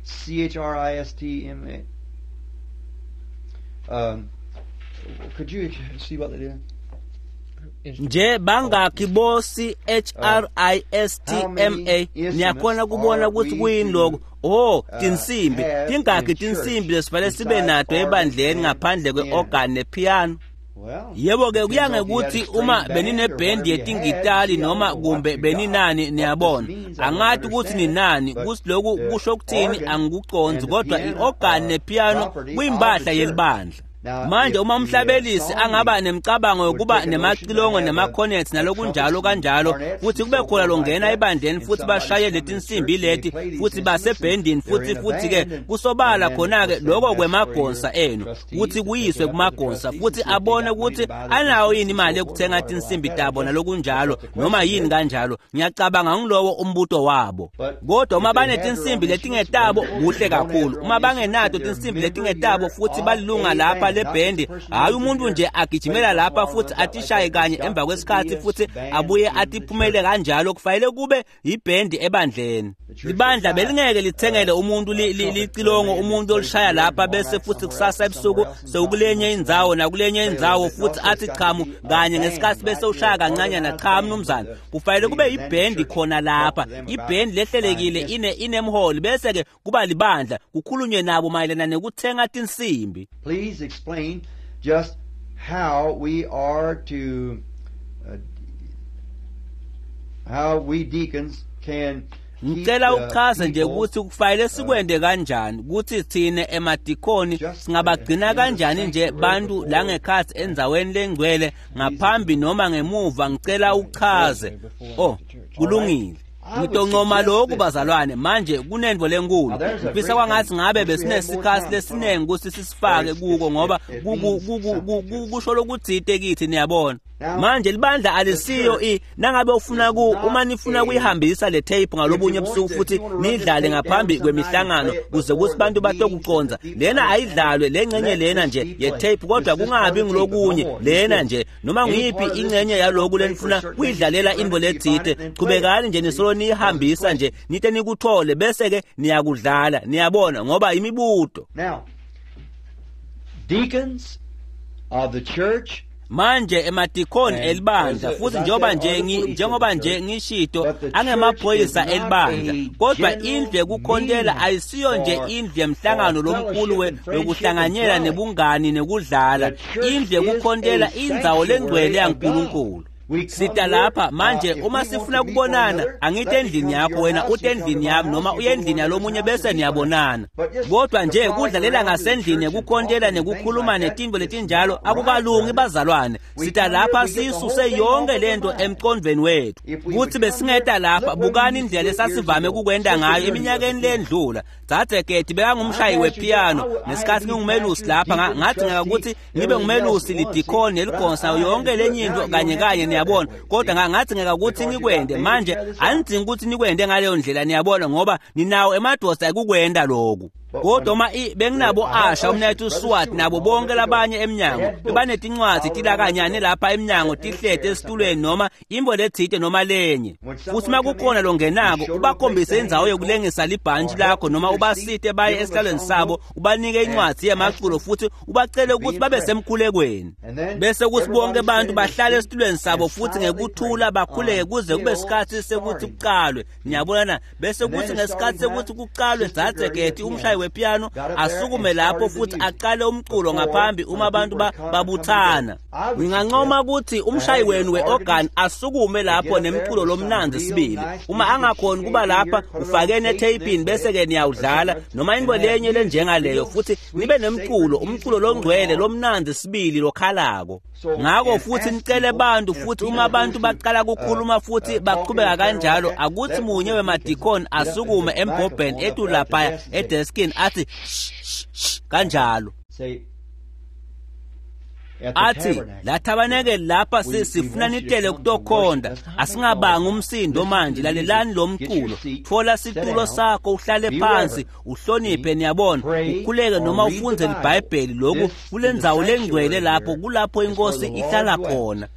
C-H-R-I-S-T-M-A could you see what they did? Nje bangakhi bo C-H-R-I-S-T-M-A? Niyakhona kubona ukuthi kuyini lokho? Tinsimbi. Tingakhi tinsimbi lesifanele sibe nato ebandleni ngaphandle kwe-organ nepiano? Yebo ke kuya ngekuthi uma beninebhendi yetingitali noma kumbe beninani. Niyabona, angathi ukuthi ninani, kuthi lokhu kusho ukuthini angikuconzi, kodwa i-organ nepiano kuyimpahla yelibandla. Manje uma umhlabelisi angaba nemicabango yokuba nemacilongo nemakhonets nalokunjalo kanjalo, futhi kube khona longena ebandleni futhi bashaye letinsimbi leti futhi basebhendini futhi ke kusobala khona-ke lokho kwemagonsa enu kuthi kuyiswe kumagonsa futhi abone ukuthi anayo yini imali yokuthenga tinsimbi tabo nalokunjalo noma yini kanjalo. Ngiyacabanga ngilowo umbuto wabo. Kodwa uma banetinsimbi letingetabo kuhle kakhulu, uma bangenato tinsimbi letingetabo futhi balilunga lapha lebhendi, hayi umuntu nje agijimela lapha futhi atishaye kanye emva kwesikhathi futhi abuye atiphumele kanjalo, kufanele kube yibhendi ebandleni. Libandla belingeke lithengele umuntu licilongo umuntu olishaya lapha bese futhi kusasa ebusuku sewukulenye indzawo nakulenye indzawo futhi athi chamu kanye ngesikhathi bese ushaya kancanyana. Cha mnumzane, kufanele kube yibhendi khona lapha, ibhendi lehlelekile inemholi, bese ke kuba libandla kukhulunywe nabo mayelana nekuthenga tinsimbi. Please explain just how we are to how we deacons can Ngicela uchaze nje ukuthi kufanele sikwende kanjani ukuthi thine emadikoni singabagcina kanjani nje bantu la ngekhathi endzaweni lengcwele ngaphambi noma ngemuva. Ngicela uchaze. Kulungile. Ngitoncoma lokhu bazalwane. Manje kunento lenkulu, ngifisa kwangathi ngabe besinesikhathi lesiningi ukuthi sisifake kuko, ngoba kusho lokuthite kithi. Niyabona, manje libandla alisiyo nangabe ufuna uma nifuna kuyihambisa le tape ngalobunye ebusuku futhi nidlale ngaphambi kwemihlangano kuze kuthi bantu batokuconza, lena ayidlalwe lengcenye lena nje ye tape, kodwa kungabi ngilokunye lena nje noma ngiyiphi ingcenye yaloku lenifuna kuyidlalela into lethite. Chubekani nje nisolo nihambisa nje nite nikuthole bese ke niyakudlala. Niyabona, ngoba imibuto. Now, deacons of the church Manje emadikoni elibandla, futhi njengoba nje ngishito, angemaphoyisa elibandla, kodwa indlu yekukhontela ayisiyo nje indlu yemhlangano lomkhulu wekuhlanganyela nebungani nekudlala. Indlu yekukhontela indzawo lengcwele yaNkulunkulu. Sita lapha manje uma sifuna kubonana, angithi endlini yakho, wena ute endlini yami noma uye endlini yalomunye bese niyabonana. Kodwa nje kudlalela ngasendlini yekukhontela nekukhuluma netinto letinjalo akukalungi bazalwane. Sita lapha siyisuse yonke lento emqondweni wethu. Kuthi besingeta lapha, bukani indlela lesasivame kukwenda ngayo eminyakeni lendlula. Dzadze Gedi bekangumshayi wepiano nesikhathi ngingumelusi lapha, ngathi ngeke ngibe ngumelusi lidikoni neligonsa yonke lenye into kanye kanye, niyabona. Kodwa ngathi ngeke ukuthi ngikwende manje, anidzingi ukuthi nikwende ngaleyo ndlela, niyabona, ngoba ninawo emadoda ekukwenda lokhu. Kodwa uma benginabo Asha, umnethu Swat, nabo bonke labanye emnyango, bebanetincwadzi tilakanyane lapha emnyango tihlete esitulweni noma imbo letsite noma lenye. Futhi uma kukhona longenako, ubakhombise indzawo yokulengisa libhantshi lakho noma ubasite baye esihlalweni sabo, ubanike incwadzi yemaculo futhi ubacele ukuthi babe semkhulekweni. Bese kuthi bonke abantu bahlale esitulweni sabo futhi ngekuthula bakhuleke kuze kube isikhathi sekuthi kuqalwe. Niyabona na? Bese kuthi ngesikhathi sekuthi kuqalwe, Dzadze Gedi umshayi wepiano asukume lapho futhi aqale umculo ngaphambi uma abantu babuthana. Ngingancoma ukuthi umshayi wenu weorgan asukume lapho nemculo lomnandzi sibili. Uma angakhoni kuba lapha, ufakeni etheyipini bese ke niyawudlala noma into lenye lenjengaleyo, futhi nibe nemculo, umculo longcwele lomnandzi sibili lokhalako. Ngako futhi nicele bantu, futhi uma abantu baqala ukukhuluma futhi baqhubeka kanjalo, akuthi munye wemadikoni asukume embhobheni etu laphaya edeskini athi shh kanjalo. Athi la thabanekeli lapha sifuna nitele kutokhonda, asingabanga umsindo manje, lalelani lo mculo, thola situlo sakho uhlale phansi uhloniphe, niyabona, ukhuleke noma ufunze iBhayibheli. Lokhu kulendzawo lengcwele lapho kulapho inkosi ihlala khona.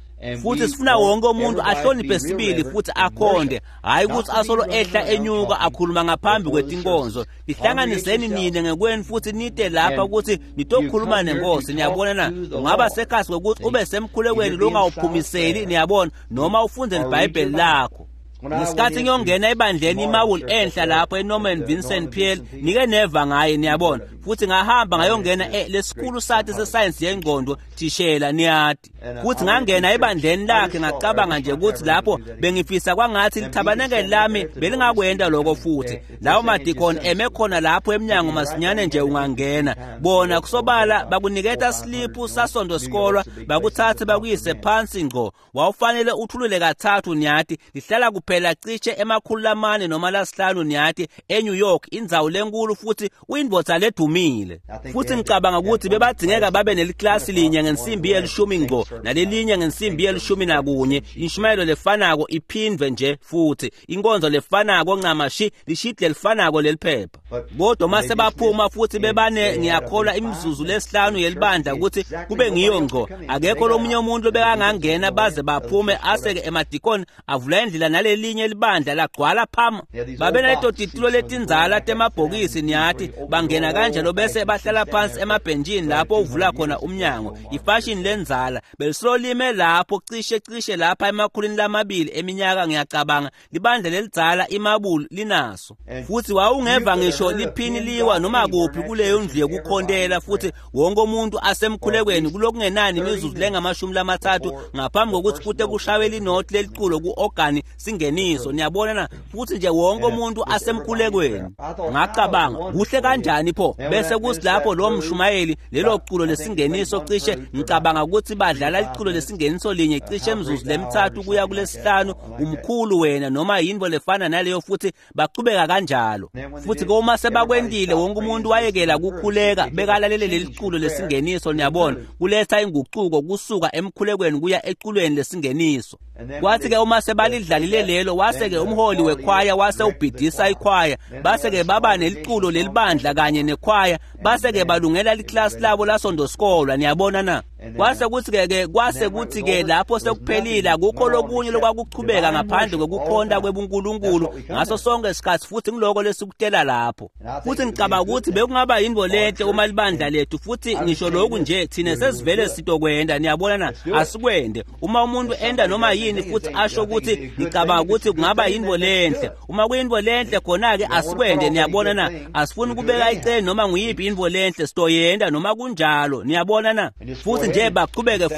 Futhi sifuna wonke umuntu ahloniphe sibili futhi akhonde, hayi ukuthi asolo ehla enyuka akhuluma ngaphambi kwetinkonzo. Nihlanganiseni nine ngekwenu futhi nite lapha ukuthi nitokhuluma nenkosi, niyabona na? Ungaba sekhasi kokuthi ube semkhulekweni longawuphumiseli, niyabona, noma ufunde iBhayibheli lakho. Ngesikhathi ngiyongena ebandleni iMawul enhla lapho eNorman Vincent Peale, nike neva ngaye, niyabona, futhi ngahamba ngayongena lesikhulu sathi sesayensi yengqondo thishela, niyati. Futhi ngangena ebandleni lakhe, ngacabanga nje ukuthi lapho bengifisa kwangathi lithabanekeli lami belingakwenda lokho. Futhi lawo madikoni eme khona lapho emnyango masinyane nje ungangena, bona kusobala bakuniketa sliphu sasondo sikolwa, bakuthathe bakuyise phansi ngqo. Wawufanele uthulule kathathu, niyati, lihlala kuphela cishe 400 noma 500, niyati, eNew York, indzawo lenkulu, futhi uyindvodza ledumile. Futhi ngicabanga ukuthi bebadzingeka babe neliklasi linye ngensimbi yelishumi ngqo nalelinye ngensimbi 11, inshumayelo lefanako iphindwe nje futhi inkonzo lefanako ncamashi, lishidle lifanako leliphepha. Kodwa mase baphuma futhi bebane, ngiyakholwa, imizuzu lesihlanu yelibandla ukuthi kube ngiyo ngqo, akekho lomunye umuntu obekangangena baze baphume, aseke emadikoni avula indlela nalelinye libandla lagcwala phama. Babeneto titulo letindzala temabhokisi, niyati, bangena kanjalo bese bahlala phansi emabhentshini lapho uvula khona umnyango. Ifashini lendzala belisolime lapho cishe lapha 200 eminyaka, ngiyacabanga libandla lelidzala iMabulu linaso. Futhi wawungeva ngisho liphini liwa noma kuphi kuleyo ndlu yekukhontela, futhi wonke umuntu asemkhulekweni kulokungenani imizuzu lengama-30 ngaphambi kokuthi kute kushawe linothi leliculo ku-organi singeniso, niyabona na? Futhi nje wonke umuntu asemkhulekweni. Ngacabanga, kuhle kanjani pho? Bese kuthi lapho lo mshumayeli lelo culo lesingeniso, cishe ngicabanga ukuthi badlala iculo lesingeniso linye cishe imizuzu lemi-3 kuya kulesihlanu, umkhulu wena noma yinto lefana naleyo, futhi baqhubeka kanjalo. Futhi uma sebakwentile, wonke umuntu wayekela kukhuleka, bekalalele leli culo lesingeniso, niyabona, kuletha inguquko kusuka emkhulekweni kuya eculweni lesingeniso. Kwathi-ke uma sebalidlalile lelo, wase-ke umholi wekhwaya wase ubhidisa ikhwaya, base-ke baba neliculo lelibandla kanye nekhwaya, base-ke balungela liklasi labo lasondosikolwa, niyabona na? Kwase kuthi-ke lapho sekuphelile akukho lokunye lokwakuchubeka ngaphandle kwekukhonta kwebuNkulunkulu ngaso sonke isikhathi, futhi ngiloko lesikutela lapho. Futhi ngicabanga ukuthi bekungaba yintfo lenhle uma libandla lethu, futhi ngisho lokhu nje thina sesivele sitokwenda, niyabona na, asikwende. Uma umuntu enda noma yini futhi asho ukuthi ngicabanga ukuthi kungaba yintfo lenhle, uma kuyintfo lenhle khona-ke asikwende, niyabona na. Asifuni kubeka icele noma nguyiphi intfo lenhle, sitoyenda noma kunjalo, niyabona na. Futhi nje bachubeke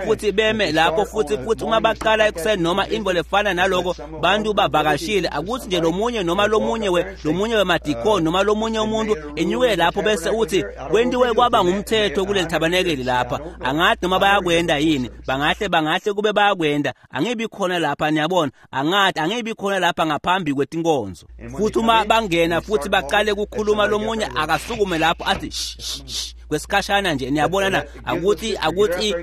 futhi beme lapho, futhi uma baqala ekuseni noma intfo lefana naloko, bantu bavakashile, akuthi nje lomunye noma lomunye wemadikoni noma lomunye umuntu enyuke lapho bese uthi kwentiwe kwaba ngumthetho kuleli thabanekeli lapha. Angathi noma bayakwenda yini, bangahle kube bayakwenda, angibi khona lapha, niyabona, angathi angibi khona lapha ngaphambi kwetinkonzo. Futhi uma bangena futhi baqale ukukhuluma, lomunye akasukume lapho athi shh kwesikhashana nje, niyabona na, akuthi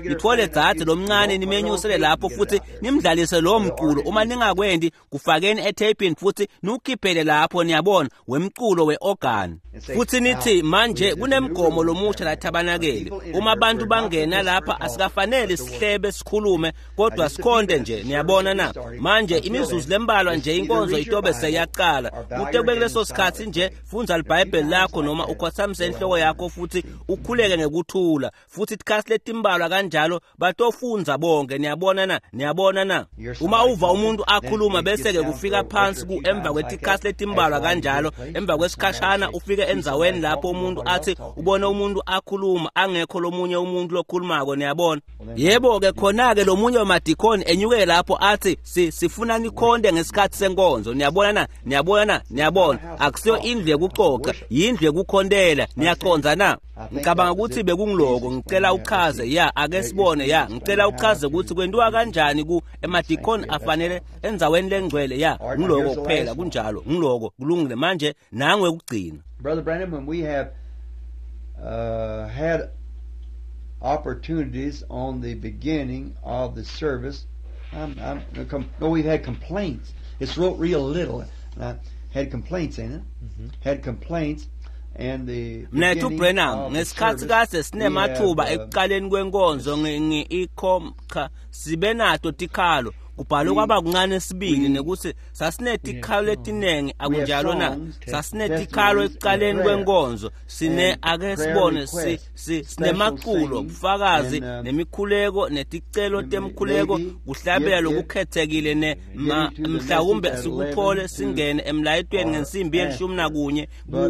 nithole dzadze lomncane nimenyusele lapho futhi nimdlalise lowo mculo. Uma ningakwendi, kufakeni etheyipini futhi niwukhiphele lapho, niyabona, wemculo we-organ. Futhi nithi manje kunemgomo lomusha la thabanakeli, uma abantu bangena lapha asikafanele sihlebe sikhulume, kodwa sikhonde nje, niyabona na. Manje imizuzu lembalwa nje inkonzo itobe seyaqala, kute kube kuleso sikhathi nje fundza liBhayibheli lakho noma ukhothamise inhloko yakho futhi ukhuleke ngekuthula, futhi itikhathi letimbalwa kanjalo batofundza bonke, niyabona na, niyabona na. Uma uva umuntu akhuluma bese-ke kufika phansi emva kwetikhathi letimbalwa kanjalo, emva kwesikhashana ufike endzaweni lapho umuntu athi ubone umuntu akhuluma angekho lomunye umuntu lokhulumako, niyabona. Yebo-ke khona-ke lomunye wemadikoni enyuke lapho athi sifuna nikhonde ngesikhathi senkonzo, niyabona na, niyabona na, niyabona. Akusiyo indlu yekucoca, yindlu yekukhontela, niyacondza na. Ngicabanga ukuthi bekungiloko, ngicela uchaze, ya, ake sibone, ya, ngicela uchaze ukuthi kwentiwa kanjani ku emadikoni afanele endzaweni lengcwele, ya, ngiloko kuphela, kunjalo, ngiloko, kulungile. Manje nangwe kugcina. Brother Branham, when we have had opportunities on the beginning of the service, no, we've had complaints. It's wrote real little. And I had complaints in it. Had complaints. Mnethu Branham, ngesikhathi kade sinemathuba ekuqaleni kwenkonzo cha sibe nato tikhalo, kubhalwe kwaba kuncane sibili nekuthi sasinetikhalo letinengi, akunjalo na? Sasinetikhalo ekuqaleni kwenkonzo, sine ake sibone sinemaculo, ubufakazi, nemikhuleko, neticelo temkhuleko, kuhlabela lokukhethekile, ne mhlawumbe sikuthole singene emlayetweni ngensimbi ye-11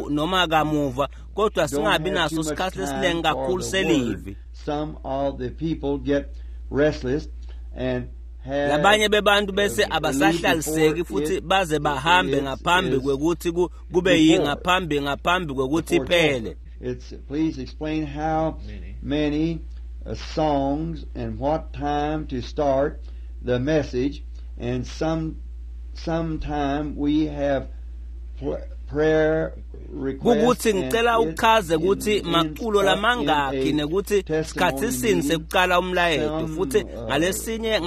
noma kamuva, kodwa singabi naso isikhathi lesiningi kakhulu selivi. Some of the people get restless and labanye bebantu bese abasahlaliseki futhi baze bahambe ngaphambi kwekuthi kube ngaphambi kwekuthi iphele. It's please explain how many songs and what time to start the message, and sometime we have prayer Kukuthi ngicela uchaze ukuthi maculo lamangakhi nekuthi sikhathi sini sekuqala umlayeto, futhi ngalesinye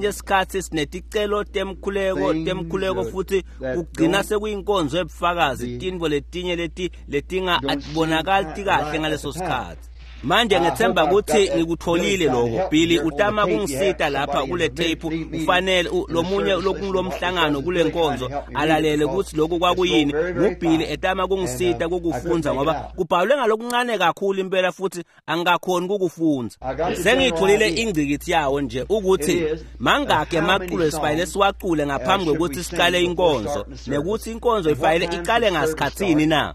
isikhathi sineticelo temkhuleko futhi kugcina sekuyinkonzo ebufakazi, tintfo letinye letinga atibonakali kahle ngaleso sikhathi. Manje ngethemba ukuthi ngikutholile lokho. Billy utama kungisita lapha kule tape, ufanele lomunye lokulomhlangano kule nkonzo alalele ukuthi lokhu kwakuyini. NguBilly etama kungisita kukufunza ngoba kubhalwe ngalokuncane kakhulu impela futhi angikakhoni kukufunza. Sengiyitholile ingcikithi yawo nje ukuthi mangakhi emaculo esifanele siwacule ngaphambi kwekuthi siqale inkonzo, nekuthi inkonzo ifanele iqale ngasikhathini na.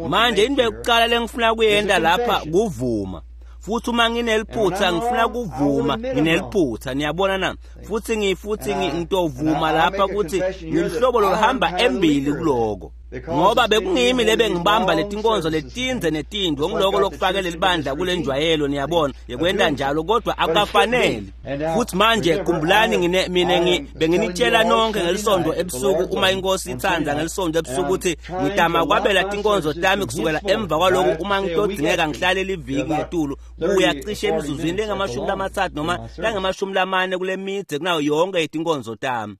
Manje into yokuqala lengifuna kuyenda lapha kuvuma. Futhi uma ngineliphutha ngifuna kuvuma ngineliphutha, niyabona na. Futhi ngitovuma lapha ukuthi ngilihlobo loluhamba embili kuloko, ngoba bekungimi lebe ngibamba letinkonzo letinze netindwe, ngiloko lokufakele libandla kule njwayelo, niyabona, yekwenta njalo, kodwa akukafanele. Futhi manje khumbulani mina benginitshela nonke ngelisonto ebusuku, uma inkosi ithanda ngelisonto ebusuku, ukuthi ngitama kwabela tinkonzo tami kusukela emva kwaloko uma ngitodingeka ngihlale liviki ngetulu kuya cishe emizuzwini lengama-30 noma langama-40 kule midze kunayo yonke itinkonzo tami,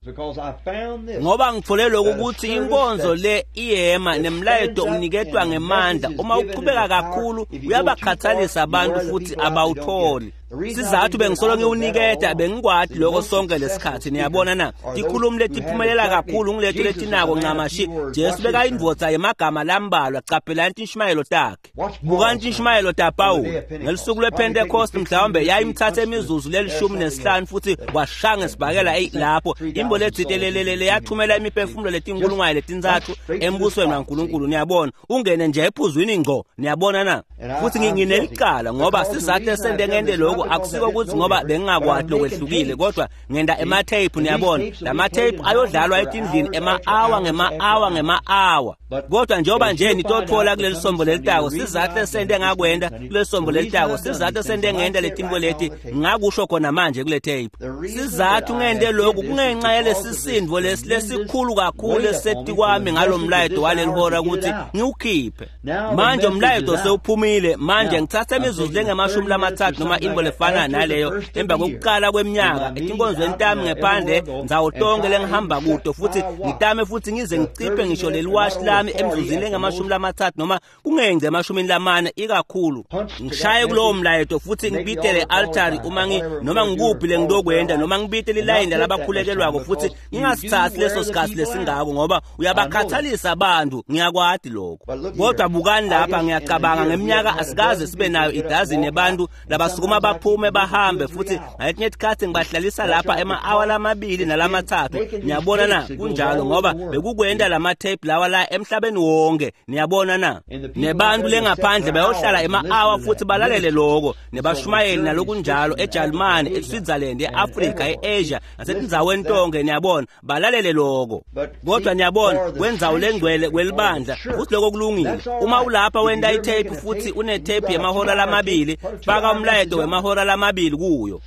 ngoba ngithole lokhu ukuthi inkonzo le iyema nemlayeto uniketwa ngemandla, uma uqhubeka kakhulu uyabakhathalisa abantu futhi abawutholi. Sizathu bengisolo ngiwuniketa bengikwati lokho sonke lesikhathi, niyabona na? Tikhulumi letiphumelela kakhulu ngileto letinako ncamashi. Jesu bekayindvodza yemagama lambalwa. Caphelani tinshumayelo takhe. Bukani tinshumayelo taPawulu ngelusuku lwePentecost, mhlawumbe yayimthatha imizuzu leli-15 futhi washaya ngesibhakela lapho imbo letsite lelelele yathumela imiphefumulo letinkulungwane 3 embusweni waNkulunkulu. Niyabona, ungene nje ephuzwini ngco, niyabona na? Futhi nginelicala ngoba sizathu esente ngente lokhu akusiko ukuthi ngoba bengingakwati lokwehlukile, kodwa ngenda ematheyiphu, niyabona. Lamatheyiphu ayodlalwa etindlini ema-awa ngema-awa ngema-awa, kodwa njengoba nje nitothola kuleli sombo lelitako, sizathu esente ngakwenda kuleli sombo lelitako, sizathu esente ngenda letinto leti ngakusho khona manje kule tape. Sizathu ngente lokhu kungenxa yalesisindvo lesikhulu kakhulu eseti kwami ngalomlayeto waleli hora ukuthi ngiwukhiphe. Manje umlayeto sewuphumile. Manje ngithatha imizuzu lengama-30 noma imbo lefana naleyo emva kokuqala kweminyaka etinkonzweni tami ngephandle ndzawo tonke lengihamba kuto, futhi ngitame futhi ngize ngiciphe ngisho leli washi lami emzuzwini lengama-30 noma kungengce ema-40 ikakhulu, ngishaye kulowo mlayeto futhi ngibitele altari uma noma ngikuphi lengilokwenda, noma ngibitele ilayini labakhulekelwako, futhi ngingasithathi leso sikhathi lesingako ngoba uyabakhathalisa abantu, ngiyakwati lokho. Kodwa bukani lapha, ngiyacabanga ngeminyaka asikaze sibe nayo idazini yabantu labasukuma baphume bahambe, futhi ngaletinye isikhathi ngibahlalisa lapha ema-awa 2 nalama-3. Niyabona na? Kunjalo, ngoba bekukwenda lama-tape lawa la emhlabeni wonke, niyabona na? Nebantu lengaphandle bayohlala ema-awa futhi balalele lokho, nebashumayeli nalokunjalo eJalimane, eSwitzerland, e-Afrika, e-Asia nasetindzaweni tonke, niyabona, balalele lokho. Kodwa niyabona, kwendzawo lengcwele kwelibandla, futhi lokho kulungile. Uma ulapha wenda itape futhi unetape yemahora 2, faka umlayeto wemahora 2 kuyo.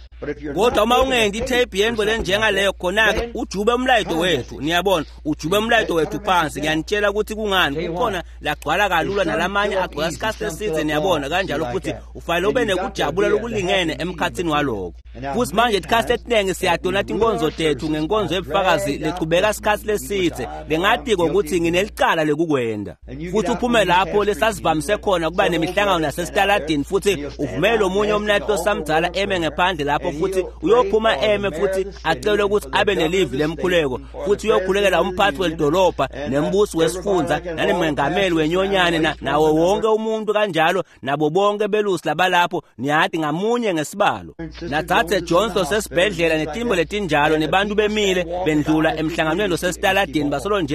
Kodwa uma ungendi itape yento lenjengaleyo, khona-ke ujube umlayeto wethu, niyabona, ujube umlayeto wethu phansi. Ngiyanitshela ukuthi kungani kukhona lagcwala kalula nalamanye agcwala isikhathi eside, niyabona, kanjalo futhi ufanele ube nekujabula lokulingene emkhathini waloko. Futhi manje isikhathi esiningi siyadona tinkonzo tethu ngenkonzo yebufakazi lechubeka isikhathi leside, lengatiko ukuthi nginelicala lekukwenda. Futhi uphume lapho lesasivamise khona kuba nemihlangano nasesitaladini, futhi uvumele omunye umnato samdzala eme ngephandle lapho, futhi uyophuma eme futhi acelwe ukuthi abe nelivi lemkhuleko, futhi uyokhulekela umphathi welidolobha nembusi wesifundza nanemengameli wenyonyane nawo wonke umuntu kanjalo, nabo bonke belusi labalapho, niyati, ngamunye ngesibalo. Nathathe Johnson sesibhedlela netimbo letinjalo, nebantu bemile bendlula emhlanganweni losesitaladini,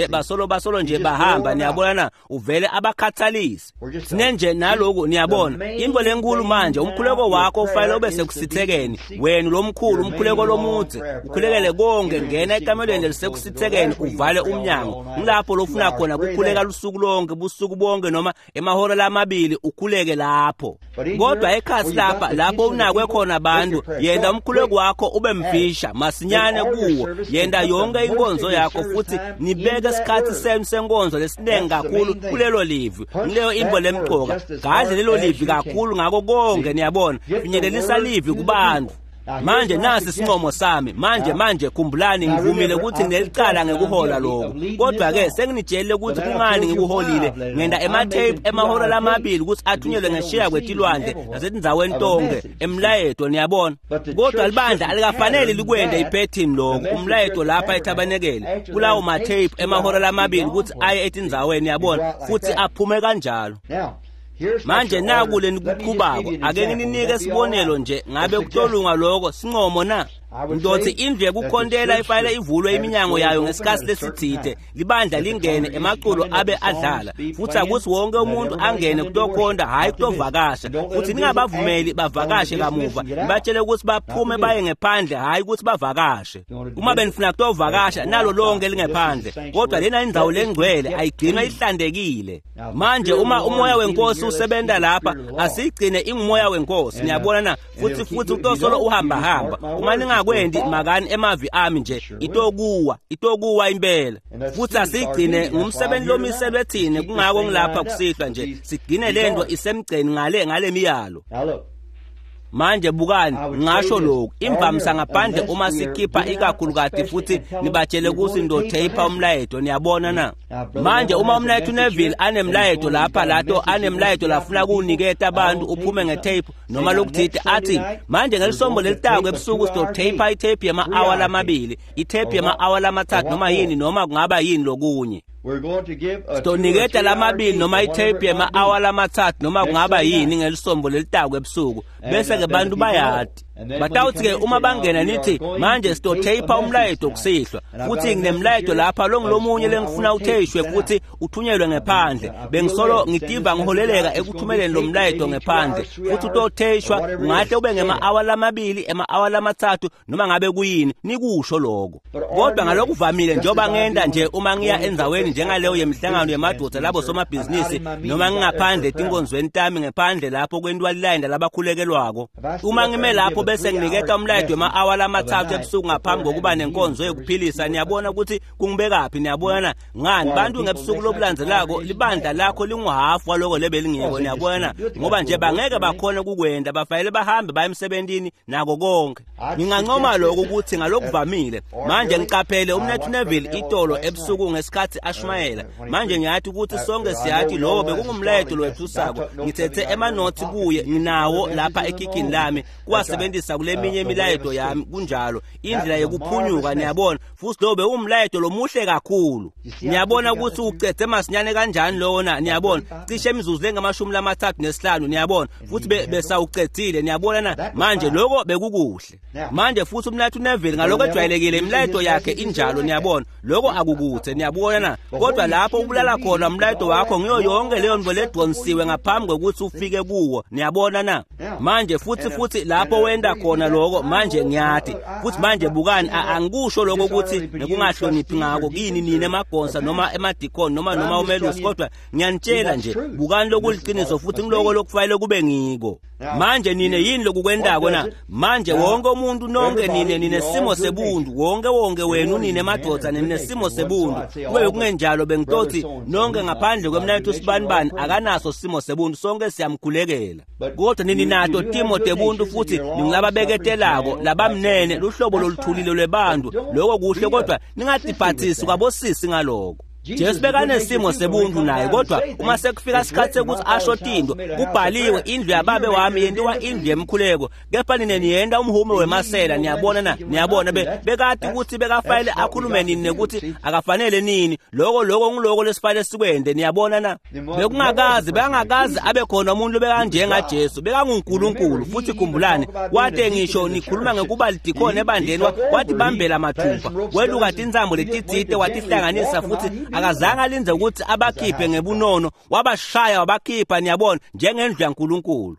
basolo nje bahamba, niyabona na? Uvele abakhathalisi. Sinenje naloku, niyabona, into lenkulu manje, umkhuleko wakho ufanele ube sekusithekeni, wena lomkhulu umkhuleko lomudze, ukhulekele konke, ngena ekamelweni lelisekusithekeni, uvale umnyango. Ngilapho lofuna khona kukhuleka lusuku lonke, busuku bonke noma emahora 2 ukhuleke lapho. Kodwa ekhasi lapha lapho unakwe khona abantu, yenda umkhuleko wakho ube mfisha masinyane kuwo, yenda yonke inkonzo yakho futhi nibeke isikhathi senu senkonzo lesiningi kakhulu kulelo livi. Ngileyo imbo lemcoka, gadle lelo livi kakhulu ngako konke, niyabona, finyelelisa livi kubantu. Manje nasi isincomo sami. Manje khumbulani, ngivumile ukuthi nginelicala ngekuhola lokho, kodwa ke senginitshele ukuthi kungani ngikuholile. Ngenda ematheyiphu emahora 2 ukuthi athunyelwe ngeshiya kwetilwandle nasetindzaweni tonke emlayeto, niyabona. Kodwa libandla alikafanele likwende iphethini lokho umlayeto lapha ethabanekele kulawo matheyiphu emahora 2 ukuthi aye etindzaweni, niyabona, futhi aphume kanjalo. Manje naku lenikuqhubako, ake ngininike isibonelo nje, ngabe kutolunga lokho sincomo na? Ndothi indlu yekukhontela ifanele ivulwe iminyango yayo ngesikhathi lesitsite, libandla lingene, emaculo abe adlala, futhi akuthi wonke umuntu angene kutokhonta, hhayi kutovakasha. Futhi ningabavumeli bavakashe kamuva, nibatshele ukuthi baphume baye ngephandle, hhayi ukuthi bavakashe. Uma benifuna kutovakasha, nalo lonke lingephandle, kodwa lena indzawo lengcwele ayigcinwa ihlantekile. Manje uma umoya wenkosi usebenza lapha, asigcine ingumoya wenkosi, niyabona na? Futhi utosolo uhamba hamba. Uma ningakwendi, makani emavi ami nje, itokuwa impela. Futhi asigcine ngumsebenzi lomiselwe thina, kungako ngilapha kusihlwa nje, sigcine lento isemgceni ngale miyalo. Manje bukani, ngasho lokhu imvamisa ngaphandle uma sikhipha ikakhulukati futhi nibatshele ukuthi ndotheyipha umlayeto, niyabona na? Manje uma umlayeto uNeville anemlayeto lapha lato anemlayeto lafuna kuwuniketa abantu uphume ngetape noma lokuthite athi manje ngelisombo lelitako ebusuku sizotheyipha itape yema-awa lamabili, itape yema-awa lamathathu noma yini noma kungaba yini lokunye. Sitoniketa lamabili noma itape yema-awa lamathathu noma kungaba yini ngelisombo lelitako ebusuku, bese-ke bantu bayati. Batawuthi-ke uma bangena nithi manje sitotheyipha umlayeto kusihlwa, futhi nginemlayeto lapha longulomunye lengifuna utheyishwe futhi uthunyelwe ngephandle. Bengisolo ngitiva ngiholeleka ekuthumeleni lo mlayeto ngephandle, futhi utotheyishwa ungahle ube ngema-awa lamabili, ema-awa lamathathu noma ngabe kuyini, nikusho lokho. Kodwa ngalokuvamile njengoba ngenda nje uma ngiya endzaweni njengaleyo yemihlangano yemadoda labo somabhizinisi noma ngingaphandle etinkonzweni tami ngephandle lapho kwentiwa lilayini labakhulekelwako, uma ngime lapho bese nginiketa umlayeto wema-awa lamathathu ebusuku ngaphambi kokuba nenkonzo yokuphilisa, niyabona ukuthi kungibekaphi, niyabona ngani bantu ngebusuku lobulandzelako libandla lakho linguhafu waloko lebelingiko, niyabona, ngoba nje bangeke bakhona ukukwenda, bafanele bahambe baye emsebentini nako konke. Ngingancoma lokho ukuthi ngalokuvamile manje ngiqaphele umnethu Neville itolo ebusuku ngesikhathi ashumayela. Manje ngiyathi ukuthi sonke siyathi lowo bekungumlayeto lowethusako. Ngithethe emanothi kuye, nginawo lapha ekhikhini lami kuwasebenzisa kuleminye imilayeto yami, kunjalo indlela yokuphunyuka, niyabona. Futhi lowo bewumlayeto lomuhle kakhulu. Niyabona ukuthi ucedze masinyane kanjani lona, niyabona, cishe imizuzu lengamashumi 35, niyabona, futhi besawucedzile, niyabona na. Manje lokho bekukuhle. Manje futhi umlayeto uNeville ngalokho ejwayelekile imilayeto yakhe injalo, niyabona, lokho akukuthe, niyabona na. Kodwa lapho ubulala khona umlayeto wakho ngiyo yonke leyo nto ledonsiwe ngaphambi kokuthi ufike kuwo, niyabona na. Manje futhi lapho wenda khona lokho, manje ngiyathi futhi manje bukani, angikusho lokho ukuthi nekungahloniphi ngako kini nina emagonsa noma emadikoni noma umelusi, kodwa ngiyanitshela nje bukani lokuliqiniso futhi ngiloko lokufanele kube ngiko. Manje nine yini lokukwendako na? Manje wonke umuntu nonke nine ninesimo sebuntu, wonke wenu nine madoda ninesimo sebuntu. Kube kungenjalo bengitothi nonke ngaphandle kwemnayethu sibanibani akanaso simo sebuntu, sonke siyamkhulekela. Kodwa nini nato timo tebuntu futhi ningulababeketelako labamnene luhlobo loluthulile lwebantu, lokho kuhle, kodwa ningatiphathisi kwabosisi ngaloko. Jesu bekanesimo sebuntu naye, kodwa uma sekufika isikhathi sekuthi asho tinto, kubhaliwe indlu yababe wami yentiwa indlu yemkhuleko, kepha nine niyenta umhume wemasela, niyabona na, niyabona bekati ukuthi bekafanele akhulume nini nekuthi akafanele nini, lokho ngiloko lesifanele sikwende, niyabona na. Bekungakazi bekangakazi abe khona umuntu bekanjengaJesu, bekanguNkulunkulu. Futhi khumbulani wate ngisho nikhuluma ngekuba lidikhoni ebandleni, watibambela mathupha, weluka tintsambo letitsite watihlanganisa, futhi akazange alinze ukuthi abakhiphe ngebunono, wabashaya wabakhipha, niyabona, njengendlu yaNkulunkulu.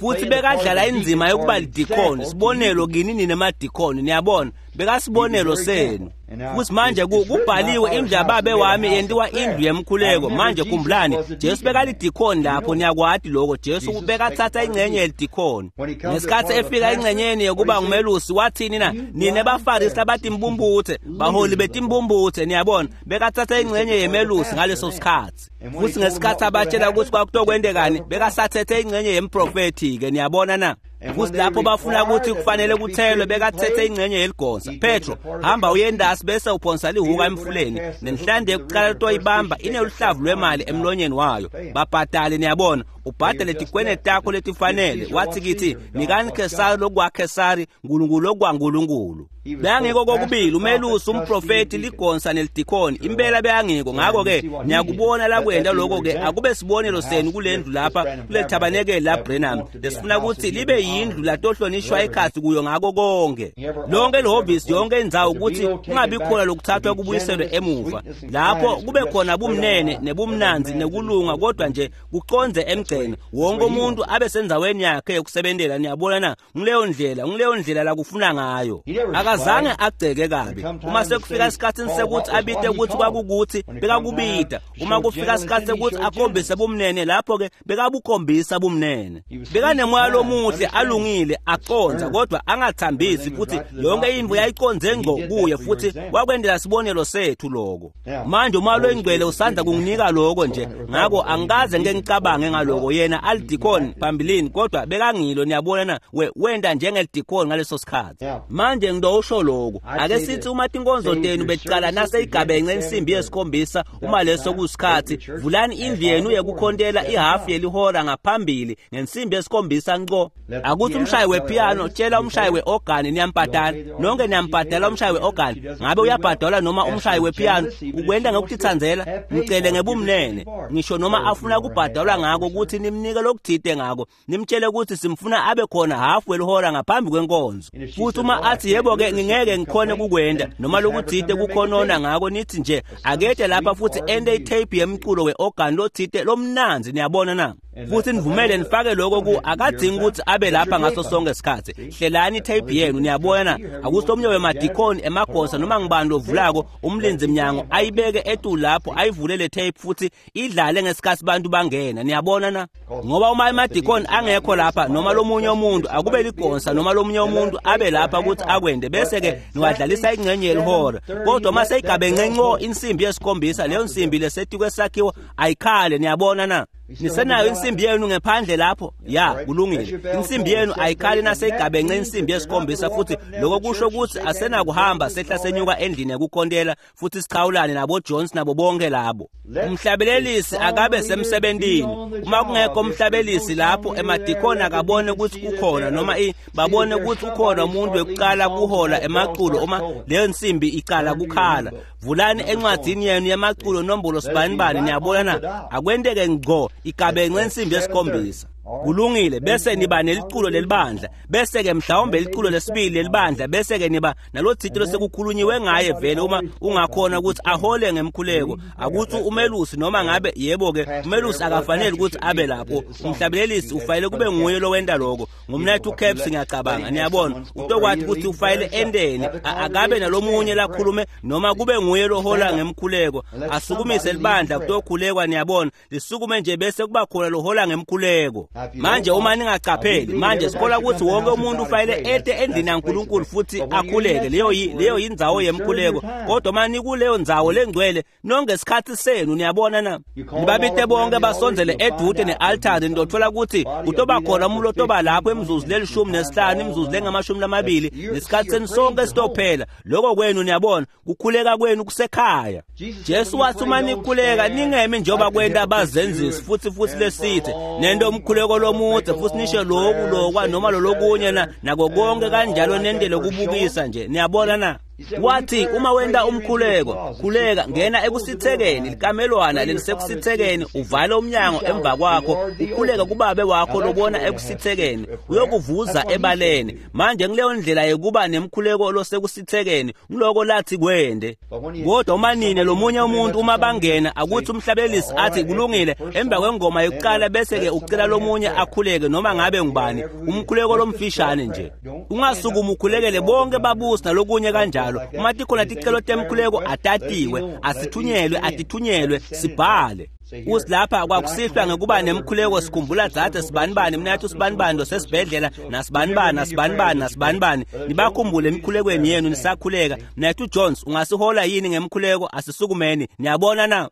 Futhi bekadlala inzima yokuba lidikhoni, sibonelo kini nina emadikhoni, niyabona, bekasibonelo senu. Futhi manje kubhaliwe indlu yababe wami yentiwa indlu yemkhuleko. Manje khumbulani Jesu bekalidikhoni lapho, niyakwati lokho. Jesu bekathatha ingxenye yelidikhoni. Ngesikhathi efika ingxenyeni yokuba ngumelusi wathini na? Nine bafarisi labatimbumbuthe, baholi betimbumbuthe, niyabona, bekathatha ingxenye yemelusi ngaleso sikhathi. Futhi ngesikhathi abatshela ukuthi kwakutokwendekani, bekasathethe ingxenye yemprofethi-ke, niyabona na. Futhi lapho bafuna ukuthi kufanele kuthelwe, bekathethe ingxenye yeligonsa. Petro, hamba uyendasi bese uphonsa lihuka emfuleni, nenhlande yokuqala toyibamba ineluhlavu lwemali emlonyeni wayo. Babhadale, niyabona, ubhadale tikwene takho letifanele. Wathi kithi nikani Kesari lokwaKesari, Nkulunkulu lokwaNkulunkulu. Bekangiko kokubili umelusi, umprofeti, ligonsa nelidikhoni, impela bekangiko. Ngakho-ke niyakubona lakwenda lokho-ke akube sibonelo senu kulendlu lapha kule thabanekeli la Branham lesifuna ukuthi libe yindlu latohlonishwa ekhathi kuyo ngako konke lonke lihhovisi, yonke indzawo, ukuthi kungabi khona lokuthathwa kubuyiselwe emuva, lapho kube khona bumnene nebumnanzi nekulunga, kodwa nje kuconze emgceni, wonke umuntu abe sendzaweni yakhe yokusebentela, niyabona na. Ngileyo ndlela lakufuna ngayo. Akazange agceke kabi. Uma sekufika isikhathini sekuthi abite ukuthi kwakukuthi, bekakubita. Uma kufika isikhathi sekuthi akhombise bumnene, lapho-ke bekabukhombisa bumnene. Bekanemoya lomuhle, alungile aqondza kodwa angathambisi, futhi yonke intfo yayiqondze ngco kuye, futhi wakwendela sibonelo sethu lokho. Manje uma loyingcwele usandza kunginika lokho nje, ngako angikaze ngike ngicabange ngaloko. Yena alidikoni phambilini, kodwa bekangilo, niyabona na, wenda njengelidikoni ngaleso sikhathi. Manje ngidowusho lokho, ake sithi uma tinkonzo tenu bekucala naseyigabenxe insimbi yesikhombisa, uma leso kusikhathi, vulani indlu yenu yekukhontela ihafu yelihora ngaphambili ngensimbi yesikhombisa nco. Akuthi umshayi wepiano tshela umshayi weorgan niyambhadala, nonke niyambhadala umshayi weorgan. Ngabe uyabhadalwa noma umshayi wepiano? Ukwenda ngokutitsandzela, mcele ngebumnene, ngisho noma afuna kubhadalwa ngako ukuthi nimnike lokuthite ngako, nimtshele ukuthi simfuna abe khona hafu welihora ngaphambi kwenkonzo. Futhi uma athi yebo-ke ngingeke ngikhone kukwenda noma lokuthite kukhonona ngako, nithi nje akete lapha futhi ente itape yemculo weorgan lothite lomnanzi, niyabona na? Futhi nivumele nifake lokho ku akadingi ukuthi abe lapha ngaso sonke isikhathi. Hlelani itape yenu, niyabona na? Akuthi omunye wemadikoni emagosa noma ngibani lovulako umlinzi mnyango ayibeke etulu lapho, ayivule le tape futhi idlale ngesikhathi bantu bangena, niyabona na? Ngoba uma emadikoni angekho lapha noma lomunye umuntu, akube ligonsa noma lomunye umuntu abe lapha ukuthi akwende, bese-ke niwadlalisa ingxenye yelihora. Kodwa uma seyigabenxe nco insimbi yesikhombisa, leyo nsimbi lesetikwe sakhiwo ayikhale, niyabona na? Nisenayo insimbi yenu ngephandle lapho? Ya, kulungile. Insimbi yenu ayikhali naseyigabenxe insimbi yesikhombisa, futhi lokho kusho ukuthi asenakuhamba sehla senyuka endlini yekukhontela futhi sichawulane nabo Jones nabo bonke labo. Umhlabelelisi akabe semsebentini. Uma kungekho umhlabelisi lapho, emadikoni akabone ukuthi kukhona noma babone ukuthi ukhona umuntu wekuqala kuhola emaculo uma leyo nsimbi icala kukhala. Vulani encwadini yenu yemaculo nombolo sibanibani, niyabona na? Akwenteke ngco igabenxe insimbi yesikhombisa. Kulungile, bese niba neliculo lelibandla, bese ke mhlawumbe liculo lesibili lelibandla, bese ke niba nalothito losekukhulunyiwe ngaye vele, uma ungakhona ukuthi ahole ngemkhuleko. Akuthi umelusi noma ngabe yebo ke umelusi akafanele ukuthi abe lapho, umhlabelelisi ufanele kube nguye lowenda lokho. Ngumnethu Caps ngiyacabanga, niyabona, utokwathi ukuthi ufanele endeni, akabe nalomunye lakhulume noma kube nguye lohola ngemkhuleko, asukumise libandla kutokhulekwa, niyabona, lisukume nje bese kuba khona lohola ngemkhuleko. Manje uma ningacapheli, manje sikhola ukuthi wonke umuntu ufanele ete endlini yaNkulunkulu futhi akhuleke, leyo yindzawo yemkhuleko. Kodwa uma nikuleyo ndzawo lengcwele nonke isikhathi senu, niyabona na? Nibabite bonke basondzele edude ne-altari, nitothola ukuthi kutoba khona umuntu otoba lapho imizuzu lelishumi nesihlanu, imizuzu lengamashumi lamabili, nesikhathi senu sonke sitophela. Lokho kwenu, niyabona, kukhuleka kwenu kusekhaya. Jesu wathi uma nikhuleka ningemi njengoba kwenta abazenzisi futhi lesithe nento umkhuleko lomude futhi nisho lokhu lokwa noma lolokunye na nako konke kanjalo nendele kubukisa nje, niyabona na? Wathi uma wenta umkhuleko, khuleka ngena ekusithekeni, likamelwana lelisekusithekeni, uvale umnyango emva kwakho, ukhuleke kubabe wakho lobona ekusithekeni, uyokuvuza ebaleni. Manje ngileyo ndlela yekuba nemkhuleko losekusithekeni, ngiloko lathi kwende. Kodwa uma nine lomunye umuntu uma bangena, akuthi umhlabelisi athi kulungile emva kwengoma yokuqala, bese ke ucela lomunye akhuleke noma ngabe ngubani, umkhuleko lomfishane nje. Ungasukuma ukhulekele bonke babusi nalokunye kanjalo. Uma tikhona ticelo temkhuleko atatiwe, asithunyelwe, atithunyelwe, sibhale. Usilapha kwakusihlwa ngekuba nemkhuleko, sikhumbula dzadze sibanibani, mnathu sibanibani losesibhedlela, nasibanibani nasibanibani nasibanibani, nibakhumbule emikhulekweni yenu nisakhuleka. Mnathu Jones, ungasihola yini ngemkhuleko? Asisukumeni, niyabona na?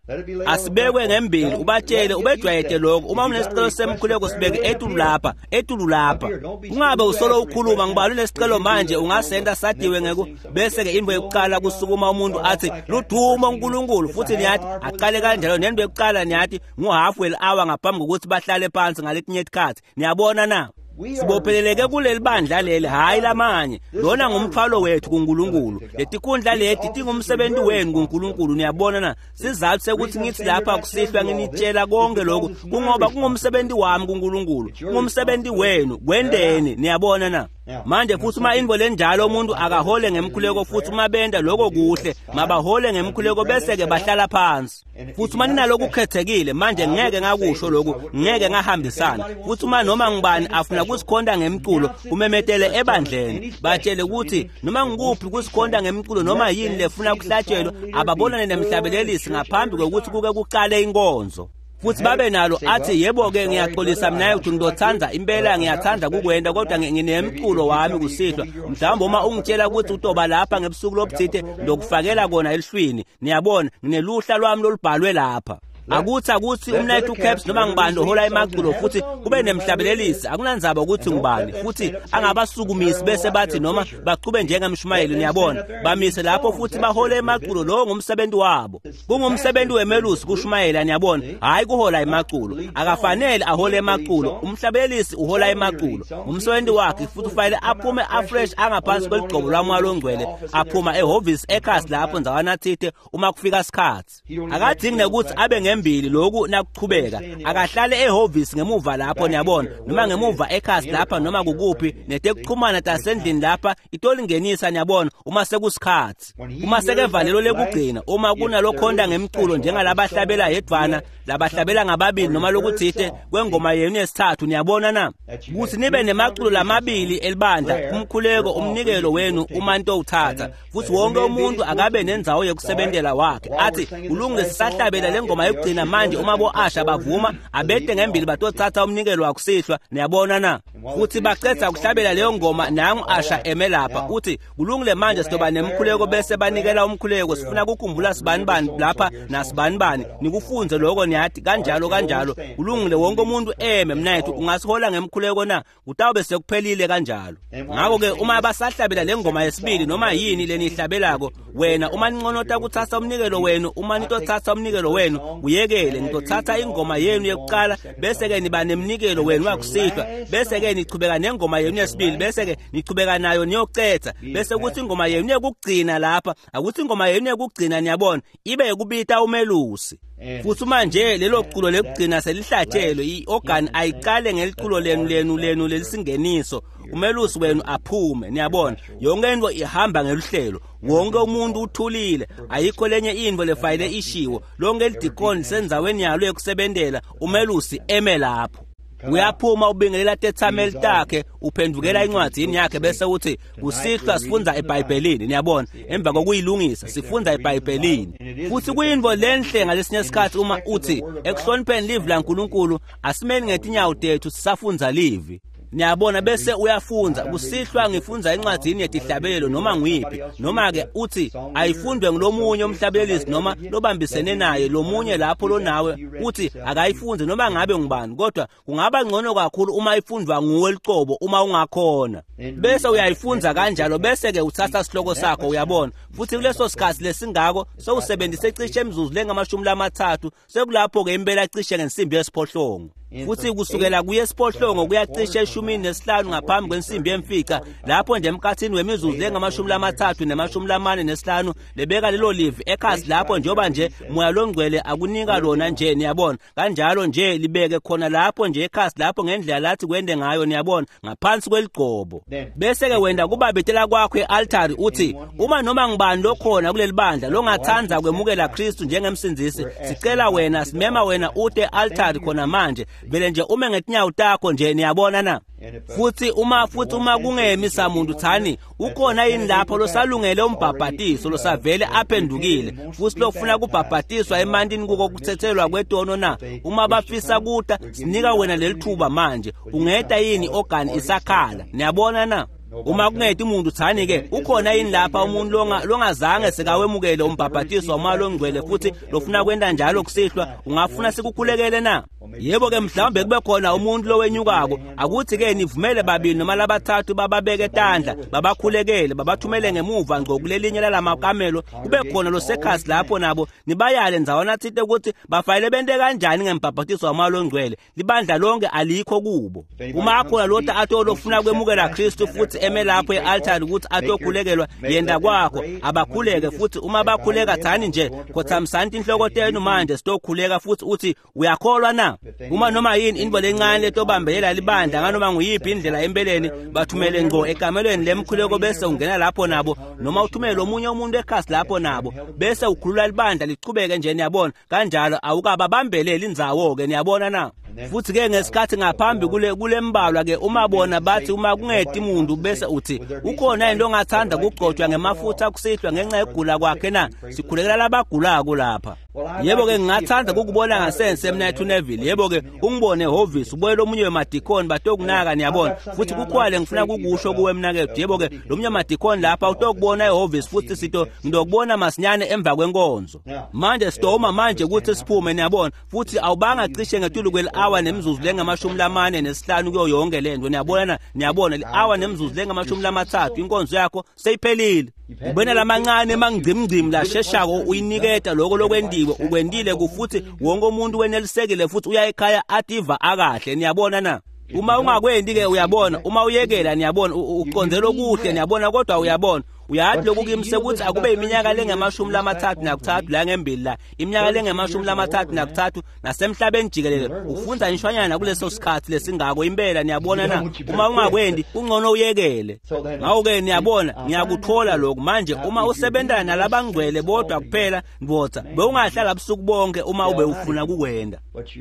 Asibekwe ngembili, ubatshele ubejwayete lokho. Uma unesicelo semkhuleko sibeke etulu lapha, etulu lapha. Ungabe usolo ukhuluma ngibani unesicelo manje, ungasenda sadiwe ngeku bese ke into yokuqala kusukuma umuntu athi ludumo uNkulunkulu, futhi niyathi aqale kanjalo nento yokuqala niyathi nguhalf hour ngaphambi kokuthi bahlale phansi ngaletinye isikhathi, niyabona na? Sibopheleleke kuleli bandla leli, hayi lamanye. Lona ngumthwalo wethu kuNkulunkulu. Letikhundla leti tingumsebenzi wenu kuNkulunkulu, niyabona na? Sizathu sekuthi ngithi lapha kusihlwa nginitshela konke lokhu kungoba kungumsebenzi wami kuNkulunkulu, kungumsebenzi wenu kwendeni, niyabona na? Manje futhi uma into lenjalo umuntu akahole ngemkhuleko, futhi uma benda lokho kuhle, mabahole ngemkhuleko bese ke bahlala phansi. Futhi uma ninalokhu kukhethekile, manje ngeke ngakusho lokhu, ngeke ngahambisana. Futhi uma noma ngubani afuna kusikhonda ngemculo, umemetele ebandleni, batshele ukuthi noma ngikuphi kusikhonda ngemculo noma yini lefuna kuhlatshelwa, ababonane nemhlabelelisi ngaphambi kokuthi kuke kuqale inkonzo. Futhi babe nalo athi yebo-ke ngiyaxolisa mina ukuthi ngizothanda impela ngiyathanda kukwenta kodwa nginemculo wami kusihlwa mhlawumbe uma ungitshela ukuthi utoba lapha ngebusuku lobuthite ngizokufakela kona elihlwini niyabona ngineluhla lwami lolubhalwe lapha akuthi umnayethu Caps noma ngibani ohola emaculo futhi kube nemhlabelelisi akunandzaba ukuthi ngubani futhi angabasukumisi bese bathi noma bachube njengemshumayeli niyabona bamise lapho futhi bahole emaculo lowo ngumsebenzi wabo kungumsebenzi wemelusi kushumayela niyabona hayi kuhola emaculo akafanele ahole emaculo umhlabelelisi uhola emaculo umsebenzi wakhe futhi ufanele aphume afresh angaphansi kweligcobo lwamoya longcwele aphuma ehhovisi ekhasi lapho ndzawana thite uma kufika isikhathi akadingi nekuthi abe ngembili lokhu nakuchubeka akahlale ehhovisi ngemuva lapho niyabona noma ngemuva ekhasi lapha noma kukuphi netekuxhumana tasendlini lapha itolingenisa niyabona uma sekusikhathi uma sekevalelo lekugcina uma kunalokhonda ngemculo njengalabahlabela yedvana labahlabela ngababili noma lokuthite kwengoma yenu yesithathu niyabona na kuthi nibe nemaculo lamabili elibandla umkhuleko umnikelo wenu uma nitowuthatha futhi wonke umuntu akabe nendzawo yokusebentela wakhe athi ulungile sisahlabela le ngoma yokugcina manje uma bo-asha bavuma abete ngembili batothatha umnikelo wakusihlwa niyabona na futhi bacedza kuhlabela leyo ngoma nangu asha eme lapha uthi kulungile manje sizoba nemkhuleko bese banikela umkhuleko sifuna kukhumbula sibanibani lapha nasibanibani nikufunze lokho niyathi kanjalo kanjalo kulungile wonke umuntu eme mnayethu ungasihola ngemkhuleko na kutawube sekuphelile kanjalo ngakho-ke uma basahlabela le ngoma yesibili noma yini leniyihlabelako wena uma ninconota kuthatha umnikelo wenu uma nitothatha umnikelo wenu kuyekele nitothatha ingoma yenu yokuqala bese-ke niba nemnikelo wenu wakusihlwa bese-ke nichubeka nengoma yenu yesibili bese-ke nichubeka nayo niyocetha bese kuthi ingoma yenu yokugcina lapha akuthi ingoma yenu yokugcina niyabona ibe yokubita umelusi futhi manje lelo culo lekugcina selihlatshelwe i-organ ayiqale ngeliculo lenu lelisingeniso umelusi wenu aphume niyabona yonke into ihamba ngeluhlelo wonke umuntu uthulile ayikho lenye into lefayile ishiwo lonke elidikoni lisendzaweni yalo yokusebentela umelusi eme lapho uyaphuma ubingelela tethameli takhe uphendukela incwadini yakhe bese uthi kusihlwa sifundza eBhayibhelini niyabona emva kokuyilungisa sifundza eBhayibhelini futhi kuyinto lenhle ngalesinye isikhathi uma uthi ekuhlonipheni livi laNkulunkulu asimeni ngetinyawo tethu sisafundza livi niyabona bese uyafunza kusihlwa ngifunza incwadini yetihlabelelo noma nguyiphi noma-ke uthi ayifundwe ngulomunye umhlabelelisi noma lobambisene naye lomunye lapho lonawe uthi akayifunze noma ngabe ngubani kodwa kungaba ngcono kakhulu uma ifundwa nguwe licobo uma ungakhona bese uyayifunza kanjalo bese-ke uthatha sihloko sakho uyabona futhi kuleso sikhathi lesingako sewusebenzise cishe imizuzu lengamashumi lamathathu sekulapho-ke impela cishe ngensimbi yesiphohlongo futhi kusukela kuye esiphohlongo kuyacishe 15 ngaphambi kwensimbi yemfica lapho nje emkhathini wemizuzu lengamashumi lamathathu nemashumi lamane nesihlanu lebeka lelo livi ekhasi lapho njengoba nje moya longcwele akunika lona nje niyabona kanjalo nje libeke khona lapho nje ekhasi lapho ngendlela lathi kwende ngayo niyabona ngaphansi kweligcobo bese-ke wenda kubabetela kwakho e-altari uthi uma noma ngibani lokhona kuleli bandla longathanda kwemukela Kristu njengemsindzisi sicela wena simema wena ute e-altari khona manje vele nje ume ngetinyawo takho nje niyabona na futhi uma kungemisa muntu thani ukhona yini lapho losalungele umbhabhatiso losavele aphendukile futhi lofuna kubhabhatiswa emantini kuko kuthethelwa kwetono na uma bafisa kuta sinika wena lelithuba manje ungeta yini organ isakhala niyabona na uma kungeti umuntu thani-ke ukhona yini lapha umuntu longazange sekawemukele umbhabhatiso wamoya longcwele futhi lofuna kwenta njalo kusihlwa ungafuna sikukhulekele na yebo-ke mhlawumbe kube khona umuntu lowenyukako akuthi-ke nivumele babili noma labathathu bababeke tandla babakhulekele babathumele ngemuva ngco kulelinye lalamakamelo kube khona losekhasi lapho nabo nibayale ndzawana thite ukuthi bafanele bente kanjani ngembhabhatiso wamoya longcwele libandla lonke alikho kubo uma akhona lota athi olofuna kwemukela Kristu futhi eme lapho e-altari ukuthi atokhulekelwa yenda kwakho abakhuleke futhi uma bakhuleka thani nje khothamisani inhloko tenu manje sitokhuleka futhi uthi uyakholwa na uma noma yini into lencane letobambelela libandla nganoma nguyiphi indlela empeleni bathumele ngco ekamelweni lemkhuleko bese ungena lapho nabo noma uthumele omunye umuntu ekhasi lapho nabo bese ukhulula libandla lichubeke nje niyabona kanjalo awukababambeleli indzawo-ke niyabona na Futhi ke ngesikhathi ngaphambi kulembalwa ke uma bona bathi uma kungeti muntu bese uthi ukhona into ongathanda kugcotshwa ngemafutha kusihlwa ngenxa yokugula kwakhe na? Sikhulekela labagulako lapha. Yebo ke ngingathanda ukukubona ngasense mnethu Neville. Yebo ke ungibone ehhovisi ubuyele omunye wemadikoni batokunaka niyabona. Futhi kukhwale ngifuna kukusho kuwe mnakethu. Yebo ke lo munye wemadikoni lapha utokubona ehhovisi futhi sito ngidokubona masinyane emva kwenkonzo. Manje sitoma manje ukuthi siphume niyabona. Futhi awubanga cishe ngetulu kweli-hour nemizuzu lengamashumi 45 kuyo yonke lento niyabona. Niyabona li-hour nemizuzu lengamashumi 30 inkonzo yakho seyiphelile. Ubena lamancane emangcimngcimi lasheshako uyiniketa lokho lokwendiwe ukwendile kufuthi wonke umuntu wenelisekile futhi uya ekhaya ativa akahle niyabona na. Uma ungakwendi ke uyabona, uma uyekela niyabona uqonzela okuhle niyabona, kodwa uyabona uyathi lokhu kimi sekuthi akube iminyaka lengamashumi 33 la ngembili la iminyaka lengamashumi 33 nasemhlabeni jikelele ufunda nishwanyana kuleso sikhathi lesingako impela niyabona na. Uma ungakwendi kungcono uyekele. Ngakho-ke niyabona ngiyakuthola lokhu manje. Uma usebentana nalabangcwele bodwa kuphela ndvodza bewungahlala busuku bonke uma ube ufuna kukwenda,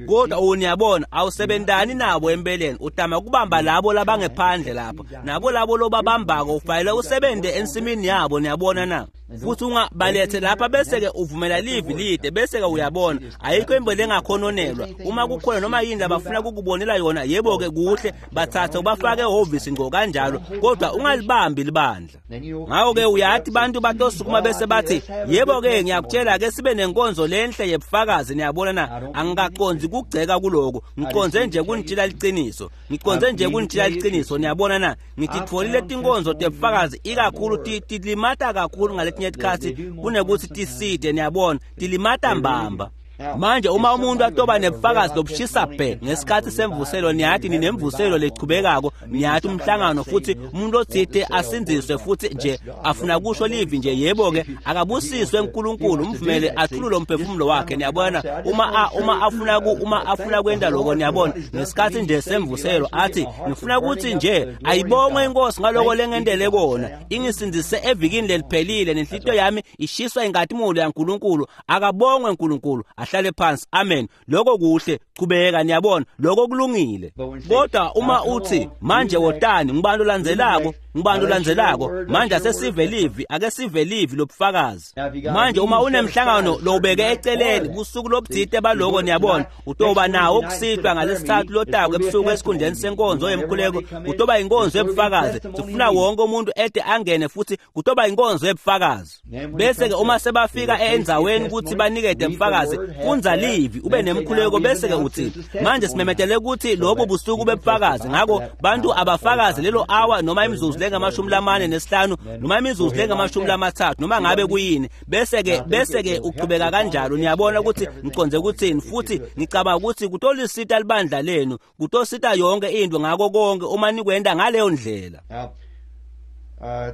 kodwa uniyabona awusebentani nabo empeleni, utama kubamba labo labangephandle lapho nabo labo lobabambako ufanele usebenze ensimini yabo niyabona na. Futhi ungabalethe lapha bese-ke uvumela livi lide bese-ke uyabona ayikho imbele engakhononelwa. Uma kukhona noma yini labafuna kukubonela yona, yebo-ke kuhle, bathathe ubafake ehhovisi ngqo kanjalo, kodwa ungalibambi libandla. Ngakho-ke uyathi bantu batosukuma bese bathi yebo-ke ngiyakutshela-ke sibe nenkonzo lenhle yebufakazi niyabona na. Angikaconzi kugceka kuloko, ngiconze nje kunitshela liciniso, ngiconze nje kunitshela liciniso niyabona na. Ngititfolile tinkonzo tebufakazi ikakhulu tilimata kakhulu ngaletinye tikhatsi kunekuthi tiside niyabona, tilimata mbamba. Manje uma umuntu atoba nebufakazi lobushisa bhe ngesikhathi semvuselo niyathi ninemvuselo lechubekako niyathi umhlangano futhi umuntu othite asindziswe futhi nje afuna kusho livi nje, yebo-ke akabusiswe uNkulunkulu umvumele athulule umphefumulo wakhe niyabona. Uma afuna kwenta lokho niyabona ngesikhathi nje semvuselo athi ngifuna ukuthi nje ayibongwe inkosi ngaloko lengentele kona, ingisindzise evikini leliphelile nenhlitiyo yami ishiswa inkatimolo yaNkulunkulu, akabongwe uNkulunkulu, ahlale phansi, amen. Lokho kuhle, chubeka niyabona, lokho kulungile. Kodwa uma uthi manje wotani ngibani olandzelako, ngibani olandzelako, manje asesive livi, ake sive livi lobufakazi. Manje uma unemhlangano lowubeke eceleni busuku lobuthite baloko niyabona, utoba nawo kusihlwa ngalesithathu lotako ebusuku esikhundleni senkonzo yemkhuleko, kutoba inkonzo yobufakazi. Sifuna wonke umuntu ede angene futhi kutoba inkonzo yobufakazi. Bese-ke uma sebafika endzaweni ukuthi banikede ubufakazi, fundza livi ube nemkhuleko bese-ke uthi manje simemetele ukuthi lobo busuku bebufakazi. Ngakho bantu abafakazi lelo hour noma imizuzu lengamashumi 45 noma imizuzu lengamashumi 30 noma ngabe kuyini, bese-ke uchubeka kanjalo niyabona ukuthi ngiconze ukuthini. Futhi ngicabanga ukuthi kutolisita libandla lenu, kutosita yonke into ngako konke uma nikwenda ngaleyo ndlela. Now,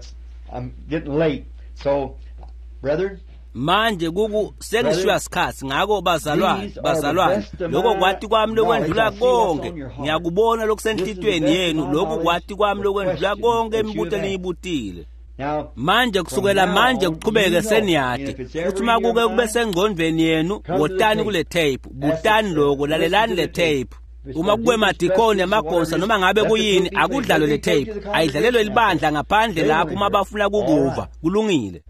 I'm getting late, so brethren, Manje kuku sengishiywa sikhathi, ngakho bazalwane, bazalwane, lokho kwati kwami lokwendlula konke, ngiyakubona lokusenhlitweni yenu, lokhu kwati kwami lokwendlula konke imibuto eniyibutile. Manje kusukela manje kuchubeke seniyati futhi uma kuke kube sengqondweni yenu, wotani kule tape, butani lokho, lalelani le tape. Uma kube madikoni amagosa noma ngabe kuyini, akudlalwe le tape, ayidlalelwe libandla ngaphandle lapho uma bafuna kukuva. Kulungile.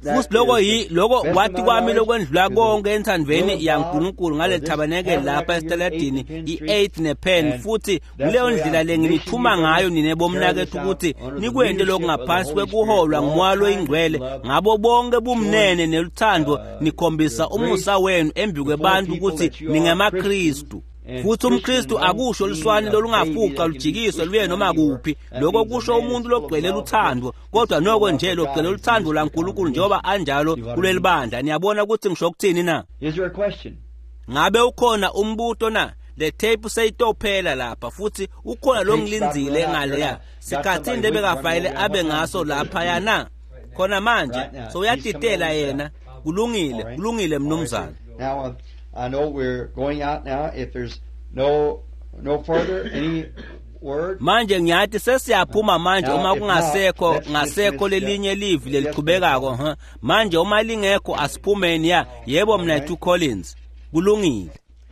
Futhi lokho lokho kwati kwami lokwendlula konke enthandweni yaNkulunkulu ngaleli thabanekeli lapha esitaladini i-8 nePenn. Futhi kuleyo ndlela le nginithuma ngayo nine bomnakethu ukuthi nikwente lokhu ngaphansi kwekuholwa ngumoya loyingcwele ngabo bonke bumnene neluthando, nikhombisa umusa wenu embi kwebantu ukuthi ningemaKristu. Futhi umKristu akusho luswane lolungafuqa lujikiswe luye noma kuphi, lokho kusho umuntu logcwele luthando, kodwa noko nje logcwele luthando laNkulunkulu njengoba anjalo kuleli bandla. Niyabona ukuthi ngisho ukuthini na? Ngabe ukhona umbuto na? Le tape seyitophela lapha futhi ukhona lo ngilindzile ngaleya sikhathini lebekafayele abe ngaso laphaya na khona manje, so uyatitela yena. Kulungile, kulungile mnumzane. Now, I know we're going out now. If there's no further any word. Manje ngiyathi sesiyaphuma manje uma kungasekho ngasekho lelinye livi lelichubekako. Manje uma lingekho asiphumeni ya. Yebo mnethu Collins. Kulungile.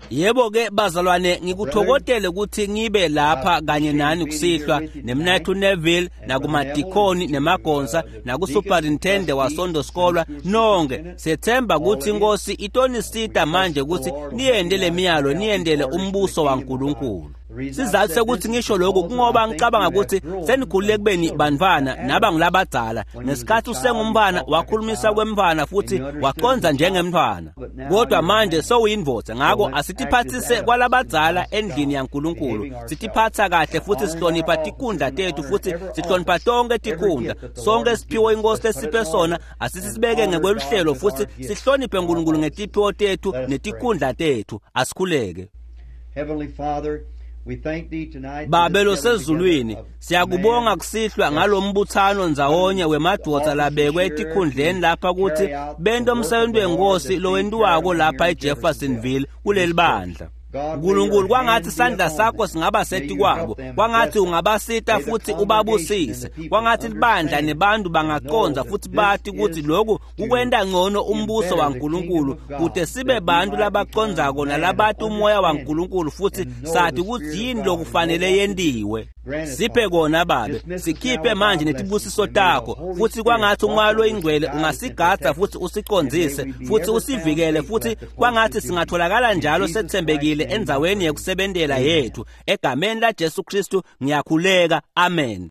Yebo ke bazalwane, ngikuthokotele ukuthi ngibe lapha kanye nani kusihlwa nemnayethu Neville nakumadikoni nemagonsa nakusuperintende wasondoskolwa nonke. Sethemba ukuthi inkosi itonisita manje ukuthi niyende lemiyalo, niyendele umbuso waNkulunkulu. Sizathu sekuthi ngisho lokhu kungoba ngicabanga ukuthi senikhulile kubeni bantwana naba ngilabadzala. Ngesikhathi usengumntwana wakhulumisa kwemntwana futhi waqonza njengemntwana, kodwa manje sewuyindvodza. Ngako asitiphathise kwalabadzala endlini yaNkulunkulu, sitiphatha kahle futhi sihlonipha tikundla tethu futhi sihlonipha tonke tikundla. Sonke siphiwo inkosi lesiphe sona asisibeke ngekweluhlelo futhi sihloniphe uNkulunkulu ngetiphiwo tethu netikundla tethu. Asikhuleke. Heavenly Father, we thank thee tonight for Babe this gathering losezulwini, together of siyakubonga man kusihlwa ngalombuthano ndzawonye wemadvodza labekwe etikhundleni lapha ukuthi bente umsebenzi wenkosi lowentiwako lapha eJeffersonville kuleli bandla. Nkulunkulu, kwangathi isandla sakho singaba setikwabo, kwangathi ungabasita futhi ubabusise, kwangathi libandla nebantu bangaqonza futhi bati ukuthi lokhu kukwenta ngcono umbuso waNkulunkulu, kude sibe bantu labacondzako nalabati umoya waNkulunkulu futhi sathi ukuthi yini lokufanele yentiwe. Siphe kona Babe, sikhiphe manje netibusiso takho, futhi kwangathi umoya loyingcwele ungasigadza futhi usicondzise futhi usivikele, futhi kwangathi singatholakala njalo sethembekile endzaweni yekusebentela yethu. Egameni laJesu Kristu ngiyakhuleka, amen.